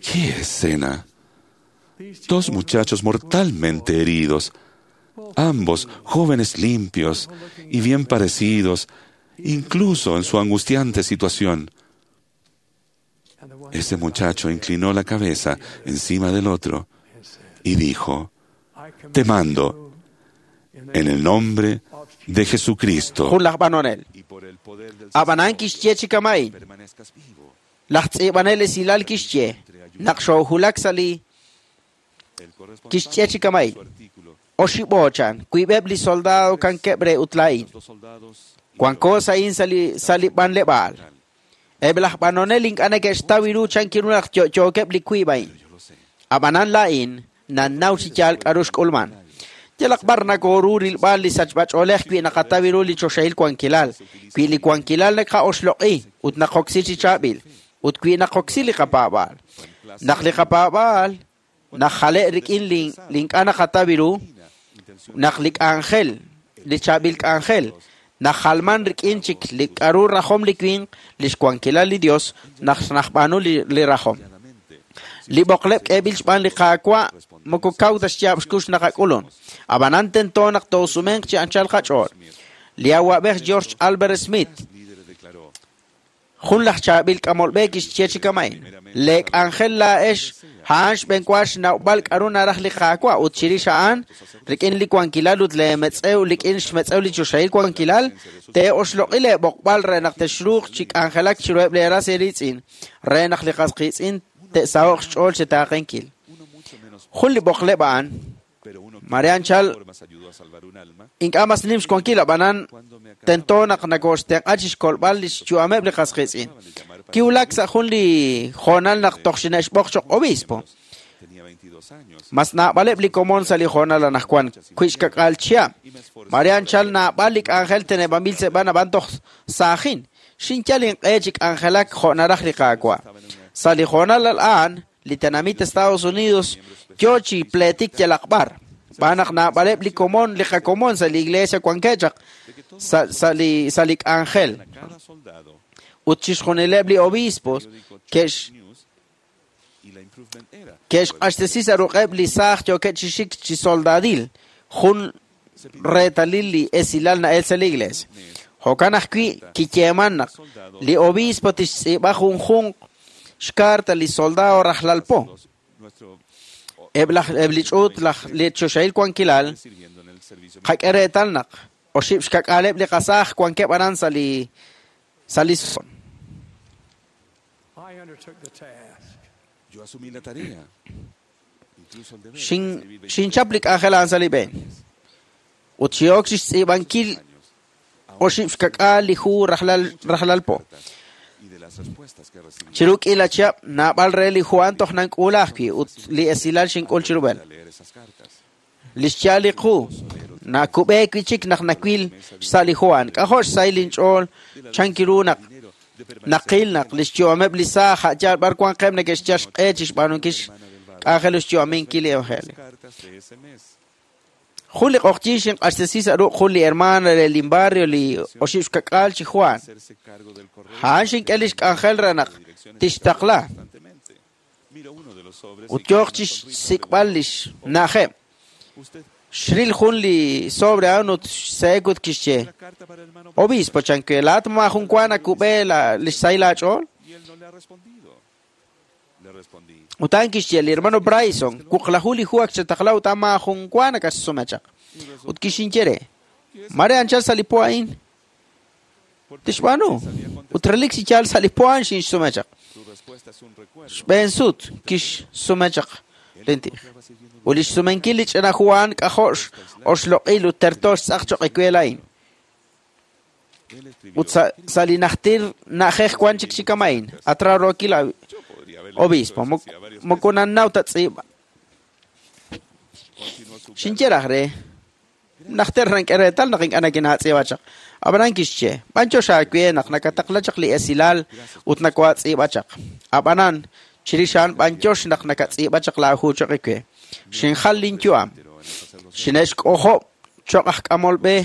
¡Qué escena! Dos muchachos mortalmente heridos, ambos jóvenes limpios y bien parecidos, incluso en su angustiante situación. Ese muchacho inclinó la cabeza encima del otro y dijo: Te mando en el nombre de Jesucristo. Jun laj b'anonel. Ab'anan kixye chi kama'in. Laj tz'iib'anel esilal kixye naq xoohulak sa' li kixye chi kama'in. Oxib'oochan wiib'eb' li soldado kankeb' re ut laa'in. Wanko sa'in sa' li b'anleb'aal. Eb' laj b'anonel ink'a' neke'xtaw ru chankiru naq yo'yookeb' li wiib' a'in. Ab'anan laa'in nannaw chi yaal k'aru xk'ulman. Yalaq b'ar nakooru rilb'al li sachb'ach'oolej wi naqataw ru li choxahil wankilal, wi li wankilal naqa'oxloq'i ut naqoksi chi chaab'il, ut wi naqoksi li qapaab'aal. Naq li qapaab'aal najale' rik'in li ink'a' naqataw ru, naq li k'anjel, li chaab'il k'anjel, najalman rik'in chik li k'aru rajom li winq, li xwankilal li Dios, naq najb'aanu li rajom. Li b'oqleb' k'eeb'il xb'aan li Qaawa' moko kaw ta xyaab' xkux naqak'ulun. Ab'anan tento naq toosumenq chi anchal qach'ool. Li awa'b'ej George Albert Smith, jun laj chaab'il k'amolb'e kixye chi kama'in. Le k'anjel laa'ex a'an xb'enwa xnawb'al k'aru naraj li Qaawa' ut chirix a'an rik'in li wankilal ut leemetz'ew rik'in xmetz'ew li choxahil wankilal te'oxloq'i leeb'oqb'al re naq texruuq chi k'anjelak chiruheb' leeras eeriitz'in re naq li qas qiitz'in te'saho'q xch'ool chi taaqenkil. Jun li b'oqleb' a'an mare anchal ink'a' mas nim xwankil ab'anan tento naq nakooxtenq'a chi xkolb'al li xyu'ameb' li qas qiitz'in. Kiwulak sa' jun li hoonal naq toj xine'xb'oq cho'q obispo. Mas naab'aleb' li komon sa' li hoonal anaqwan wi xkak'al chihab'. Mare anchal naab'al li k'anjel teneb'anb'il seb'an ab'an toj saajin. Xinyal inq'e chi k'anjelak jo' naraj li Qaawa'. Sa' li hoonal a'an li tenamit Estados Unidos yo chi pleetik yalaq b'ar. B'aan naq naab'aleb' li komon li qakomon sa' li iglesia wankeb' chaq sa' li k'anjel. Ut chixjunileb' li obispos ke'xq'axtesi sa' ruq'eb' li saaj yookeb' chi xik chi soldadil jun reetalil li esilal na'el sa' li iglesia. Jo'kan ajwi' kiyeeman naq li obispo tixtz'iib'a junjunq xkarta li soldado rajlal po. Eb' li ch'uut li choxahil wankilal qak'e reetal naq oxib' xkak'aaleb' li qasaaj wankeb' aran sa' li son. Xinchap li k'anjel a'an sa' li b'een. Ut xin'ok chixtz'iib'ankil oxib' xkak'aal li hu rajlal po. Chiru k'iila chihab', naab'al re li hu a'an toj nank'uula ajwi' ut li esilal xink'ul chirub'el. Li xyaal li qu nakub'e wi' chik naq nawil xsa' li hu a'an. K'ajo' xsahil linch'ool chan ru naq naqil naq li xyu'ameb' li saaj a' yaal b'ar wanqeb' neke'xyal xq'e chixb'aanunkil xk'anjel ut xyu'aminkil li evangelio. Jun li q'oqyink xinq'axtesi sa' ruq' jun li hermana re lin barrio li oxib' xkak'aal chi hu a'an. A'an xink'e li xk'anjel re naq tixtaqla ut yooq chixsik'b'al li xna'ajeb'. Xril jun li sobre a'an ut xse'ek ut kixye: Obispo, chan we, laa'at maajun wa nakub'e li xsahil aach'ool? Ut a'an kixye li hermano Bryson, wuqlaju li hu ak chetaqla ut a'an maajun wa nakaxsume chaq. Ut kixinye re, mare anchal sa' li po a'in tixb'aanu. Ut relik chi yaal sa' li po a'an xinxsume chaq. Xb'een sut kixsume chaq lintij. Ut li xsumenkil li ch'ina hu a'an k'ajo' oxloq'il ut terto xtz'aq choq' ewe laa'in. Ut sa' li najtil na'ajej wan chik chi kama'in, atrarookil obispo, moko nannaw ta tz'iib'. Xinye raj re, najter nank'e reetal naq ink'a' nakinaatz'iib'a chaq. Ab'anan kixye, b'anyox aawe naq nakataqla chaq li esilal ut nakoatz'iib'a chaq. Ab'anan, chirix a'an b'anyox naq nakatz'iib'a chaq laahu choq' ewe. Xinjal linyu'am. Xine'xk'ojob' choq' aj k'amol b'e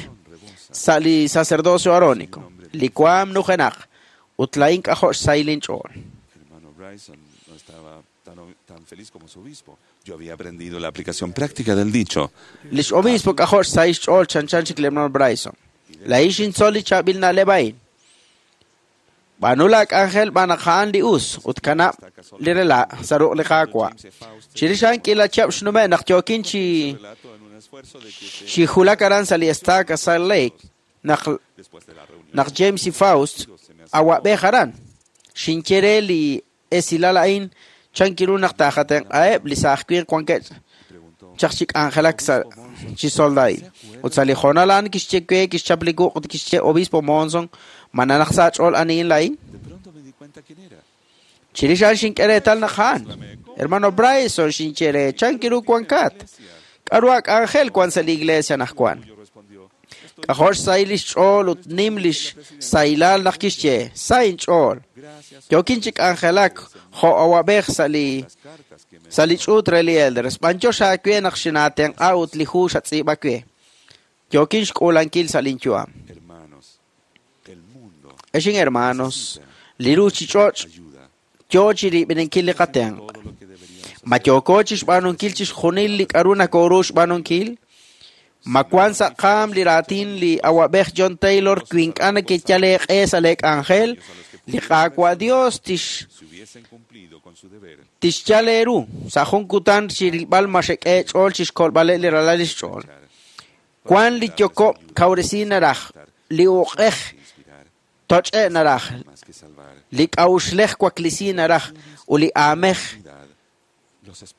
sa' li sacerdocio arónico. Li waam nujenaq ut laa'in k'ajo' xsahil linch'ool. Hermano Bryson no estaba tan feliz como su obispo. Yo había aprendido la aplicación práctica del dicho. Lix obispo k'ajo' xsahil xch'ool chanchan chik li hermano Bryson. Laa'in xintzol li chaab'il na'leb' a'in. B'aanu laak'anjel b'an naq a'an li us ut kanab' li rela' sa' ruq' li Qaawa'. Chirix a'an k'iila chihab' xnume' naq yookin chi xijulak aran sa' li estaca Salt Lake naq James E. Faust awab'ej aran. Xinye re li esilal a'in chan kiru naq taajatenq'aheb' li saaj winq wankeb' chaq chi k'anjelak sa' chi soldail. Ut sa' li hoonal a'an kixye we kixchap li wuq' ut kixye Obispo Monson, ma nanaq sa' aach'ool anihin laa'in? Chirix a'an xink'e reetal naq a'an. Hermano Bryson xinye re, chan kiru wankat? K'aru ak'anjel wan sa' li iglesia anaqwan? K'ajo' xsahil li xch'ool ut nim li xsahilal naq kixye, sa inch'ool. Yookin chi k'anjelak jo' awab'ej sa' li ch'uut re li elders. B'anyox aawe naq xinaatenq'a ut li hu xatz'iib'a we. Yookin xk'uulankil sa' linyu'am. Exin hermanos, li ruuchich'och' yoo chirib'ininkil li qatenq'. Ma yooko chixb'aanunkil chixjunil li k'aru nakooru xb'aanunkil? Ma wan sa' qaam li raatin li awab'ej John Taylor wi ink'a' nekeyal eeq'e sa' leek'anjel, li Qaawa' Dios tixyal eeru sa' jun kutan chirilb'al ma xek'e eech'ool chixkolb'aleb' li ralal li xch'ool. Wan li yokob' kawresi naraj, li uq'ej toch'e naraj, li k'a'uxlej waklisi naraj ut li aamej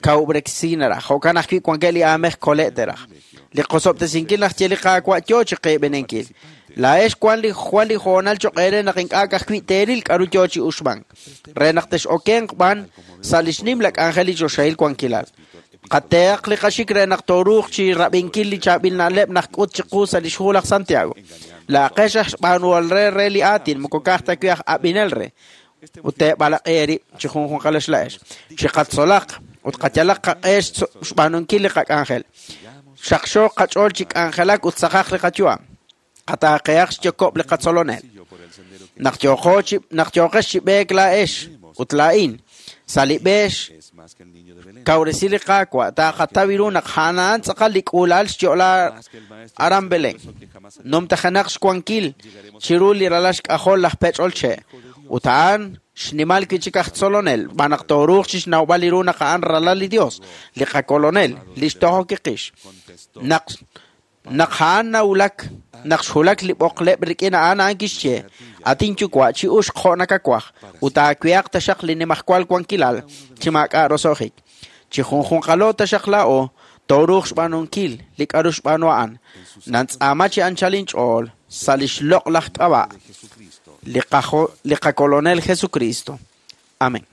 kawub'reksi naraj. Jo'kan ajwi' wankeb' li aamej kole' teraj. Li qosob'tesinkil naq ye li Qaawa' yoo chi qeeb'eninkil. Laa'ex wan li hoonal choq' eere naq ink'a' ka'ajwi' teeril k'aru yoo chi uxmank. Re naq tex'okenq b'an sa' li xnimla k'anjel li choxahil wankilal. Qateeq li qaxik re naq tooruuq chi rab'inkil li chaab'il na'leb' naq k'ut chiqu sa' li xhu laj Santiago. Laaqex aj xb'aanuhol re li aatin moko ka'aj ta wi' aj ab'inel re. Ut teeb'alaq'i eerib' chi junjunqal xla'ex. Chiqatzolaq ut qayalaq qaq'e xb'aanunkil li qak'anjel. Xaqxooq qach'ool chi k'anjelak ut saqaq li qayu'am. Qataaqehaq xyokob' li qatzolonel. Naq yooqex chi b'eek laa'ex ut laa'in sa' li b'e kawresi li Qaawa' taaqataw ru naq a'an tz'aqal li k'uula'al xyo'la aran Belén. Numtajenaq xwankil chiru li ralal xk'ajol laj pech'ol che'. Ut a'an xnimal wi' chik aj tzolonel, b'an naq tooruuq chixnawb'al li ru naq a'an ralal li Dios, li qakolonel, li xtojok kiqix. Naq a'an nawulak, naq xwulak li b'oqleb' rik'in a'an a'an kixye, atin yuwa' chi uxq jo' nakawaj, ut aawehaq taxaq li nimajwal wankilal chi maak'a' roso'jik. Chi junjunqalo taxaq laa'o, Tooruuq xb'aanunkil li k'a'ru xb'aanu a'an. Nantz'aama chi anchal inch'ool sa' lix loq'laj k'ab'a' li qakolonel Jesucristo. Amén.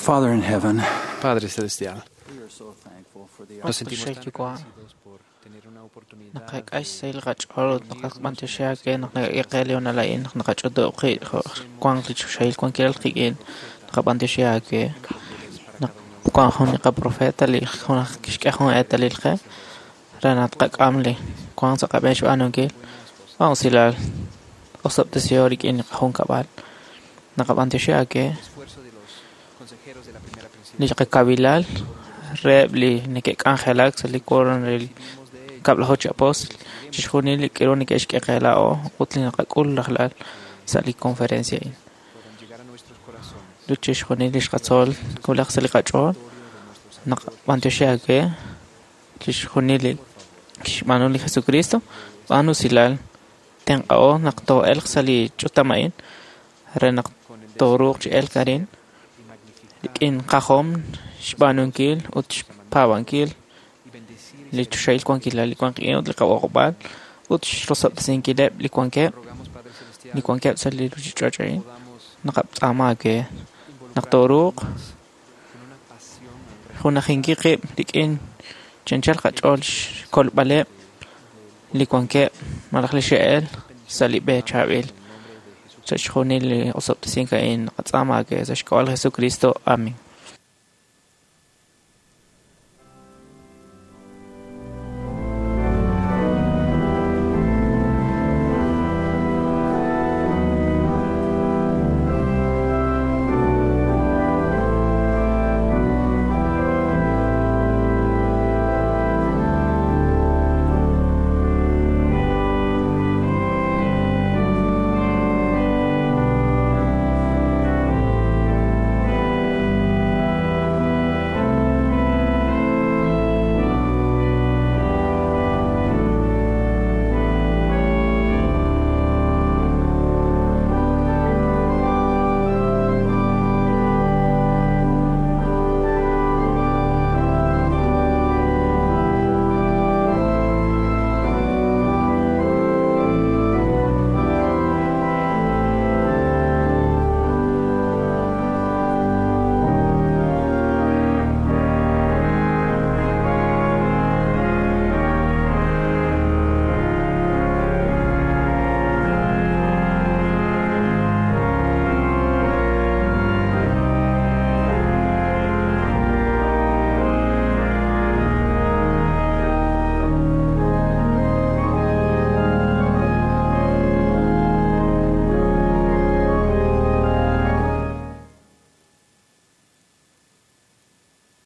Father in heaven, Padre Celestial, nos sentimos tan Yuwa'. agradecidos por tener una oportunidad Naqak'e xsahil qach'ool ut naqab'antioxi aawe naq nakak'e qe li hoonal a'in naq naqach'utub' qib' jo' wanq li choxahil wankilal qik'in naqab'antioxi aawe naq wank jun li qaprofeta li jun aj kixk'e jun eetalil qe re naq tqak'am li wank sa' qab'een xb'aanunkil wan usilal osob'tesiho rik'in li qajunkab'al naqab'antioxi aawe esfuerzo de los consejeros de la primera li qakavilal reheb' li neke'k'anjelak sa' li quorum re li kab'laju chi apóstol chixjunil li k'aru neke'xk'e qe laa'o ut li naqak'ul rajlal sa' li conferencia a'in llegar a nuestros corazones. ut chixjunil li xqatzol wulaj sa' li qach'ool naqab'antioxi aawe chixjunil li kixb'aanu li Jesucristo b'aan usilal tenq'a'o naq too'elq sa' li ch'utam a'in re naq tooruuq chi elk arin rik'in qajom xb'aanunkil ut xpaab'ankil li choxahil wankilal li wan qik'in ut li qab'oqb'al ut xrosob'tesinkileb' li wankeb' sa' li ruuchich'och' a'in naqatz'aama aawe naq tooruuq junajinkil qib' rik'in chi anchal qach'ool xkolb'aleb' li wankeb' malaj li xe'el sa' li b'e chaab'il sa' xjunil li osob'tesink a'in naqatz'aama aawe sa' xk'ab'a' li Jesucristo. Amén.